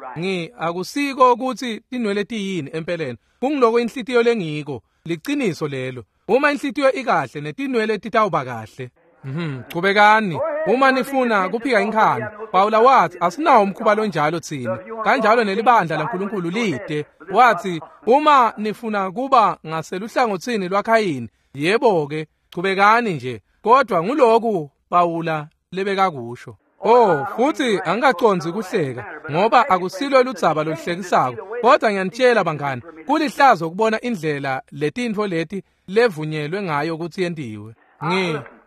[SPEAKER 1] Akusiko kutsi tinwele tiyini empeleni. Kungiloko inhlitiyo lengiko, liciniso lelo. Uma inhlitiyo ikahle netinwele titawuba kahle. Chubekani. Uma nifuna kuphika inkhani, Pawula wathi asinawo umkhuba lonjalo tsine, kanjalo nelibandla laNkulunkulu lide. Wathi uma nifuna kuba ngaseluhlangotsini lwaKhayini, yebo-ke, chubekani nje. Kodwa nguloku Pawula lebekakusho. Oh, futsi angikacondzi kuhleka, ngoba akusilo ludzaba loluhlekisako. Kodwa ngiyanitshela bangani, kulihlazo kubona indlela letintfo leti levunyelwe ngayo kutsi yentiwe.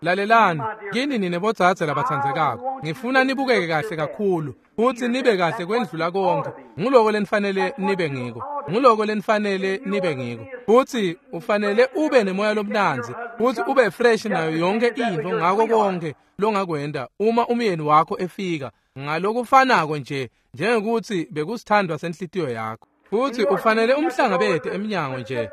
[SPEAKER 1] Lalelani, kini nine bodzadze labatsandzekako, ngifuna nibukeke kahle kakhulu, futsi nibe kahle kwendlula konke. Nguloko lenifanele nibe ngiko. Nguloko lenifanele nibe ngiko. Futsi ufanele ube nemoya lomnandzi, futsi ube fresh nayo yonke intfo ngako konke longakwenta uma umyeni wakho efika, ngalokufanako nje njengekuthi bekusithandwa senhlitiyo yakho. Futsi ufanele umhlangabete eminyango nje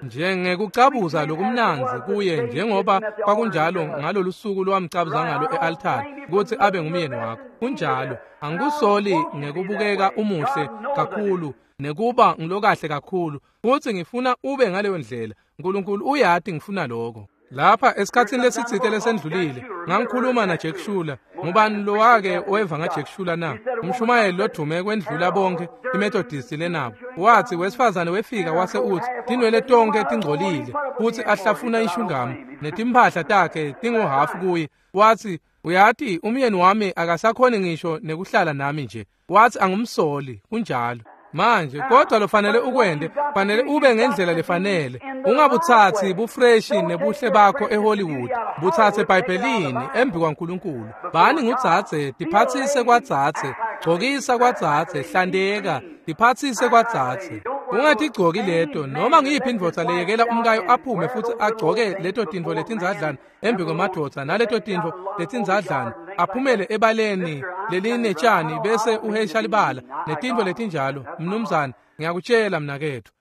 [SPEAKER 1] njengekucabuza lokumnandzi kuye, njengoba kwakunjalo ngalolu suku lowamcabuza ngalo e-altari kutsi abe ngumyeni wakho. Kunjalo, angikusoli ngekubukeka umuhle kakhulu nekuba ngilokahle kakhulu, futsi ngifuna ube ngaleyo ndlela. Nkulunkulu uyati ngifuna lokho. Lapha esikhatsini lesitsite lesendlulile ngangikhuluma na Jack Schuler. Ngubani lowake weva nga Jack Schuler na? Umshumayeli lodume kwendlula bonke iMethodist lenabo. Wathi wesifazane wefika wase uthi tinwele tonke tingcolile, futhi ahlafuna ishungamu netimphahla takhe tinguhafu kuye. Wathi uyati umyeni wami akasakhoni ngisho nekuhlala nami nje. Wathi angumsoli. Kunjalo. Manje kodwa lofanele ukwende, fanele ube ngendlela lefanele. Ungabuthathi bufreshi nebuhle bakho eHollywood, buthathe eBhayibhelini embi kwaNkulunkulu. Bani ngudzadze, tiphatsise kwadzadze, gcokisa kwadzadze, hlandeka, tiphatsise kwadzadze. Ungatigcoki leto noma ngiyiphi indvodza leyekela umkayo aphume futsi agcoke leto tintfo letindzadlana embi kwemadvodza naleto tintfo letindzadlana aphumele ebaleni lelinetshani bese uhesha libala netintfo letinjalo. Mnumzane, ngiyakutshela mnaketfu,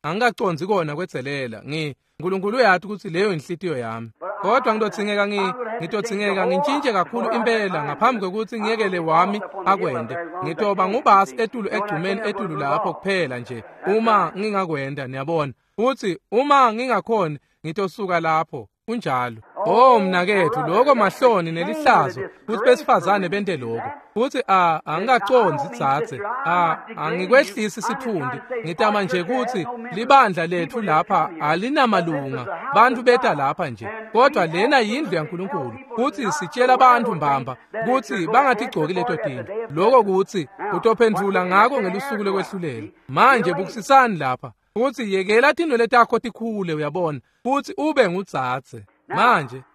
[SPEAKER 1] angikacondzi kona kwedzelela. Nkulunkulu uyati kutsi leyo inhlitiyo yami, kodwa ngitodzingeka ngintshintshe kakhulu impela ngaphambi kwekutsi ngiyekele wami akwente. Ngitoba ngubasi etulu egcumeni etulu lapho kuphela nje uma ngingakwenta, niyabona. Futsi uma ngingakhoni ngitosuka lapho. Kunjalo. Oh mnaketfu, lokho mahloni nelihlazo kutsi besifazane bente lokho. Futsi angikacondzi dzadze, angikwehlisi sitfundi, ngitama nje kutsi libandla letfu lapha alinamalunga, bantfu beta lapha nje, kodwa lena yindlu yaNkulunkulu, futsi sitshela bantfu mbamba kutsi bangatigcoki leto tintfo. Lokho kutsi utophendvula ngako ngelusuku lekwehlulela. Manje bukisisani lapha. Futsi yekela tinwele takho tikhule, uyabona, futsi ube ngudzadze.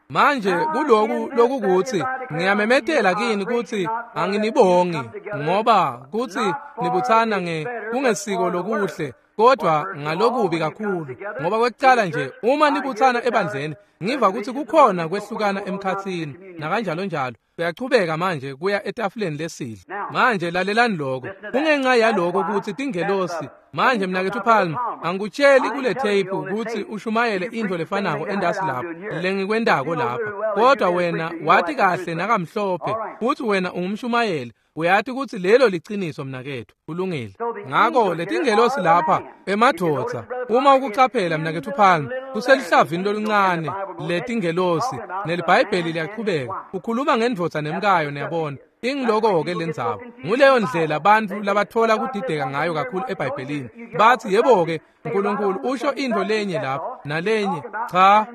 [SPEAKER 1] Manje kuloku lokukuthi ngiyamemetela kini kutsi anginibongi ngoba kutsi nibutsana kungesiko lokuhle, kodwa ngalokubi kakhulu, ngoba kwekucala nje uma nibutsana ebandleni ngiva kutsi kukhona kwehlukana emkhatsini nakanjalo njalo. Kuyachubeka manje kuya etafuleni lesidlo. Manje lalelani lokho. Kungenxa yaloko kutsi tingelosi manje mnaketfu Palmer, angikutsheli kule tape kutsi ushumayele intfo lefanako endasi lapho lengikwentako lapha, kodwa wena wati kahle nakamhlophe kutsi wena ungumshumayeli. Uyati kutsi lelo liciniso mnaketfu. Kulungile. Ngako letingelosi lapha emadvodza, uma ukucaphela mnaketfu Palmer, kuselihlavi loluncane letingelosi, neliBhayibheli liyaqhubeka ukhuluma ngendvodza nemkayo, niyabona. Ingiloko-ke lendzaba. Nguleyo ndlela bantfu labatfola kudideka ngayo kakhulu eBhayibhelini. Batsi yebo-ke Nkulunkulu usho intfo lenye lapha nalenye. Cha,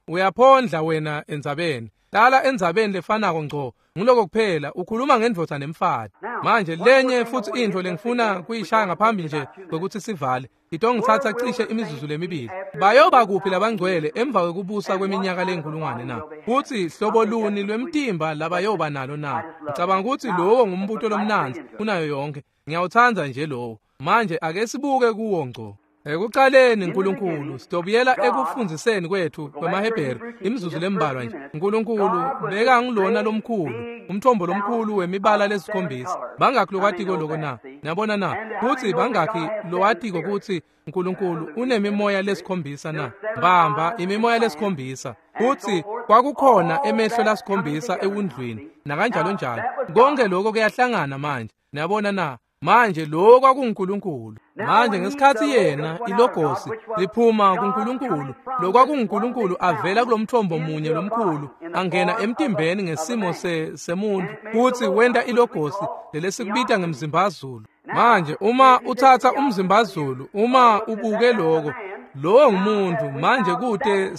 [SPEAKER 1] uyaphondla wena endzabeni. Hlala endzabeni lefanako ngco. Nguloko kuphela ukhuluma ngendvodza nemfati. Manje lenye futsi intfo lengifuna kuyishaya ngaphambi nje kwekutsi sivale, itongitsatsa cishe imizuzu lemibili. Bayoba kuphi labangcwele emva kwekubusa kweminyaka lenkulungwane na? Futsi hlobo luni lwemtimba labayoba nalo na? Ngicabanga kutsi lowo ngumbuto lomnandzi kunayo yonke. Ngiyawutsandza nje lowo. Manje ake sibuke kuwo ngco. Ekucaleni Nkulunkulu, sitobuyela ekufundziseni kwethu kwemaHebheru imizuzu lembalwa nje. Nkulunkulu bekangulona lomkhulu, umthombo lomkhulu wemibala lesikhombisa. Bangakhi lokwatiko loko na? Niyabona na? Kutsi bangakhi lowatiko kutsi Nkulunkulu unemimoya lesikhombisa na? Mbamba imimoya lesikhombisa. Kutsi kwakukhona emehlo lasikhombisa ewundlwini nakanjalo njalo. Konke lokho kuyahlangana manje. Niyabona na? Manje lo kwakunguNkulunkulu. Manje ngesikhatsi yena ilogosi liphuma kuNkulunkulu, lo kwakunguNkulunkulu avela kulomthombo munye lomkhulu angena emtimbeni ngesimo semuntu, kutsi wenta ilogosi lelesikubita ngemzimbazulu. Manje uma utsatsa umzimbazulu, uma ubuke lokho, lowo ngumuntu. Manje kute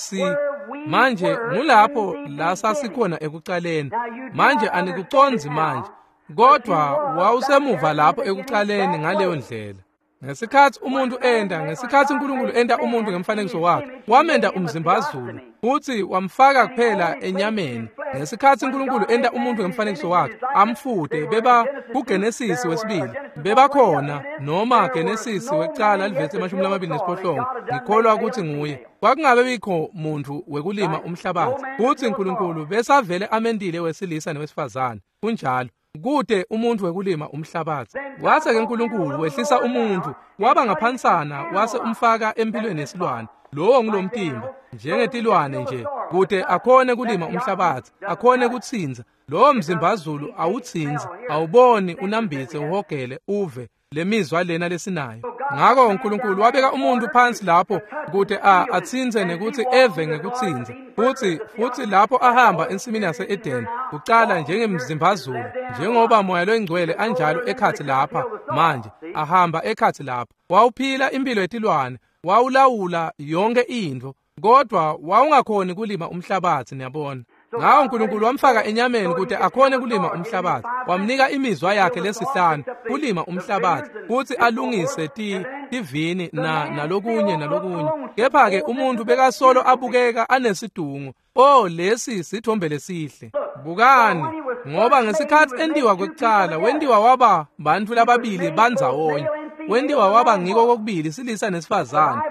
[SPEAKER 1] manje ngulapho la sasikhona ekucaleni. Manje anikucondzi manje, kodwa wawusemuva lapho ekucaleni ngaleyo ndlela. Ngesikhatsi umuntu enta, ngesikhatsi Nkulunkulu enta umuntu ngemfanekiso wakhe, wamenta umzimbazulu futsi wamfaka kuphela enyameni. Ngesikhatsi Nkulunkulu enta umuntu ngemfanekiso wakhe, amfute beba kuGenesis wesibili, bebakhona noma Genesis wekucala livesi 28, ngikholwa kutsi nguye. Kwakungabe bikho muntu wekulima umhlabathi, futsi Nkulunkulu besavele amendile wesilisa newesifazane. Kunjalo. Kute umuntu wekulima umhlabathi. Wase ke Nkulunkulu wehlisa umuntu waba ngaphansana wase umfaka empilweni yesilwane. Lowo ngulomtimba njengetilwane nje, kute akhone kulima umhlabathi, akhone kutsinza. Lowo mzimbazulu awutsinzi, awuboni, unambitse, uhogele, uve lemizwa lena lesinayo. Ngako uNkulunkulu wabeka umuntu phansi lapho kute atsinze nekuthi eve ngekutsinza. Futsi lapho ahamba ensimini yase-Eden ucala njengemzimbazulu, njengoba moya loyingcwele anjalo ekhatsi lapha manje, ahamba ekhatsi lapha. Wawuphila impilo yetilwane, wawulawula yonke intfo, kodwa wawungakhoni kulima umhlabathi, niyabona. Ngawo uNkulunkulu wamfaka enyameni kute akhone kulima umhlabathi, wamnika imizwa yakhe lesihlanu kulima umhlabathi, kutsi alungise tivini nalokunye nalokunye. Kepha-ke umuntu bekasolo abukeka anesidungo. Oh, lesi sithombe lesihle. Bukani, ngoba ngesikhatsi entiwa kwekucala, wentiwa waba bantfu lababili bandzawonye. Wentiwa waba ngiko kokubili silisa nesifazane.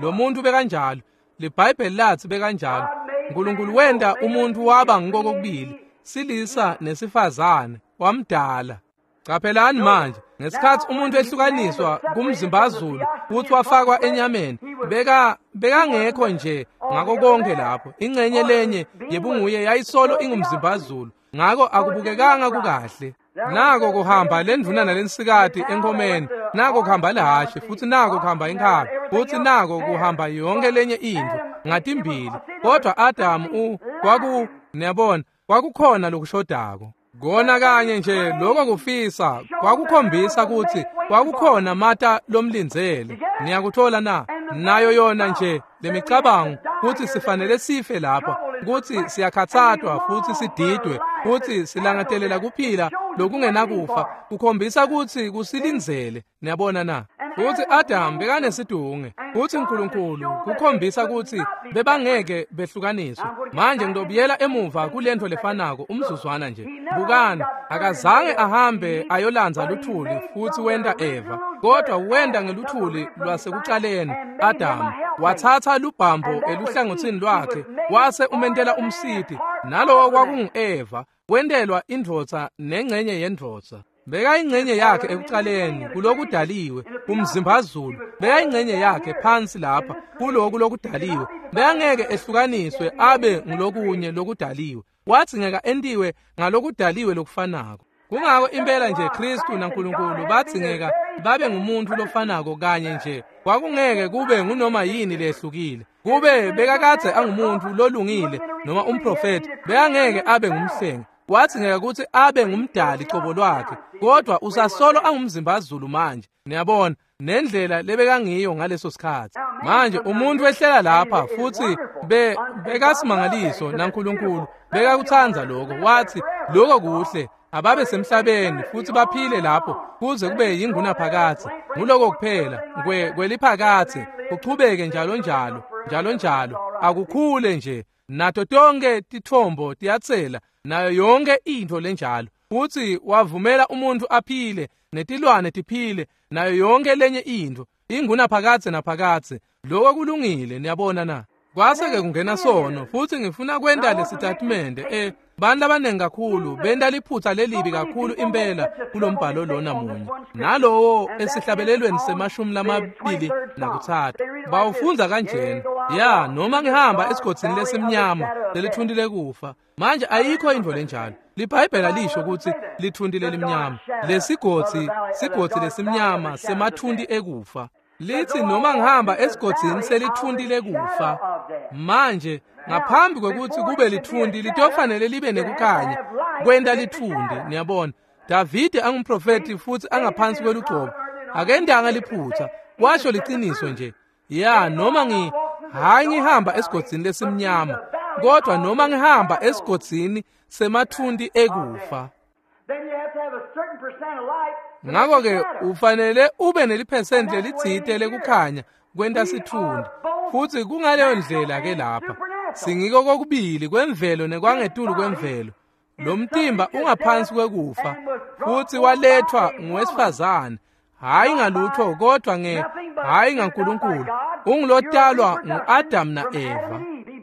[SPEAKER 1] Lo muntu bekanjalo. LiBhayibheli lathi bekanjalo. uNkulunkulu wenta umuntu waba ngiko kokubili silisa nesifazane, wamdala. Qaphelani manje, ngesikhathi umuntu ehlukaniswa kumzimbazulu futhi wafakwa enyameni, bekangekho nje ngako konke lapho. Ingxenye lenye yebunguye yayisolo ingumzimbazulu, ngako akubukekanga kukahle. Nako kuhamba lendvuna nalensikati enkomeni, nako kuhamba lihhashi, futhi nako kuhamba inkhabi, futhi nako kuhamba yonke lenye intfo ngatimbili. Kodwa Adamu niyabona, kwakukhona lokushodako. Kona kanye nje lokho kufisa kwakukhombisa ukuthi kwakukhona mata lomlindzele. Niyakuthola na? Nayo yona nje lemicabango ukuthi sifanele sife lapha, ukuthi siyakhathathwa futhi sididwe, futhi silangatelela kuphila lokungenakufa, kukhombisa ukuthi kusilindzele. Niyabona na? Futhi Adam bekanesidunge, futhi uNkulunkulu kukhombisa ukuthi bebangeke behlukaniswe. Manje ngidobuyela emuva kulento lefanako umzuzwana nje. Bukani, akazange ahambe ayolandza luthuli futhi wenta Eva, kodwa wenta ngeluthuli lwasekucaleni. Adam wathatha lubhambo eluhlangothini lwakhe wase umentela umsiti, nalowo kwakungu-Eva, wentelwa indvodza nengxenye yendvodza. Bekayingxenye yakhe ekucaleni kulokudaliwe umzimbazulu, bekayingxenye yakhe phansi lapha kuloku lokudaliwe. Bekangeke ehlukaniswe abe ngulokunye lokudaliwe, wadzingeka entiwe ngalokudaliwe lokufanako. Kungako impela nje Kristu naNkulunkulu badzingeka babe ngumuntu lofanako kanye nje. Kwakungeke kube ngunoma yini lehlukile. Kube bekakadze angumuntu lolungile noma umprofeti, bekangeke abe ngumhlengi. Wadzingeka ukuthi abe ngumdali cobo lwakhe, kodwa usasolo angumzimbazulu manje. Niyabona nendlela lebekangiyo ngaleso sikhathi. Manje umuntu wehlela lapha futhi bekasimangaliso naNkulunkulu bekakuthanda lokho. Wathi lokho kuhle, ababe semhlabeni futhi baphile lapho kuze kube yingunaphakadze. Nguloko kuphela kweliphakadze, kuchubeke njalo njalo njalo njalo, akukhule nje. Nato tonke tithombo tiyatsela, nayo yonke intfo lenjalo. Futhi wavumela umuntu aphile netilwane tiphile nayo yonke lenye intfo ingunaphakadze naphakadze. Lokho kulungile. Niyabona na? Kwase-ke kungena sono, futhi ngifuna kwenta lesitatimende. Bantu abaningi kakhulu benta liphutha lelibi kakhulu impela kulombhalo lona munye nalowo esihlabelelweni se-23 bawufundza kanjena: ya noma ngihamba esigodzini lesimnyama lelithunti lekufa. Manje ayikho intfo lenjalo. LiBhayibheli alisho ukuthi lithunti lelimnyama, lesigodzi sigodzi lesimnyama semathunti ekufa. Lithi noma ngihamba esigodzini selithunti lekufa. Manje ngaphambi kwekuthi kube lithunti litofanele libe nekukhanya kwenta lithunti. Niyabona, Davide angumprofeti futhi angaphansi kwelugcobo, akendanga liphutha, washo liciniso nje. Ya noma hayi ngihamba esigodzini lesimnyama, kodwa noma ngihamba esigodzini semathunti ekufa. Ngakho-ke ufanele ube neliphesenti lelitsite lekukhanya kwenta sithundi, futhi kungaleyo ndlela ke lapha singiko kokubili kwemvelo nekwangetulu kwemvelo. Lo mtimba ungaphansi kwekufa futhi walethwa nguwesifazane, hayi ngalutho kodwa hayi ngaNkulunkulu. Ungulotalwa ngu-Adam na-Eva.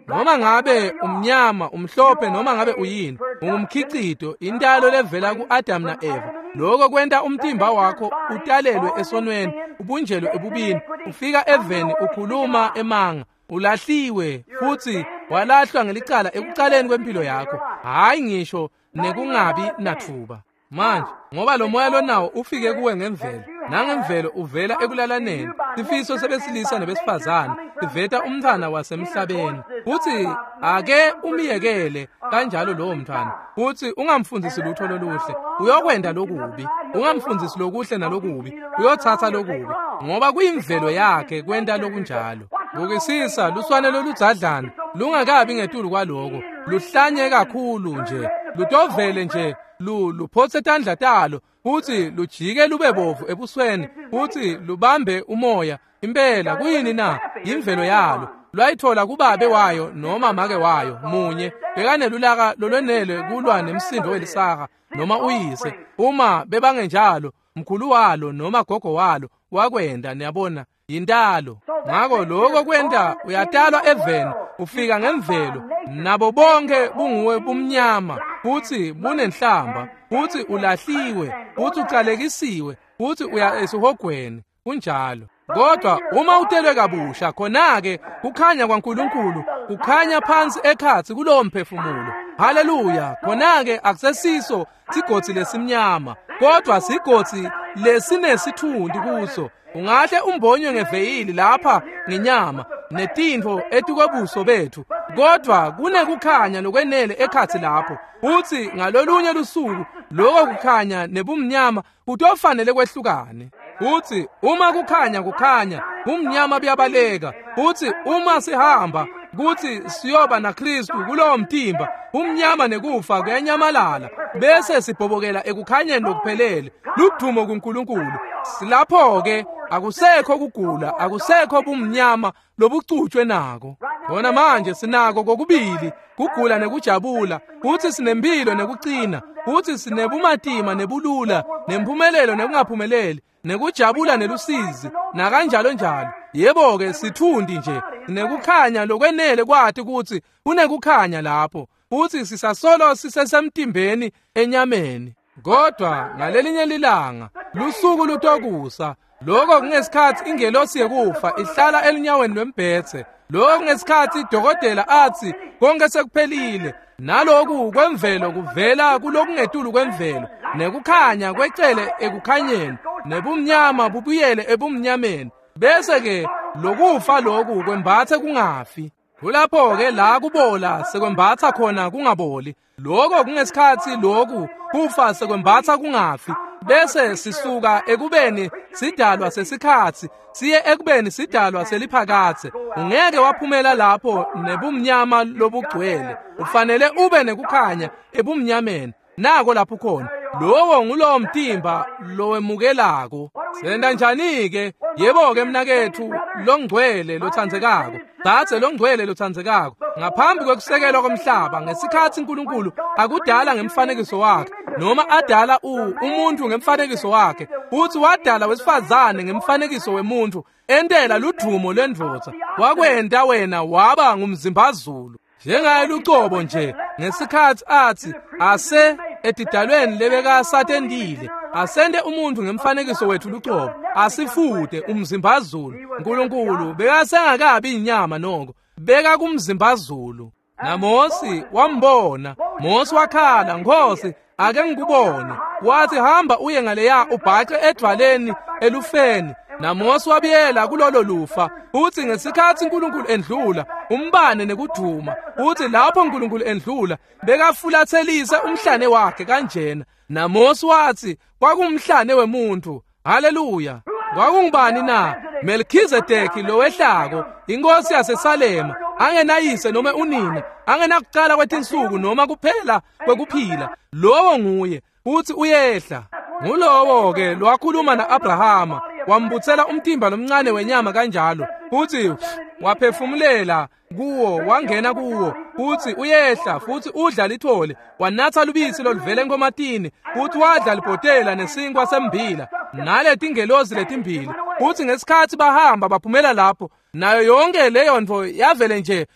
[SPEAKER 1] Noma ngabe umnyama, umhlophe, noma ngabe uyini, ungumkhicito, intalo levela ku-Adam na-Eva. Lokho kwenta umtimba wakho utalelwe esonweni, ubunjelwe ebubini, ufika eveni ukhuluma emanga, ulahliwe futhi walahlwa ngelicala ekucaleni kwempilo yakho, hayi ngisho nekungabi nathuba. Manje ngoba lo moya lonawo ufike kuwe ngemvelo, nangemvelo uvela ekulalaneni, sifiso sebesilisa nebesifazane siveta umntwana wasemhlabeni. Futhi ake umyekele kanjalo lowo mntwana, futhi ungamfundisi lutho loluhle, uyokwenda lokubi. Ungamfundisi lokuhle nalokubi, uyothatha lokubi, ngoba kuyimvelo yakhe kwenta lokunjalo. Bukisisa luswane loludzadlana lungakabi ngetulu kwaloko, luhlanye kakhulu nje, lutovele nje luphotse tandla talo futhi lujike lube bovu ebusweni futhi lubambe umoya. Impela kuyini na? Imvelo yalo. Lwayithola kubabe wayo noma make wayo munye bekanelulaka lolwenele kulwa nemsindo welisaha noma uyise. Uma bebangenjalo Mkhulu walo noma gogo walo wakwenda, niyabona, yintalo. Ngako lokho kwenta uyatalwa eveni, ufika ngemvelo, nabo bonke bunguwe bumnyama, futhi bunenhlamba, futhi ulahliwe, futhi ucalekisiwe, futhi uya esihogweni. Kunjalo. Kodwa uma utelwe kabusha, khona-ke kukhanya kwaNkulunkulu kukhanya phansi ekhatsi kulowo mphefumulo. Haleluya! Khona-ke akusesiso sigodzi lesimnyama, kodwa sigodzi lesinesithundi kuso. Ungahle umbonywe ngeveyili lapha ngenyama netintfo etikwebuso bethu, kodwa kunekukhanya lokwenele ekhatsi lapho. Futsi ngalolunye lusuku loko kukhanya nebumnyama kutofanele kwehlukane. Futsi uma kukhanya kukhanya, bumnyama buyabaleka. Futsi uma sihamba kutsi siyoba naKristu kulowo mtimba, umnyama nekufa kuyanyamalala, bese sibhobokela ekukhanyeni lokuphelele. Ludumo kuNkulunkulu. Silapho-ke akusekho kugula, akusekho bumnyama lobucutshwe nako. Khona manje sinako kokubili, kugula nekujabula, futsi sinempilo nekucina, futsi sinebumatima nebulula, nemphumelelo nekungaphumeleli, nekujabula nelusizi, nakanjalo njalo. Yebo-ke sithundi nje, sinekukhanya lokwenele kwati kutsi kunekukhanya lapho, futsi sisasolo sisesemtimbeni enyameni. Kodwa ngalelinye lilanga lusuku lutokusa, lokho kungesikhathi ingelosi yekufa ihlala elunyaweni lwembhedze, lokho kungesikhathi idokotela athi konke sekuphelile, naloku kwemvelo kuvela kulokungetulu kwemvelo, nekukhanya kwecele ekukhanyeni, nebumnyama bubuyele ebumnyameni, bese-ke lokufa loku kwembatse kungafi. Kulapho-ke la kubola sekwembatsa khona kungaboli. Lokho kungesikhathi loku kufa sekwembatsa kungafi, bese sisuka ekubeni sidalwa sesikhatsi siye ekubeni sidalwa seliphakadze. Ungeke waphumela lapho nebumnyama lobugcwele, ufanele ube nekukhanya ebumnyameni. Nako lapho khona, lowo ngulowo mtimba lowemukelako. Senta njani-ke? Yebo-ke mnaketfu longcwele lotsandzekako, dzadze longcwele lotsandzekako, ngaphambi kwekusekelwa komhlaba, ngesikhatsi uNkulunkulu akudala ngemfanekiso wakhe, noma adala umuntu ngemfanekiso wakhe, futsi wadala wesifazane ngemfanekiso wemuntu, entela ludumo lwendvodza, wakwenta wena waba ngumzimbazulu. Njengaye lucobo nje, ngesikhatsi athi ase etidalweni lebekasatendile, asente umuntu ngemfanekiso wethu lucobo, asifute umzimbazulu. uNkulunkulu bekasengakabi inyama noko, beka kumzimbazulu. NaMosi wambona, Mosi wakhala, Nkosi, ake ngikubone. Wathi hamba uye ngaleya ubhace edvwaleni elufeni. NaMosi wabuyela kulolo lufa. Uthi ngesikhatsi uNkulunkulu endlula, umbane nekuduma. Uthi lapho uNkulunkulu endlula, bekafulathelise umhlane wakhe kanjena. NaMosi wathi kwakumhlane wemuntu. Haleluya! Kwakungubani na? Melkizedeki lowehlako, inkosi yaseSalema, angenayise noma unina, angenakucala kwetinsuku noma kuphela kwekuphila. Lowo nguye, uthi uyehla. Ngulowo-ke lwakhuluma na-Abrahama, wambutsela umtimba lomncane wenyama kanjalo, futhi waphefumulela kuwo, wangena kuwo, futhi uyehla, futhi udla lithole, wanatha lubisi loluvela enkomatini, futhi wadla libhotela nesinkwa sembila, naletingelosi letimbili. Futhi ngesikhatsi bahamba baphumela lapho, nayo yonke leyo nto yavele nje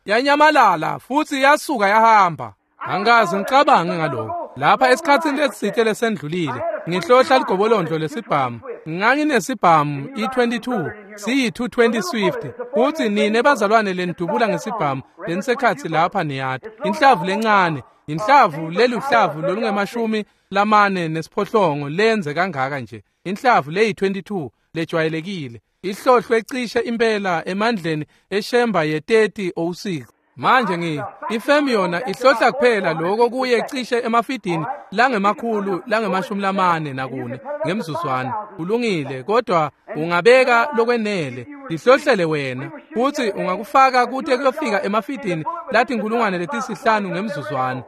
[SPEAKER 1] yanyamalala, futhi yasuka yahamba. Angaze ngicabange ngalokho. Lapha esikhatsini lesitsite lesendlulile, ngihlohla ligobolondlo lesibhamu. Nganginesibhamu i-22 siyi-220 Swift. Futhi nine bazalwane lenidubula ngesibhamu lenisekhatsi lapha niyati. Inhlavu lencane, inhlavu leluhlavu lolungemashumi lamane nesiphohlongo lenze kangaka nje. Inhlavu leyi-22 lejwayelekile, ihlohlwe cishe impela emandleni eshemba ye-3006. Manje ifemu yona ihlohla kuphela lokho kuye cishe emafidini langemakhulu langemashumi lamane nakune ngemzuzwana. Kulungile, kodwa ungabeka lokwenele lihlohlele wena, futhi ungakufaka kute kuyofika emafidini latinkulungwane letisihlanu ngemzuzwana.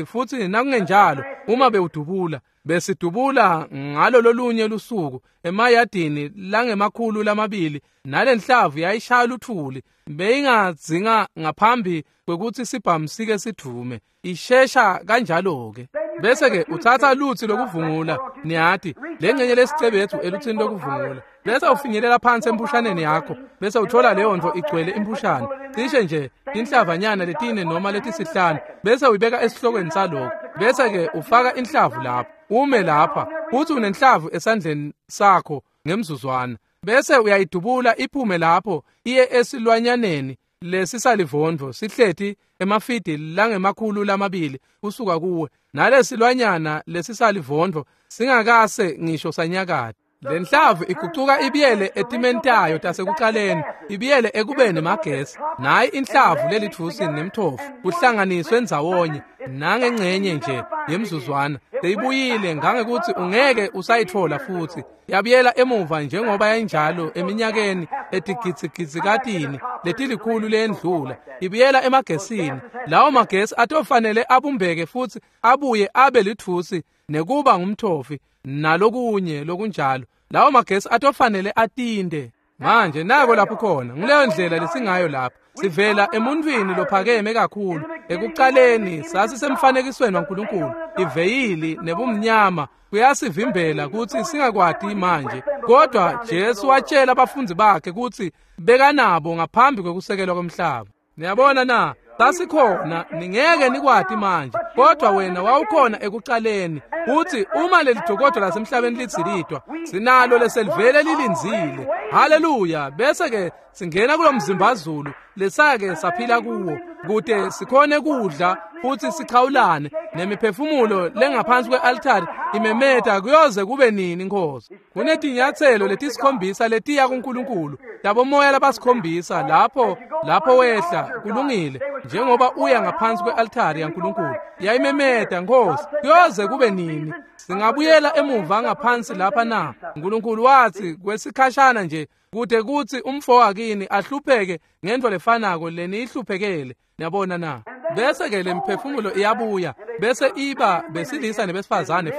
[SPEAKER 1] Futhi nakungenjalo, uma bewudubula Besidubula ngalo lolunye lusuku emayadini langema-200 nalenhlavu yayishaya luthuli beyingadzinga ngaphambi kwekutsi sibhamu sike sidvume ishesha kanjalo-ke. Bese-ke utsatsa lutsi lokuvungula, niyati lengcenye lesicebethu elutsini lokuvungula, bese ufinyelela phansi empushaneni yakho, bese uthola leyo nto igcwele impushana cishe nje tinhlavanyana letine noma letisihlanu, bese uyibeka esihlokweni saloko, bese-ke ufaka inhlavu lapho, ume lapha uthi unenhlavu esandleni sakho ngemzuzwana, bese uyayidubula iphume lapho iye esilwanyaneni lesisalivondvo sihleti emafidi langema-200 kusuka kuwe, nalesilwanyana lesisalivondvo singakase ngisho sanyakata. Lenhlavu igucuka ibiyele etimeni tayo tasekucaleni, ibiyele ekubeni emagesi. Nayi inhlavu lelitfusi nemthofu kuhlanganiswe ndzawonye nangengcenye nje yemzuzwana seyibuyile ngangekuthi ungeke usayitfola futhi. Yabuyela emuva njengoba yayinjalo eminyakeni etigidzigidzi letilikhulu lendlula, ibuyela emagesini. Lawo magesi atofanele abumbeke futhi abuye abe litfusi nekuba ngumthofi nalokunye lokunjalo. Lawo magesi atofanele atinde. Manje nako lapho khona, nguleyo ndlela lesingayo lapha. Sivela emuntwini lophakeme kakhulu. Ekucaleni sasisemfanekisweni waNkulunkulu. Iveyili nebumnyama kuyasivimbela kutsi singakwati manje. Kodwa Jesu watshela abafundzi bakhe kutsi bekanabo ngaphambi kwekusekelwa komhlaba. Niyabona na? Sasikhona, ningeke nikwati manje, kodwa wena wawukhona ekucaleni. Uthi uma leli dokodo lasemhlabeni lidzilitwa, sinalo leselivele lilindzile. Haleluya! Bese-ke singena kulo mzimbazulu lesake saphila kuwo, kute sikhone kudla futhi sichawulane nemiphefumulo lengaphansi kwe-altari imemeta kuyoze kube nini, Nkosi. Kunetinyatselo letisikhombisa letiya kuNkulunkulu, tabomoya labasikhombisa lapho wehla kulungile njengoba uya ngaphansi kwe-altari yaNkulunkulu. Yayimemeta, Nkosi, kuyoze kube nini? Singabuyela emuva ngaphansi lapha na? uNkulunkulu wathi kwesikhashana nje kude kuthi umfo wakini ahlupheke ngento lefanako leniyihluphekele. Niyabona na? Bese-ke lemphefumulo iyabuya, bese iba besilisa nebesifazane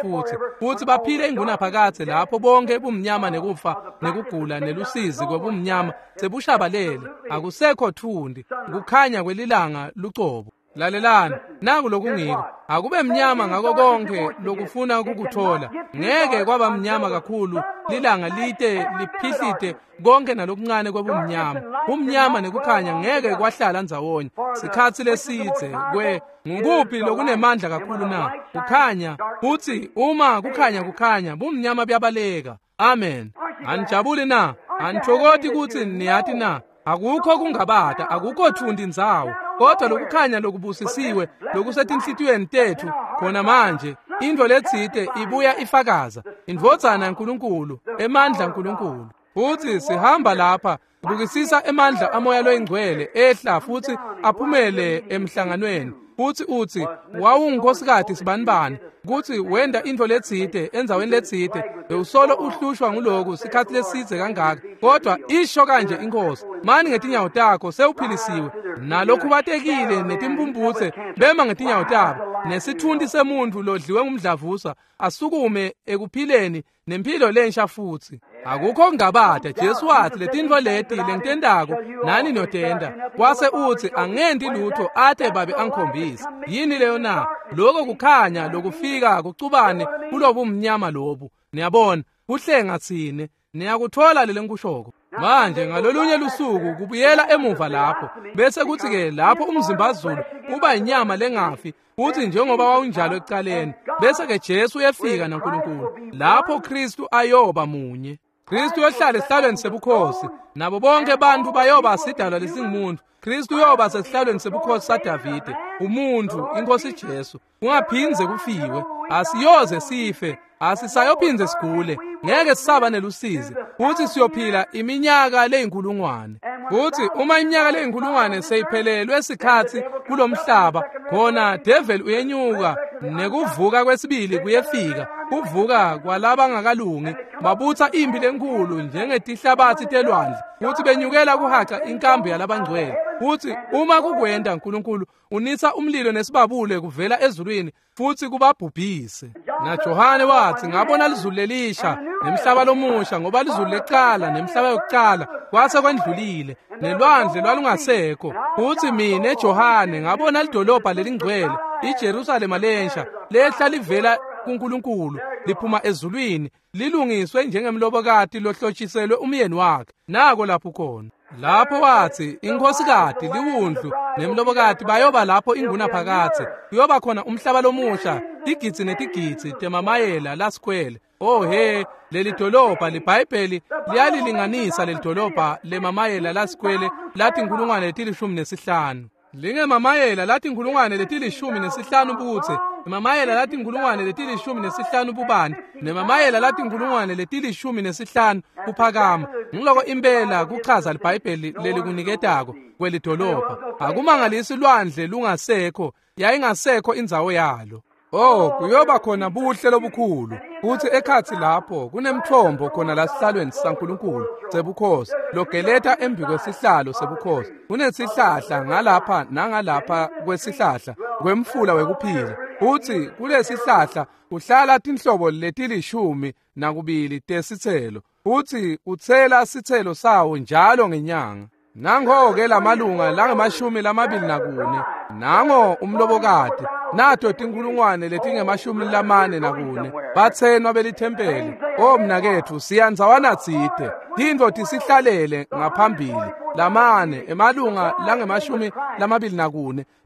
[SPEAKER 1] futhi baphile ingunaphakadze lapho bonke bumnyama nekufa nekugula nelusizi kwebumnyama sebushabalele, akusekho thundi, kukhanya kwelilanga lucobo. Lalelani, naku lokungiko, akube mnyama ngako konke lokufuna kukuthola. Ngeke kwaba mnyama kakhulu lilanga lite liphihlite konke nalokuncane kwebumnyama. Umnyama nekukhanya ngeke kwahlala ndzawonye sikhatsi lesidze. Kwe ngukuphi lokunemandla kakhulu na? Kukhanya. Uthi uma kukhanya bumnyama buyabaleka. Amen. Anijabuli na? Anithokoti kutsi niyati na? Akukho kungabata, akukho thundi ndzawo, kodwa lokukhanya lokubusisiwe lokusetinhlitiyweni tethu khona manje, intfo letsite ibuya ifakaza indvodzana yaNkulunkulu, emandla aNkulunkulu. Futhi sihamba lapha bukisisa emandla amoya loyingcwele ehla futhi aphumele emhlanganweni. Futhi uthi wawungunkosikazi sibanibani kuthi wenda intfo letsite endzaweni letsite, bewusolo uhlushwa nguloku sikhatsi lesidze kangaka, kodwa isho kanje iNkosi, mani ngetinyawo takho sewuphilisiwe. Nalokhubatekile netimpumputse bema ngetinyawo tabo, nesithunti semuntfu lodliwe ngumdlavuza asukume ekuphileni nempilo lensha futhi. Akukho kungabata, Jesu wathi letintfo leti lengitentako nani niyotenta. Wase uthi angenti lutho ate babe angikhombise. Yini leyo na? Lokho kukhanya lokufika kucubane kulobumnyama lobu. Niyabona, kuhlenga tsine. Niyakuthola lele ngikushoko. Manje ngalolunye lusuku kubuyela emuva lapho, bese kuthi-ke lapho umzimbazulu uba inyama lengafi futhi njengoba wawunjalo ekucaleni, bese-ke Jesu uyefika naNkulunkulu lapho Kristu ayoba munye. Kristu uyohlala esihlalweni sebukhosi, nabo bonke bantu bayoba sidalwa lesingumuntu. Kristu uyoba sesihlalweni sebukhosi saDavide, umuntu, iNkosi Jesu. Kungaphindze kufiwe, asiyoze sife, asisayophinze sigule, ngeke sisaba nelusizi, futhi siyophila iminyaka leyinkulungwane. Futhi uma iminyaka leyinkulungwane seyiphelelwe sikhatsi kulomhlaba, Khona devil uyenyuka nekuvuka kwesibili kuyefika, kuvuka kwalabangakalungi, babutsa impi lenkulu njengetihlabathi telwandle, futhi benyukela kuhaca inkambu yalabangcwele. Futhi uma kukwenda uNkulunkulu unisa umlilo nesibabule kuvela ezulwini futhi kubabhubhise. NaJohane wathi ngabona lizulu lelisha nemhlaba lomusha, ngoba lizulu lecala nemhlaba yokucala kwase kwendlulile, nelwandle lwalungasekho. Futhi mina Johane ngabona lidolobha lelingcwele iJerusalema lensha lehla livela kuNkulunkulu liphuma ezulwini, lilungiswe njengemlobokati lohlotshiselwe umyeni wakhe. Nako lapho khona lapho wathi inkhosikati liwundlu nemlobokati bayoba lapho ingunaphakadze. Kuyoba khona umhlaba lomusha, tigidzi netigidzi temamayela lasikwele. Oh he, leli dolobha liBhayibheli liyalilinganisa leli dolobha lemamayela lasikwele lathi 15,000. Lingemamayela lathi 15,000 ubutse, emamayela lathi 15,000 bubanti, nemamayela lathi 15,000 kuphakama. Ngiloko impela kuchaza liBhayibheli lelikuniketako kwelidolobha. Akumangalisi lwandle lungasekho, yayingasekho indzawo yalo. Oh, kuyoba khona buhle lobukhulu. Futhi ekhathi lapho kunemthombo khona la sihlalweni saNkulunkulu sebukhosi logeleta embi kwesihlalo sebukhosi. Kunesihlahla ngalapha nangalapha kwesihlahla kwemfula wekuphila. Futhi kulesihlahla kuhlala tinhlobo leti12 tesitselo. Futhi utsela sitselo sawo njalo ngenyanga. Nango-ke lamalunga langama-24, nango umlobokati, nato 44,000 bathenwa belithempeli. O mnaketfu, siyanzawana tsite, tintfo tisihlalele ngaphambili. Lamane emalunga langama-24,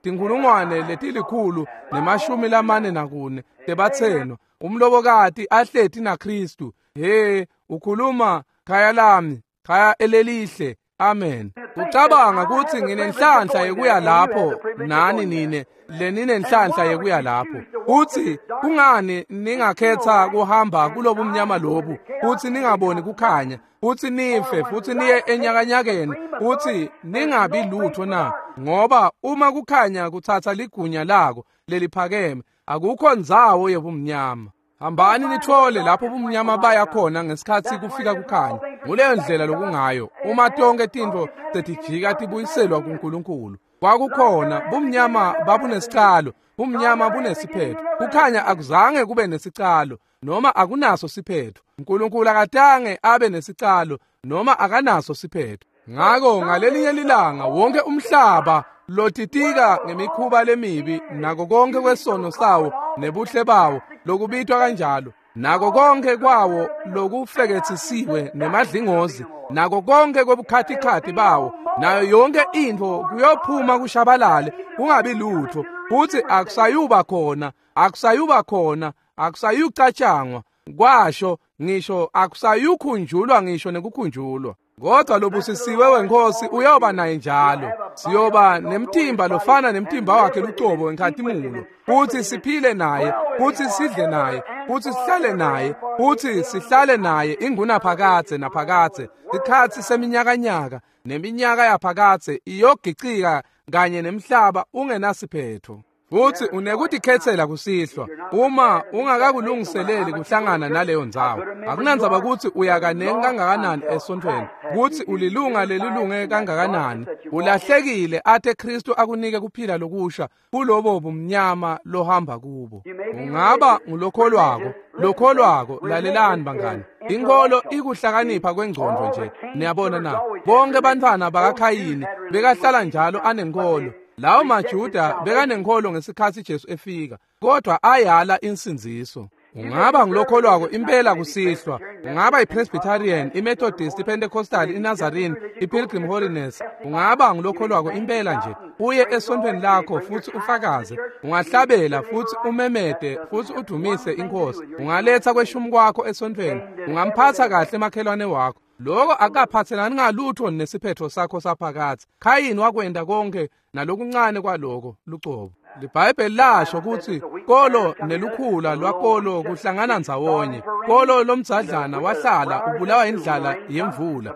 [SPEAKER 1] 144,000 tebathenwa, umlobokati ahleti naKristu. He, ukhuluma khaya lami, khaya elelihle. Amen. Ucabanga ukuthi nginenhlanhla yekuya lapho nani nine leninenhlanhla yekuya lapho. Uthi kungani ningakhetha kuhamba kulobumnyama lobu, uthi ningaboni kukhanya, uthi nife futhi niye enyakanyakeni, uthi ningabi lutho na? Ngoba uma kukhanya kuthatha ligunya lako leliphakeme, akukho ndzawo yobumnyama. Hambani nithole lapho ubumnyama baya khona ngesikhathi kufika kukhanya. Nguleyo ndlela lokungayo uma tonke tintfo setijika tibuyiselwa kuNkulunkulu. Kwakukhona bumnyama babunesicalo, bumnyama bunesiphetho. Kukhanya akuzange kube nesicalo noma akunaso siphetho. uNkulunkulu akatange abe nesicalo noma akanaso siphetho. Ngako ngalelinye lilanga wonke umhlaba lotitika ngemikhuba lemibi nako konke kwesono sawo nebuhle bawo lokubitwa kanjalo, nako konke kwawo lokufekethisiwe nemadlingozi, nako konke kwebukhatikhathi bawo, nayo yonke intfo kuyophuma kushabalale kungabi lutho, futhi akusayuba khona, akusayuba khona, akusayucatshangwa kwasho ngisho, akusayukhunjulwa ngisho nekukhunjulwa. Kodwa lobusisiwe wenkosi uyoba naye njalo. Siyoba nemtimba lofana nemtimba wakhe lucobo wenkhatimulo, futhi siphile naye, futhi sidle naye, futhi sihlale naye, futhi sihlale naye ingunaphakadze naphakadze. Sikhatsi seminyakanyaka neminyaka yaphakadze iyogicika kanye nemhlaba ungenasiphetho. Futhi unekutikhetsela kusihlwa uma ungakakulungiseleli kuhlangana naleyo ndzawo. Akunandzaba ukuthi uya kanengi kangakanani esontweni, ukuthi ulilunga lelilunge kangakanani, ulahlekile ate Kristu akunike kuphila lokusha kulobo bumnyama lohamba kubo. Ungaba ngulokholwako, lokholwako. Lalelani bangani, inkolo ikuhlakanipha kwengcondvo nje. Niyabona na? Bonke bantfwana bakaKhayini bekahlala njalo anenkolo. Lawo maJuda bekanenkholo ngesikhathi Jesu efika, kodwa ayala insindziso. Ungaba ngulokholwako impela kusihlwa, ungaba iPresbyterian, iMethodist, iPentecostal, iNazarene, iPilgrim Holiness. Ungaba ngulokholwako impela nje, uye esontweni lakho futhi ufakaze. Ungahlabela futhi umemede futhi udumise inkosi. Ungaletha kweshumi kwakho esontweni, ungamphatha kahle makhelwane wakho. Lokho akaphathelani ngalutho nesiphetho sakho saphakathi. Khayini wakwenda konke nalokuncane kwaloko lucobo. LiBhayibheli lasho kutsi kolo nelukhula lwakolo kuhlangana ndzawonye. Kolo lomdzadlana wahlala ubulawa indlala yemvula,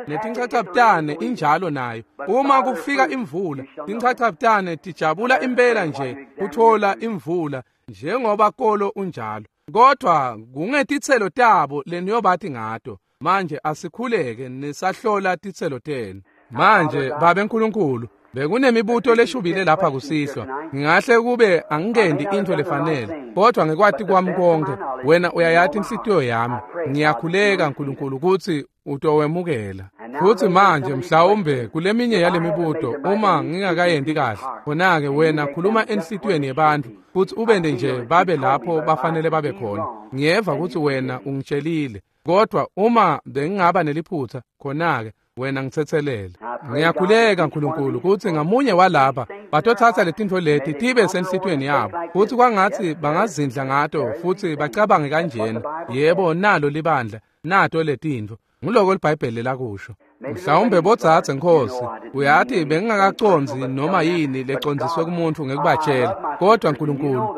[SPEAKER 1] netinchachabutane injalo nayo. Uma kufika imvula, tinchachabutane tijabula impela nje kuthola imvula njengoba kolo unjalo. Kodwa kungetitselo tabo leniyobathi ngato. Manje asikhuleke nisahlola titselo tenu. Manje Babe Nkulunkulu, bekunemibuto leshubile lapha kusihlwa. Ngingahle kube angingendi intfo lefanele, kodwa ngekwati kwami konke, wena uyayati inhlitiyo yami. Ngiyakhuleka Nkulunkulu kutsi utowemukela. Futsi manje mhlawumbe kuleminye yalemibuto uma ngingakayendi kahle, khona-ke wena khuluma enhlitiyweni yebantfu futsi ubende nje babe lapho bafanele babe khona. Ngiyeva kutsi wena ungitshelile, kodwa uma bengingaba neliphutha, khona-ke wena ngitsetselele. Ngiyakhuleka Nkulunkulu kutsi ngamunye walapha batothatha letintfo leti tibe senhlitiyweni yabo, futsi kwangatsi bangazindla ngato futsi bacabange kanjena. Yebo, nalo libandla, nato letintfo. Nguloko liBhayibheli lakusho. Mhlawumbe bodzadze Nkhosi, uyati bengingakacondzi noma yini lecondziswe kumuntu ngekubatshela, kodwa Nkulunkulu,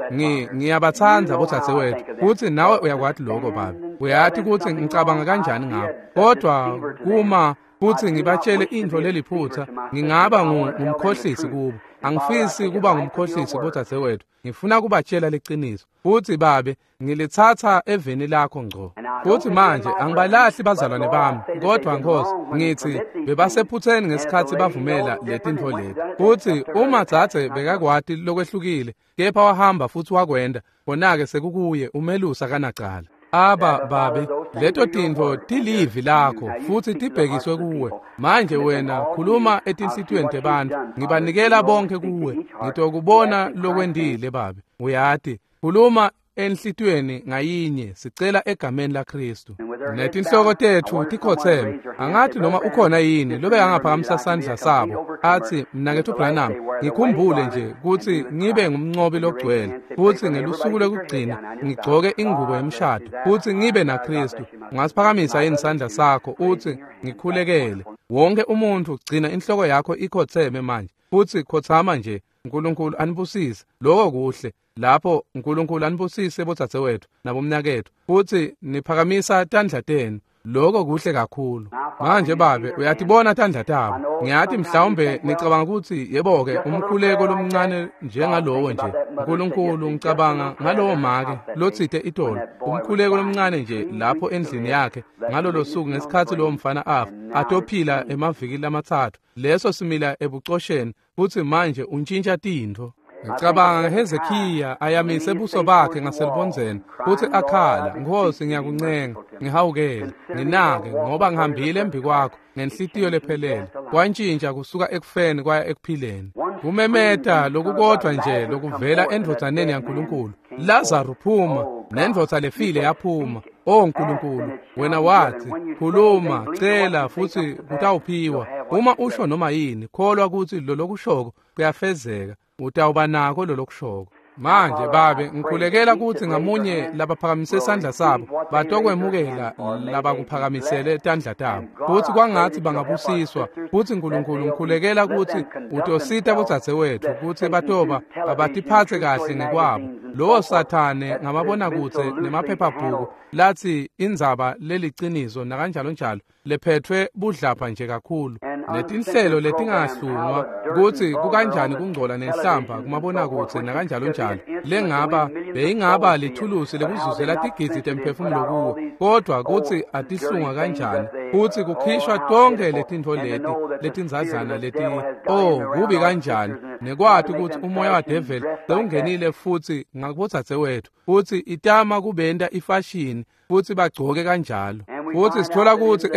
[SPEAKER 1] ngiyabatsandza bodzadzewethu, futsi nawe uyakwati lokho Babe. Uyati kutsi ngicabanga kanjani ngabo, kodwa kuma futsi ngibatshele intfo leliphutsa, ngingaba ngumkhohlisi kubo. Angifisi kuba ngumkhohlisi bodzadzewethu, ngifuna kubatshela liciniso. Futsi Babe, ngilitsatsa eveni lakho ngco. Futsi manje angibalahli bazalwane bami, kodwa Nkhosi, ngitsi bebasephutseni ngesikhatsi bavumela letintfo leti. Futsi uma dzadze bekakwati lokwehlukile, kepha wahamba futsi wakwenda, khona-ke sekukuye umelusa kanacala. Aba Babe, leto tintfo tilivi lakho futsi tibhekiswe kuwe. Manje wena khuluma etinhlitiyweni tebantfu. Ngibanikela bonke kuwe. Ngitokubona lokwendile Babe. Uyati, khuluma enhlitiyweni ngayinye, sicela egameni laKristu. Netinhloko tetfu tikhotseme. Angathi noma ukhona yini lobe angaphakamisa sandla sabo athi, mnaketfu Branham, ngikhumbule nje kutsi ngibe ngumncobi logcwele, futsi ngelusuku lokugcina ngigcoke ingubo yemshado, futsi ngibe naKristu. Ungasiphakamisa yini sandla sakho uthi ngikhulekele? Wonke umuntu gcina inhloko yakho ikhotseme manje, futsi khotsama nje. Nkulunkulu anibusise. Lokho kuhle. Lapho Nkulunkulu anibusise bodzadzewethu nabomnaketfu, futsi niphakamisa tandla tenu. Lokho kuhle kakhulu. Manje Babe, uyatibona tandla tabo. Ngiyati mhlawumbe nicabanga kutsi yebo-ke umkhuleko lomncane njengalowo nje. Nkulunkulu, ngicabanga ngalowo make lotsite itolo, umkhuleko lomncane nje lapho endlini yakhe ngalolo suku ngesikhatsi lowo mfana afa, atophila emaviki lamathathu. Leso simila ebucosheni, futsi manje untshintsha tintfo. Ngicabanga ngeHezekiya ayamise buso bakhe ngaselubondzeni futsi akhala, Nkhosi, ngiyakuncenga, ngihawukele, nginake, ngoba ngihambile embi kwakho ngenhlitiyo lephelele. Kwantshintsha kusuka ekufeni kwaya ekuphileni. Kumemeta lokukodvwa nje lokuvela endvodzaneni yaNkulunkulu, Lazarus phuma, nendvodza lefile yaphuma. O Nkulunkulu, wena wathi, khuluma, cela futsi kutawuphiwa. Uma usho noma yini, kholwa kutsi lolokushoko kuyafezeka, utawuba nako lolokushoko. Manje Babe, ngikhulekela kutsi ngamunye labaphakamise sandla sabo batokwemukela labakuphakamisele tandla tabo, futsi kwangatsi bangabusiswa. Futsi Nkulunkulu, ngikhulekela kutsi utosita bodzadzewethu kutsi batoba abatiphatse kahle ngekwabo. Lowo Sathane ngamabonakudze nemaphephabhuku latsi indzaba leliciniso nakanjalo njalo lephethwe budlapha nje kakhulu, netinhlelo letingahlungwa kutsi kukanjani kungcola nenhlamba kumabonakudze nakanjalo njalo, lengaba beyingaba lithulusi lekuzuzela tigidzi temphefumulo kuwo, kodwa kutsi atihlungwa kanjani, futsi kukhishwa tonke letintfo leti letindzadlana leti, oh kubi kanjani, nekwati kutsi umoya wadeveli sewungenile futsi ngakubodzadzewethu, futsi itama kubenta ifashini futsi bagcoke kanjalo. Futsi sithola kutsi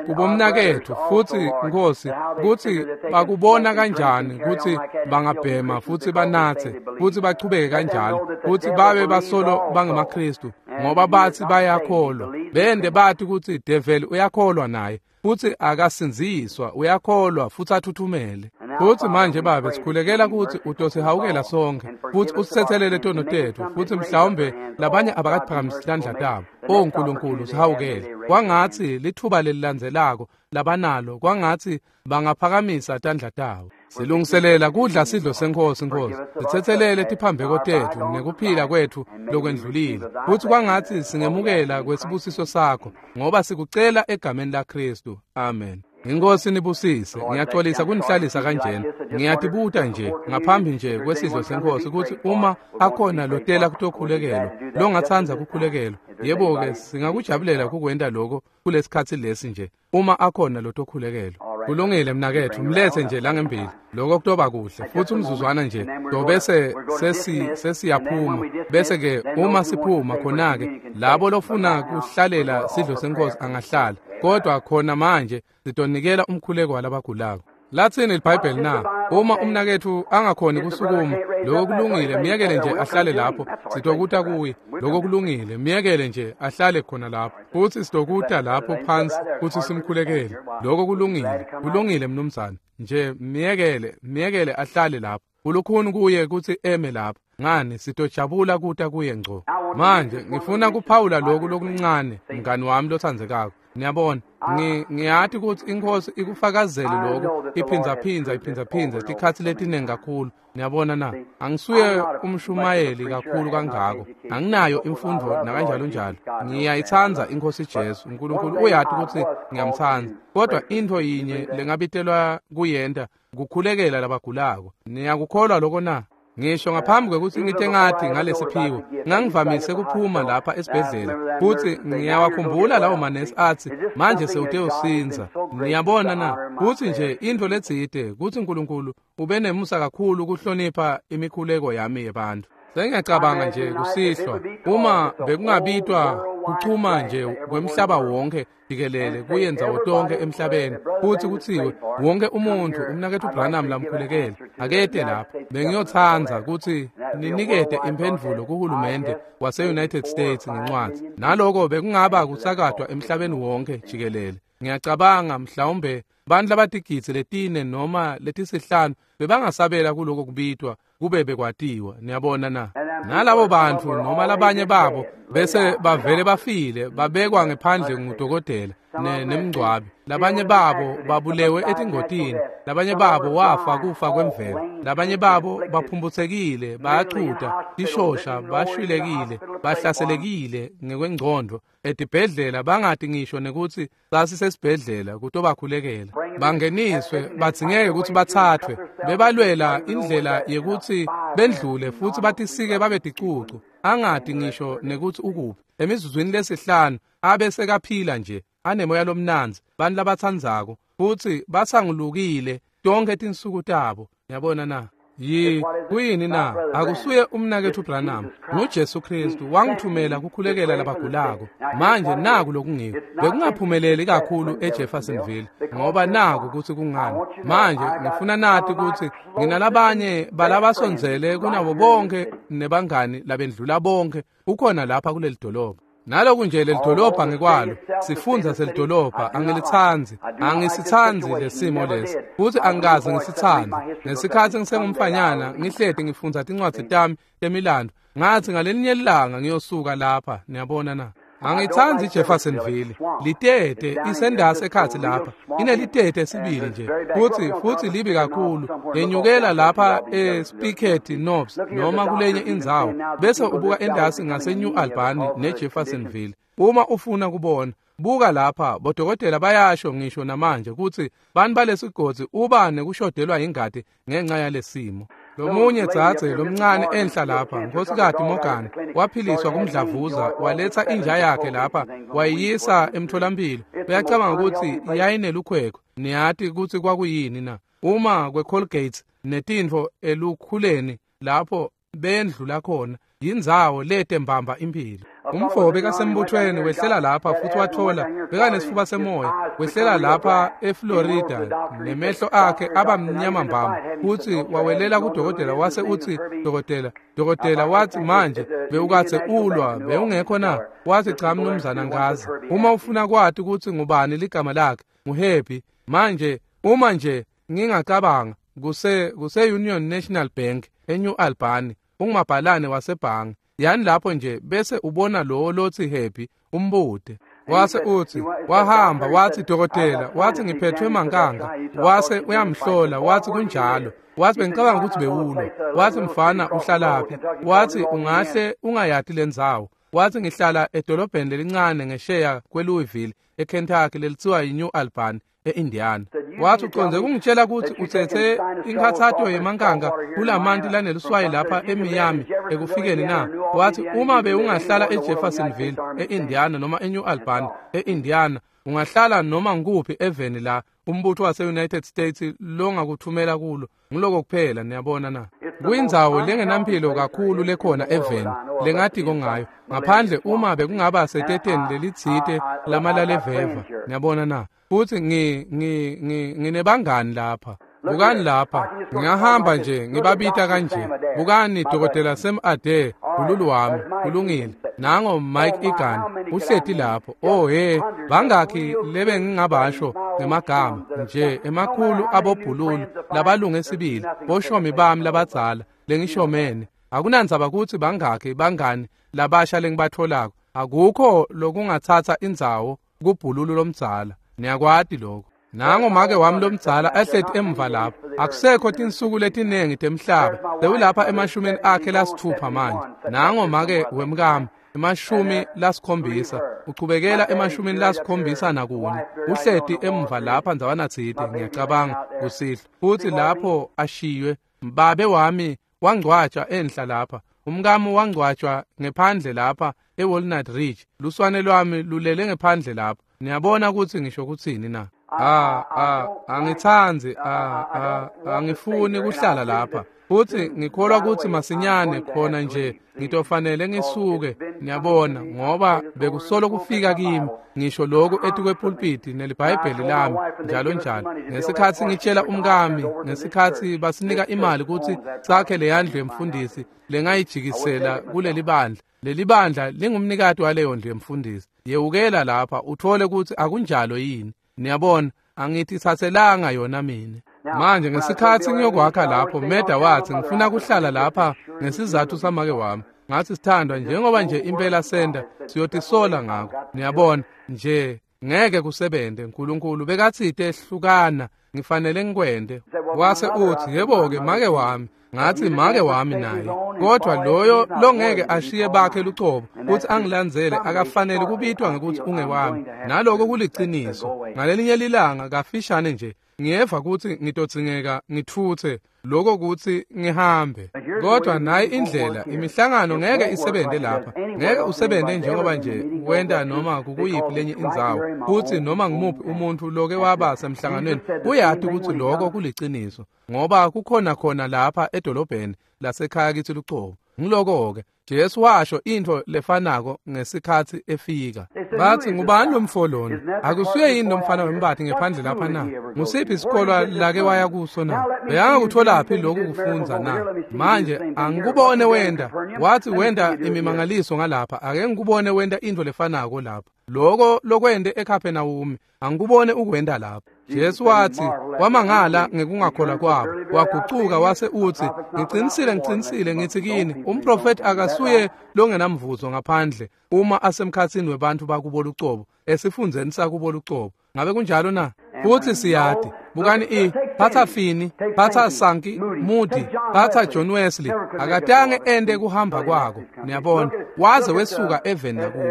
[SPEAKER 1] kubomnaketfu futsi Nkhosi kutsi bakubona kanjani kutsi bangabhema futsi banatse futsi bachubeke kanjalo, futsi babe basolo bangemaKristu ngoba batsi bayakholwa. Bende bathi kutsi develi uyakholwa naye, futsi akasindziswa, uyakholwa futsi athuthumele. Futsi manje Babe, sikhulekela kutsi utosihawukela sonke futsi usitsetselele tono tetfu, futsi mhlawumbe labanye abakaphakamisi tandla tabo. O Nkulunkulu, sihawukele. Kwangatsi lithuba lelilandzelako labanalo, kwangatsi bangaphakamisa tandla tabo. Silungiselela kudla sidlo seNkhosi, Nkosi. Sitsetselele tiphambeko tetfu nekuphila kwetfu lokwendlulile. Futsi kwangatsi singemukela kwesibusiso sakho, ngoba sikucela egameni laKhristu. Amen. Inkosi nibusise. Ngiyaxolisa kunihlalisa kanjena. Ngiyatibuta nje ngaphambi nje kwesidlo seNkhosi kutsi uma akhona lotela kutokhulekelwa, longatsandza kukhulekelwa, yebo-ke singakujabulela kukwenta lokho kulesikhatsi lesi nje, uma akhona lotokhulekelwa. Kulungile mnaketfu, mlethe nje langembili. Lokho kutoba kuhle. Futsi umzuzwana nje, tobese sesiyaphuma. Bese-ke uma siphuma khona-ke, labo lofuna kuhlalela sidlo seNkhosi angahlala. Kodwa khona manje sitonikela umkhuleko walabagulako. Latsini liBhayibheli na? Uma umnaketfu angakhoni kusukuma, lokho kulungile, myekele nje ahlale lapho, sitokuta kuye. Lokho kulungile, myekele nje ahlale khona lapho. Futsi sitokuta lapho phansi futsi simkhulekele. Lokho kulungile, kulungile mnumzane. Nje myekele ahlale lapho. Kulukhuni kuye kutsi eme lapho. Ngani sitojabula kuta kuye ngco. Manje ngifuna kuphawula lokhu lokuncane, mngani wami lotsandzekako. Niyabona, ngiyati kutsi iNkhosi ikufakazele lokhu iphindza tikhatsi letiningi kakhulu. Niyabona na? Angisuye umshumayeli kakhulu kangako. Anginayo imfundvo nakanjalo njalo. Ngiyayitsandza iNkhosi Jesu. uNkulunkulu uyati kutsi ngiyamtsandza. Kodwa intfo yinye lengabitelwa kuyenta kukhulekela labagulako. Niyakukholwa lokho na? Ngisho ngaphambi kwekutsi ngite ngathi ngalesiphiwo, ngangivamise kuphuma lapha esibhedlela, futsi ngiyawakhumbula lawo manesi atsi, manje sewutewusindza. Niyabona na? Kutsi nje intfo letsite, kutsi uNkulunkulu ube nemusa kakhulu kuhlonipha imikhuleko yami yebantfu. Sengiyacabanga nje kusihlwa, uma bekungabitwa kuchuma nje kwemhlaba wonke jikelele kuye ndzawo tonke emhlabeni, futsi kutsiwe wonke umuntfu umnaketfu Branham lamkhulekele akete lapha, bengiyotsandza kutsi ninikete imphendvulo kuhulumende wase-United States ngencwadzi. Naloko bekungaba kusakatwa emhlabeni wonke jikelele. Ngiyacabanga mhlawumbe bantfu labatigidzi 4 noma 5 bebangasabela kuloko kubitwa kube bekwatiwa. Niyabona na? Nalabo bantfu noma labanye babo bese bavele bafile, babekwa ngephandle ngudokotela nemngcwabi. Labanye babo babulewe etingotini, labanye babo wafa kufa kwemvelo, labanye babo baphumputsekile, bayachuta, tishosha, bashwilekile, bahlaselekile ngekwengcondvo etibhedlela, bangati ngisho nekutsi sasisesibhedlela kutobakhulekela. Bangeniswe, badzingeke kutsi bathathwe, bebalwela indlela yekutsi bendlule futsi batisike babe ticucu, angati ngisho nekutsi ukuphi. Emizuzwini 5 abe sekaphila nje, anemoya lomnandzi, bantfu labatsandzako, futsi basangulukile tonkhe tinsuku tabo. Niyabona na? Kuyini na? Akusuye umnaketfu Branham, nguJesu Khristu wangithumela kukhulekela labagulako. Manje naku lokungiko. Bekungaphumeleli kakhulu eJeffersonville, ngoba naku kutsi kungani. Manje ngifuna nati kutsi nginalabanye balabasondzele kunabo bonke nebangani labendlula bonke ukhona lapha kuleli dolobha. Naloku nje leli dolobha ngekwalo, sifundza selidolobha, angilitsandzi, angisitsandzi lesimo lesi, futsi angikaze ngisitsandze. Ngesikhatsi ngisengumfanyana, ngihleti ngifundza tincwadzi tami temilando, ngathi ngalelinye ilanga ngiyosuka lapha. Niyabona na? Angitsandzi iJeffersonville. Litete isendasi ekhatsi lapha, inelitete sibili nje, futsi libi kakhulu. Yenyukela lapha eSpickett Knobs noma kulenye indzawo, bese ubuka endasi ngase-New Albany neJeffersonville. Uma ufuna kubona, buka lapha, bodokotela bayasho ngisho namanje kutsi bantfu balesigodzi uba nekushodelwa ingati ngenxa yalesimo. Lomunye dzadze lomncane enhla lapha, Nkhosikati Morgan, waphiliswa kumdlavuza, waletsa inja yakhe lapha, wayiyisa emtholampilo. Uyacabanga kutsi yayinelukhwekwe. Niyati kutsi kwakuyini na? Uma kweColgate netintfo elukhuleni lapho bendlula khona, yindzawo lete mbamba imphilo. Umfo bekasembuthweni wehlela lapha futsi wathola bekanesifuba semoya, wehlela lapha eFlorida nemehlo akhe aba mnyama mbamba, futsi wawelela kudokotela wase utsi, dokotela watsi, manje bewukatse ulwa, bewungekho na? Watsi, cha mnumzana, ngazi. Uma ufuna kwati kutsi ngubani ligama lakhe, nguHappy. Manje uma nje ngingacabanga, kuse Union National Bank eNew Albany, ungumabhalane wasebhange. Yani lapho nje bese ubona lowo lotsi Happy, umbute. Wase uthi, wahamba wathi dokotela, wathi ngiphethwe mankanga. Wase uyamhlola, wathi kunjalo. Wathi bengicabanga ukuthi bewulo. Wathi mfana uhlalaphi? Wathi ungahle ungayati lendzawo. Wathi ngihlala edolobheni lelincane ngesheya kweLouisville eKentucky lelithiwa yiNew Albany eIndiana. Wathi uconze kungitshela ukuthi uthethe inkhathato yemankanga kulamanti laneluswayi lapha eMiami ekufikeni na? Wathi uma bewungahlala eJeffersonville eIndiana noma eNew Albany eIndiana, ungahlala noma ngikuphi eveni la umbutho wase-United States longakuthumela kulo. Ngiloko kuphela, niyabona na? Kuyindzawo lengenampilo kakhulu lekhona eveni lengatiko ngayo, ngaphandle uma bekungaba seteteni lelitsite lamalaleveva, niyabona na? Futhi nginebangani lapha. Bukani lapha, ngingahamba nje ngibabita kanje. Bukani Dokotela Sam Ade, ululu wami, kulungile. Nango Mike Egan, uhleti lapho. Oh he, bangakhi lebe ngingabasho ngemagama nje emakhulu abobhululu labalunge sibili, boshomi bami labadzala lengishomene. Akunandzaba kutsi bangakhi bangani labasha lengibatholako. Akukho lokungathatha indzawo kubhululu lomdzala. Niyakwati lokho. Nango make wami lomdzala ahleti emva lapho. Akusekho tinsuku letinengi temhlaba. Sewulapha emashumini akhe lasithupha manje. Nango make wemkami 70, uchubekela 74. Uhleti emva lapha ndzawana tsite, ngiyacabanga kusihlwa. Futhi lapho ashiywe babe wami wangcwatshwa enhla lapha. Umkami wangcwatshwa ngephandle lapha eWalnut Ridge. Luswane lwami lulele ngephandle lapha. Niyabona ukuthi ngisho kuthini na? Angithandi, angifuni kuhlala lapha. Futhi ngikholwa ukuthi masinyane khona nje ngitofanele ngisuke, niyabona, ngoba bekusolo kufika kimi ngisho lokhu etikwe-pulpiti neliBhayibheli lami njalo njalo. Ngesikhathi ngitshela umkami, ngesikhathi basinika imali ukuthi sakhe leyandlu yemfundisi lengayijikisela kuleli bandla. Leli bandla lingumnikati waleyo ndlu yemfundisi. Yewukela lapha uthole ukuthi akunjalo yini. Niyabona, angitithathelanga yona mina. Manje ngesikhathi ngiyokwakha lapho, Meda wathi ngifuna kuhlala lapha ngesizathu samake wami. Ngathi sithandwa, njengoba nje impela senda siyotisola ngakho. Niyabona nje ngeke kusebente. uNkulunkulu bekathite hlukana, ngifanele ngikwende. Wase uthi yebo ke make wami. Ngathi make wami naye, kodwa loyo longeke ashiye bakhe lucobo kuthi angilandzele akafanele kubitwa ngekuthi ungewami. Naloko kuliciniso. Ngalelinye lilanga kafishane nje ngiyeva ukuthi ngitodzingeka ngithuthe lokho kuthi ngihambe. Kodwa nayi indlela, imihlangano ngeke isebente lapha. Ngeke usebente njengoba nje wenda noma kukuyiphi lenye indzawo. Futhi noma ngimuphi umuntu loke waba semhlanganweni uyati ukuthi lokho kuliciniso, ngoba kukhona khona lapha edolobheni lasekhaya kithi lucobo. Ngiloko-ke Jesu washo into lefanako ngesikhathi efika. Bathi ngubani lo mfo lona? Akusuye yini lo mfana wembathi ngephandle lapha na? Ngusiphi isikolo lake waya kuso na? Bekangakutholaphi lokhu kufundza na? Manje angikubone wenda. Wathi wenda imimangaliso ngalapha, ake ngikubone wenda into lefanako lapha. Lokho lokwende eKapernaum, angikubone ukwenda lapha. Jesu wathi wamangala ngekungakholwa kwabo. Wagucuka wase uthi ngicinisile ngicinisile ngithi kini, umprofeti akasuye longenamvuzo ngaphandle uma asemkhathini webantu bakubo lucobo, esifundzeni sakubo lucobo. Ngabe kunjalo na? Futhi siyati, bukani phatha Fini, phatha Sankey, Moody, phatha John Wesley, akatange ende kuhamba kwako. Niyabona, waze wesuka eveni lakubo.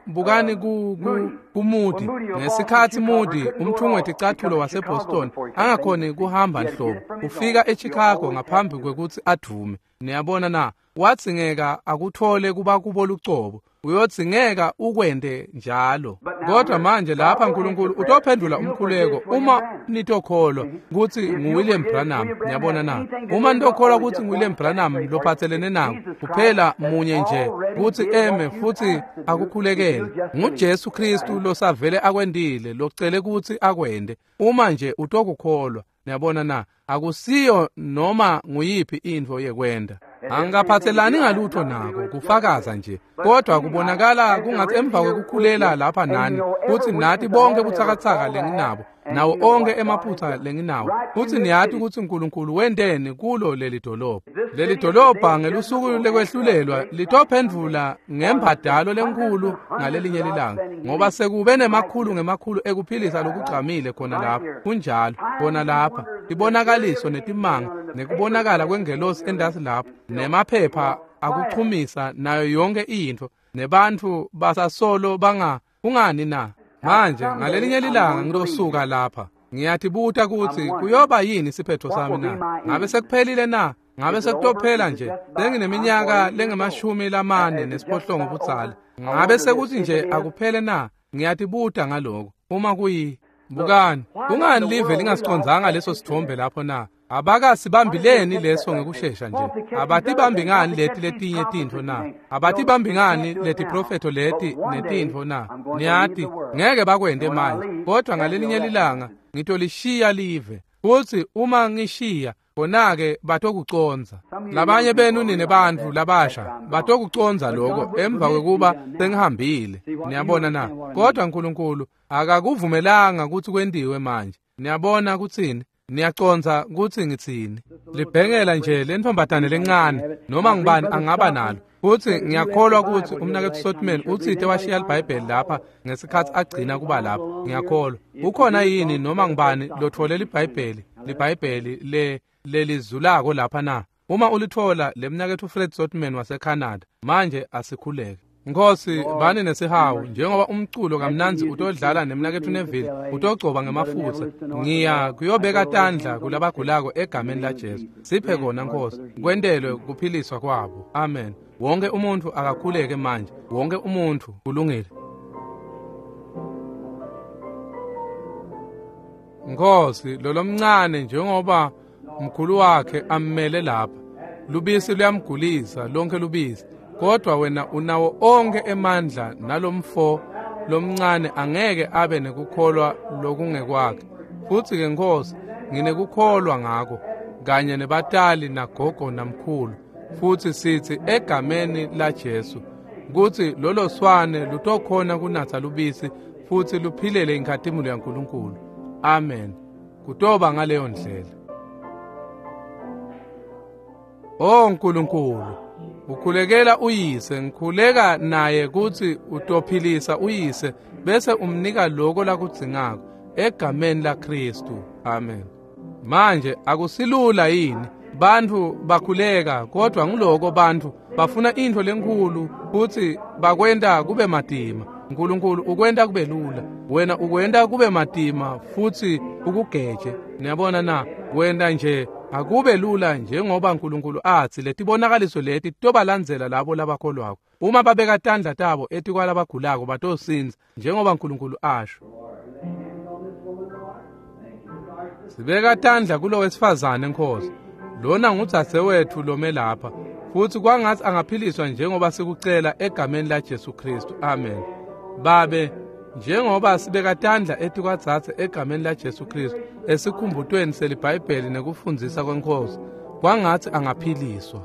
[SPEAKER 1] Bukani ku Moody. Ngesikhathi Moody umthungo weticathulo waseBoston angakhoni kuhamba nhlobo, ufika eChicago ngaphambi kwekuthi adume. Niyabona na? Wadzingeka akuthole kuba kubo lucobo. Uyodzingeka ukwende njalo. Kodwa manje lapha uNkulunkulu utophendula umkhuleko uma nitokholwa ukuthi nguWilliam Branham. Niyabona na? Uma nitokholwa ukuthi nguWilliam Branham lophathelene nako, kuphela munye nje ukuthi eme futhi akukhulekele. NguJesu Kristu losavele akwendile, locele ukuthi akwende. Uma nje utokukholwa. Niyabona na? Akusiyo noma nguyiphi intfo yekwenda. Angikaphathelani ngalutho nako kufakaza nje, kodwa kubonakala kungathi emva kwekukhulela lapha nani kuthi nathi bonke butsakatsaka lenginabo nawo onkhe emaphutsa lenginawo. Futsi niyati kutsi Nkulunkulu wenteni kulo leli dolobha. Leli dolobha ngelusuku lekwehlulelwa litophendvula ngembadalo lenkhulu ngalelinye lilanga, ngoba sekube nemakhulu ngemakhulu ekuphilisa lokugcamile khona lapha. Kunjalo, khona lapha tibonakaliso netimanga nekubonakala kwengelosi endasi lapha nemaphepha akuchumisa nayo yonke intfo, nebantfu basasolo banga kungani na? Manje ngalelinye lilanga ngilosuka lapha, ngiyatibuta kutsi kuyoba yini siphetho sami na? Ngabe sekuphelile na? Ngabe sekutophela nje? Sengineminyaka lengu-48 budzala. Ngabe sekuthi nje akuphele na? Ngiyatibuta ngaloko. Uma kuyi bukani, kungani live lingasicondzanga leso sithombe lapho na? Abakasibambileni leso ngekushesha nje? Abatibambi ngani leti letinye tintfo na? Abatibambi ngani leti profetho leti netintfo na? Niyati ngeke bakwente manje, kodwa ngalelinye lilanga ngitolishiya live. Futsi uma ngishiya, khona-ke batokucondza. Labanye benu nine bantfu labasha batokucondza lokho emva kwekuba sengihambile. Niyabona na? Kodwa Nkulunkulu akakuvumelanga kutsi kwentiwe manje. Niyabona kutsini? Niyacondza kutsi ngitsini? Libhengela nje lentfombatane lencane noma ngubani angaba nalo. Futsi ngiyakholwa kutsi umnaketfu Sotman utsite washiya liBhayibheli lapha ngesikhatsi agcina kuba lapha. Ngiyakholwa. Ukhona yini noma ngubani lotfole liBhayibheli? LiBhayibheli lelizulako lapha na? Uma ulitfola lemnaketfu Fred Sotman waseCanada, manje asikhuleke. Nkhosi, bani nesihawu njengoba umculo kamnandzi utodlala nemnaketfu Neville utogcoba ngemafutsa. Ngiya kuyobeka tandla kulabagulako egameni laJesu. Siphe kona Nkhosi, kwentelwe kuphiliswa kwabo. Amen. Wonke umuntfu akakhuleke manje. Wonke umuntfu kulungile. Nkhosi, lolomncane njengoba mkhulu wakhe ammele lapha. Lubisi luyamgulisa lonke lubisi. Kodwa wena unawo onke emandla nalomfo lomncane angeke abe nekukholwa lokungekwakhe. Futsi ke Nkhosi, nginekukholwa ngako kanye nebatali nagogo namkhulu. Futsi sitsi egameni laJesu kutsi lolo swane lutokhona kunatsa lubisi futsi luphilele inkhatimulo yaNkulunkulu. Amen. Kutoba ngaleyo ndlela. O Nkulunkulu, ukhulekela uyise, ngikhuleka naye kutsi utophilisa uyise bese umnika lokho lakudzingako egameni laKristu. Amen. Manje akusilula yini? Bantfu bakhuleka, kodwa nguloko bantfu bafuna intfo lenkhulu futsi bakwenta kube matima. Nkulunkulu ukwenta kube lula, wena ukwenta kube matima futsi ukugeje. Niyabona na? Wenta nje akube lula njengoba Nkulunkulu atsi letibonakaliso leti tobalandzela labo labakholwako. Uma babeka tandla tabo etikwalabagulako batosindza njengoba Nkulunkulu asho. Sibeka tandla kulo wesifazane Nkhosi. Lona ngudzadzewetfu lome lapha, futsi kwangatsi angaphiliswa njengoba sikucela egameni laJesu Kristu. Amen. Babe, njengoba sibeka tandla etikwadzadze egameni laJesu Kristu esikhumbutweni seliBhayibheli nekufundzisa kweNkhosi, kwangatsi angaphiliswa.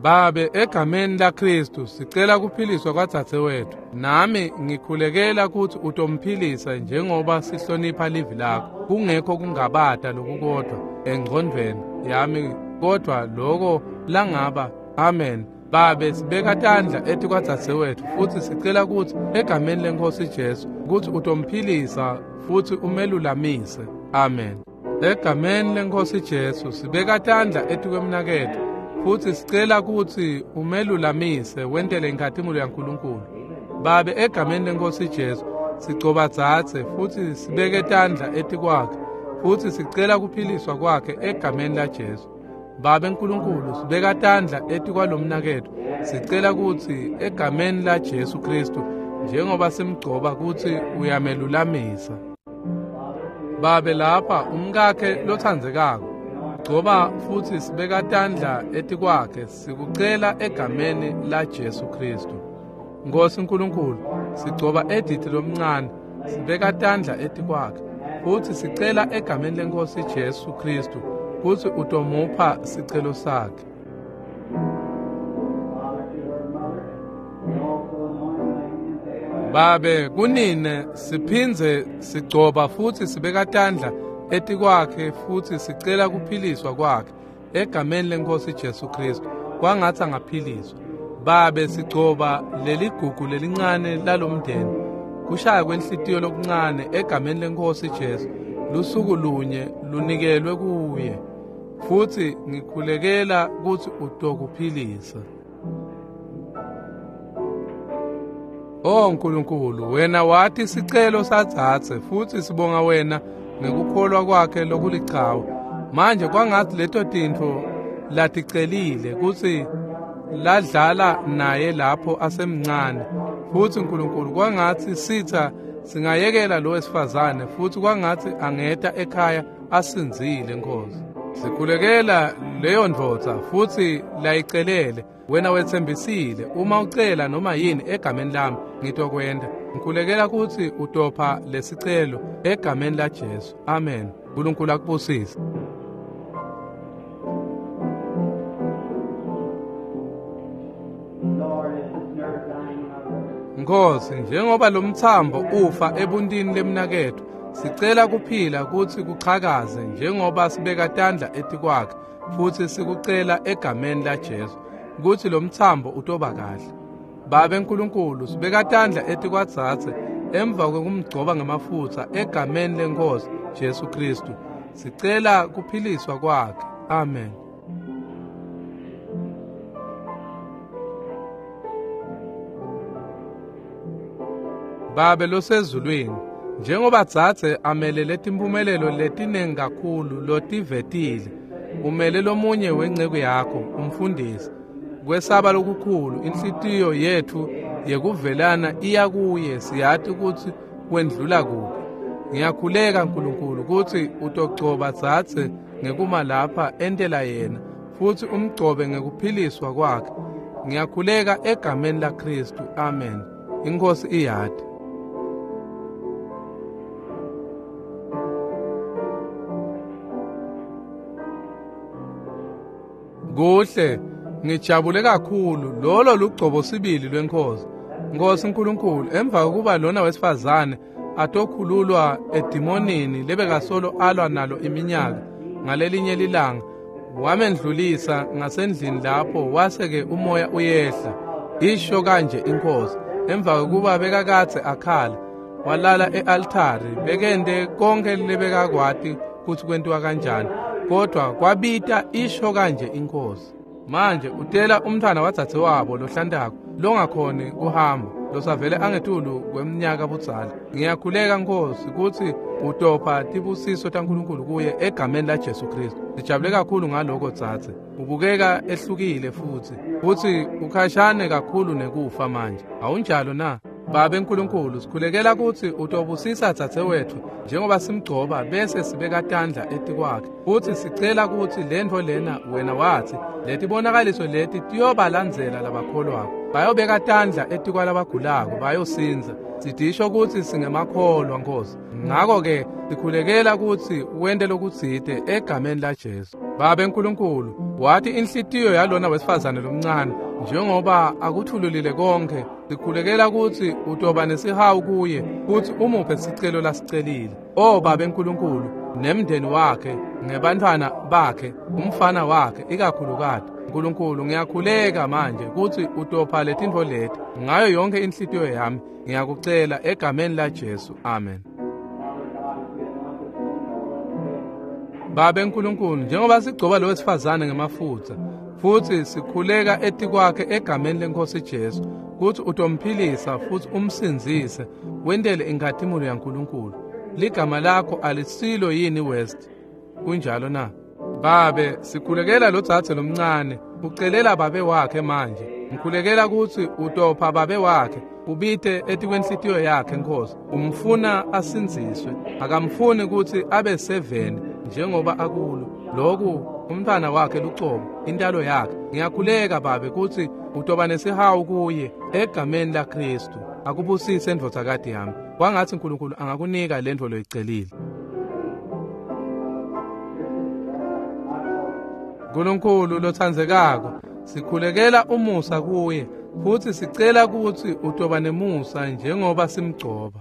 [SPEAKER 1] Babe, egameni laKristu sicela kuphiliswa kwadzadzewetfu. Nami ngikhulekela kutsi utomphilisa njengoba sihlonipha livi lakho, kungekho kungabata lokukodwa engcondvweni yami kodwa loko langaba. Amen. Babe, sibeka tandla etikwadzadzewetfu futsi sicela kutsi egameni leNkhosi Jesu kutsi utomphilisa futsi umelulamise. Amen. Egameni leNkhosi Jesu sibeka tandla etikwemnaketfu futsi sicela kutsi umelulamise wentele inkhatimulo yaNkulunkulu. Babe, egameni leNkhosi Jesu sigcoba dzadze futsi sibeke tandla etikwakhe futsi sicela kuphiliswa kwakhe egameni laJesu. Babe Nkulunkulu, sibeka tandla etikwalomnaketfu sicela kutsi egameni laJesu Kristu njengoba simgcoba kutsi uyamelulamisa. Babe, lapha umkakhe lotsandzekako gcoba futsi sibeka tandla etikwakhe sikucela egameni laJesu Kristu. Nkhosi Nkulunkulu, sigcoba Edith lomncane sibeka tandla etikwakhe futsi sicela egameni leNkhosi Jesu Kristu kutsi utomupha sicelo sakhe. Babe, kunine siphindze sigcoba futhi sibeka tandla etikwakhe futhi sicela kuphiliswa kwakhe egameni lenkosi Jesu Kristu, kwangathi angaphiliswa. Babe, sigcoba leligugu lelincane lalomndeni, kushaya kwenhlitiyo lokuncane egameni lenkosi Jesu, lusuku lunye lunikelwe kuye, futhi ngikhulekela kutsi utokuphilisa. Oh Nkulunkulu, wena wathi sicelo sadzadze, futhi sibonga wena ngekukholwa kwakhe lokulichawe. Manje kwangathi leto tintfo laticelile kutsi ladlala naye lapho asemncane, futhi Nkulunkulu kwangathi sitha singayekela lo wesifazane, futhi kwangathi angeta ekhaya asinzile. Nkosi, sikhulekela leyo ndvodza futhi layicelele. Wena wetsembisile, uma ucela noma yini egameni lami ngitokwenta. Ngikhulekela kutsi utopha lesicelo egameni la Jesu. Amen. Nkulunkulu akubusise. Nkosi, njengoba lomthambo ufa ebuntini lemnaketfu, sicela kuphila kutsi kuchakaze njengoba sibeka tandla etikwakhe, futhi sikucela egameni la Jesu kutsi lomthambo utoba kahle. Babe Nkulunkulu, sibeka tandla etikwadzadze emva kwekumgcoba ngemafutsa egameni lenkosi Jesu Kristu, sicela kuphiliswa kwakhe. Amen. Babe losezulwini, njengoba dzadze amelele timpumelelo letinengi kakhulu lotivetile, umele lomunye wenceku yakho umfundisi. Kwesaba lokukhulu inhlitiyo yetfu yekuvelana iya kuye, siyati kutsi wendlula kuphi. Ngiyakhuleka Nkulunkulu kutsi utogcoba dzadze ngekuma lapha entela yena, futhi umgcobe ngekuphiliswa kwakhe. Ngiyakhuleka egameni la Kristu. Amen. Inkosi iyati. Kuhle, ngijabule kakhulu. Lolo lugcobo sibili lwenkosi. Nkosi Nkulunkulu, emva kokuba lona wesifazane atokhululwa edimonini lebekasolo alwa nalo iminyaka, ngalelinye lilanga wamendlulisa ngasendlini lapho wase-ke umoya uyehla. Isho kanje inkosi, emva kokuba bekakadze akhala, walala e-altari, bekente konke lebekakwati kutsi kwentiwa kanjani, kodwa kwabita isho kanje inkosi. Manje utela umntfwana wadzadzewabo lohlantako longakhoni kuhamba, losavele angetulu kweminyaka budzala. Ngiyakhuleka Nkosi kutsi utopha tibusiso taNkulunkulu kuye egameni la Jesu Kristu. Sijabule kakhulu ngaloko dzadze. Ubukeka ehlukile futhi ukhashane kakhulu nekufa manje. Awunjalo na? Babe Nkulunkulu, sikhulekela kutsi utobusisa dzadzewetfu njengoba simgcoba bese sibeka tandla etikwakhe, futhi sicela kutsi lentfo lena wena watsi letibonakaliso leti tiyobalandzela labakholwako, bayobeka tandla etikwalabagulako bayosindza. Sidisho kutsi singemakholwa Nkosi, ngako-ke sikhulekela kutsi wente lokutsite egameni la Jesu. Babe Nkulunkulu, wathi inhlitiyo yalona wesifazane lomncane njengoba akuthululile konke, sikhulekela kutsi utoba nesihawu kuye futsi umuphe sicelo lasicelile. O Babe Nkulunkulu, nemndeni wakhe, ngebantfwana bakhe, umfana wakhe ikakhulukati. Nkulunkulu, ngiyakhuleka manje kutsi utopha letintfo leti ngayo yonke inhlitiyo yami. Ngiyakucela egameni la Jesu. Amen. Babe Nkulunkulu, njengoba sigcoba lo wesifazane ngemafutsa futhi sikhuleka etikwakhe egameni lenkosi Jesu kutsi utomphilisa futhi umsindzise, wentele inkhatimulo yaNkulunkulu. Ligama lakho alisilo yini West? Kunjalo na? Babe, sikhulekela lo dzadze lomncane, ucelela babe wakhe manje. Ngikhulekela kutsi utopha babe wakhe, ubite etikwenhlitiyo yakhe Nkosi. Umfuna asindziswe, akamfuni kutsi abe seveni njengoba akulo. Loku umntfwana wakhe lucobo, intalo yakhe. Ngiyakhuleka Babe kutsi utoba nesihawu kuye egameni la Kristu. Akubusise ndvodzakati yami. Kwangatsi Nkulunkulu angakunika lentfo loyicelile. Nkulunkulu lotsandzekako, sikhulekela umusa kuye. Futsi sicela kutsi Utoba nemusa njengoba simgcoba.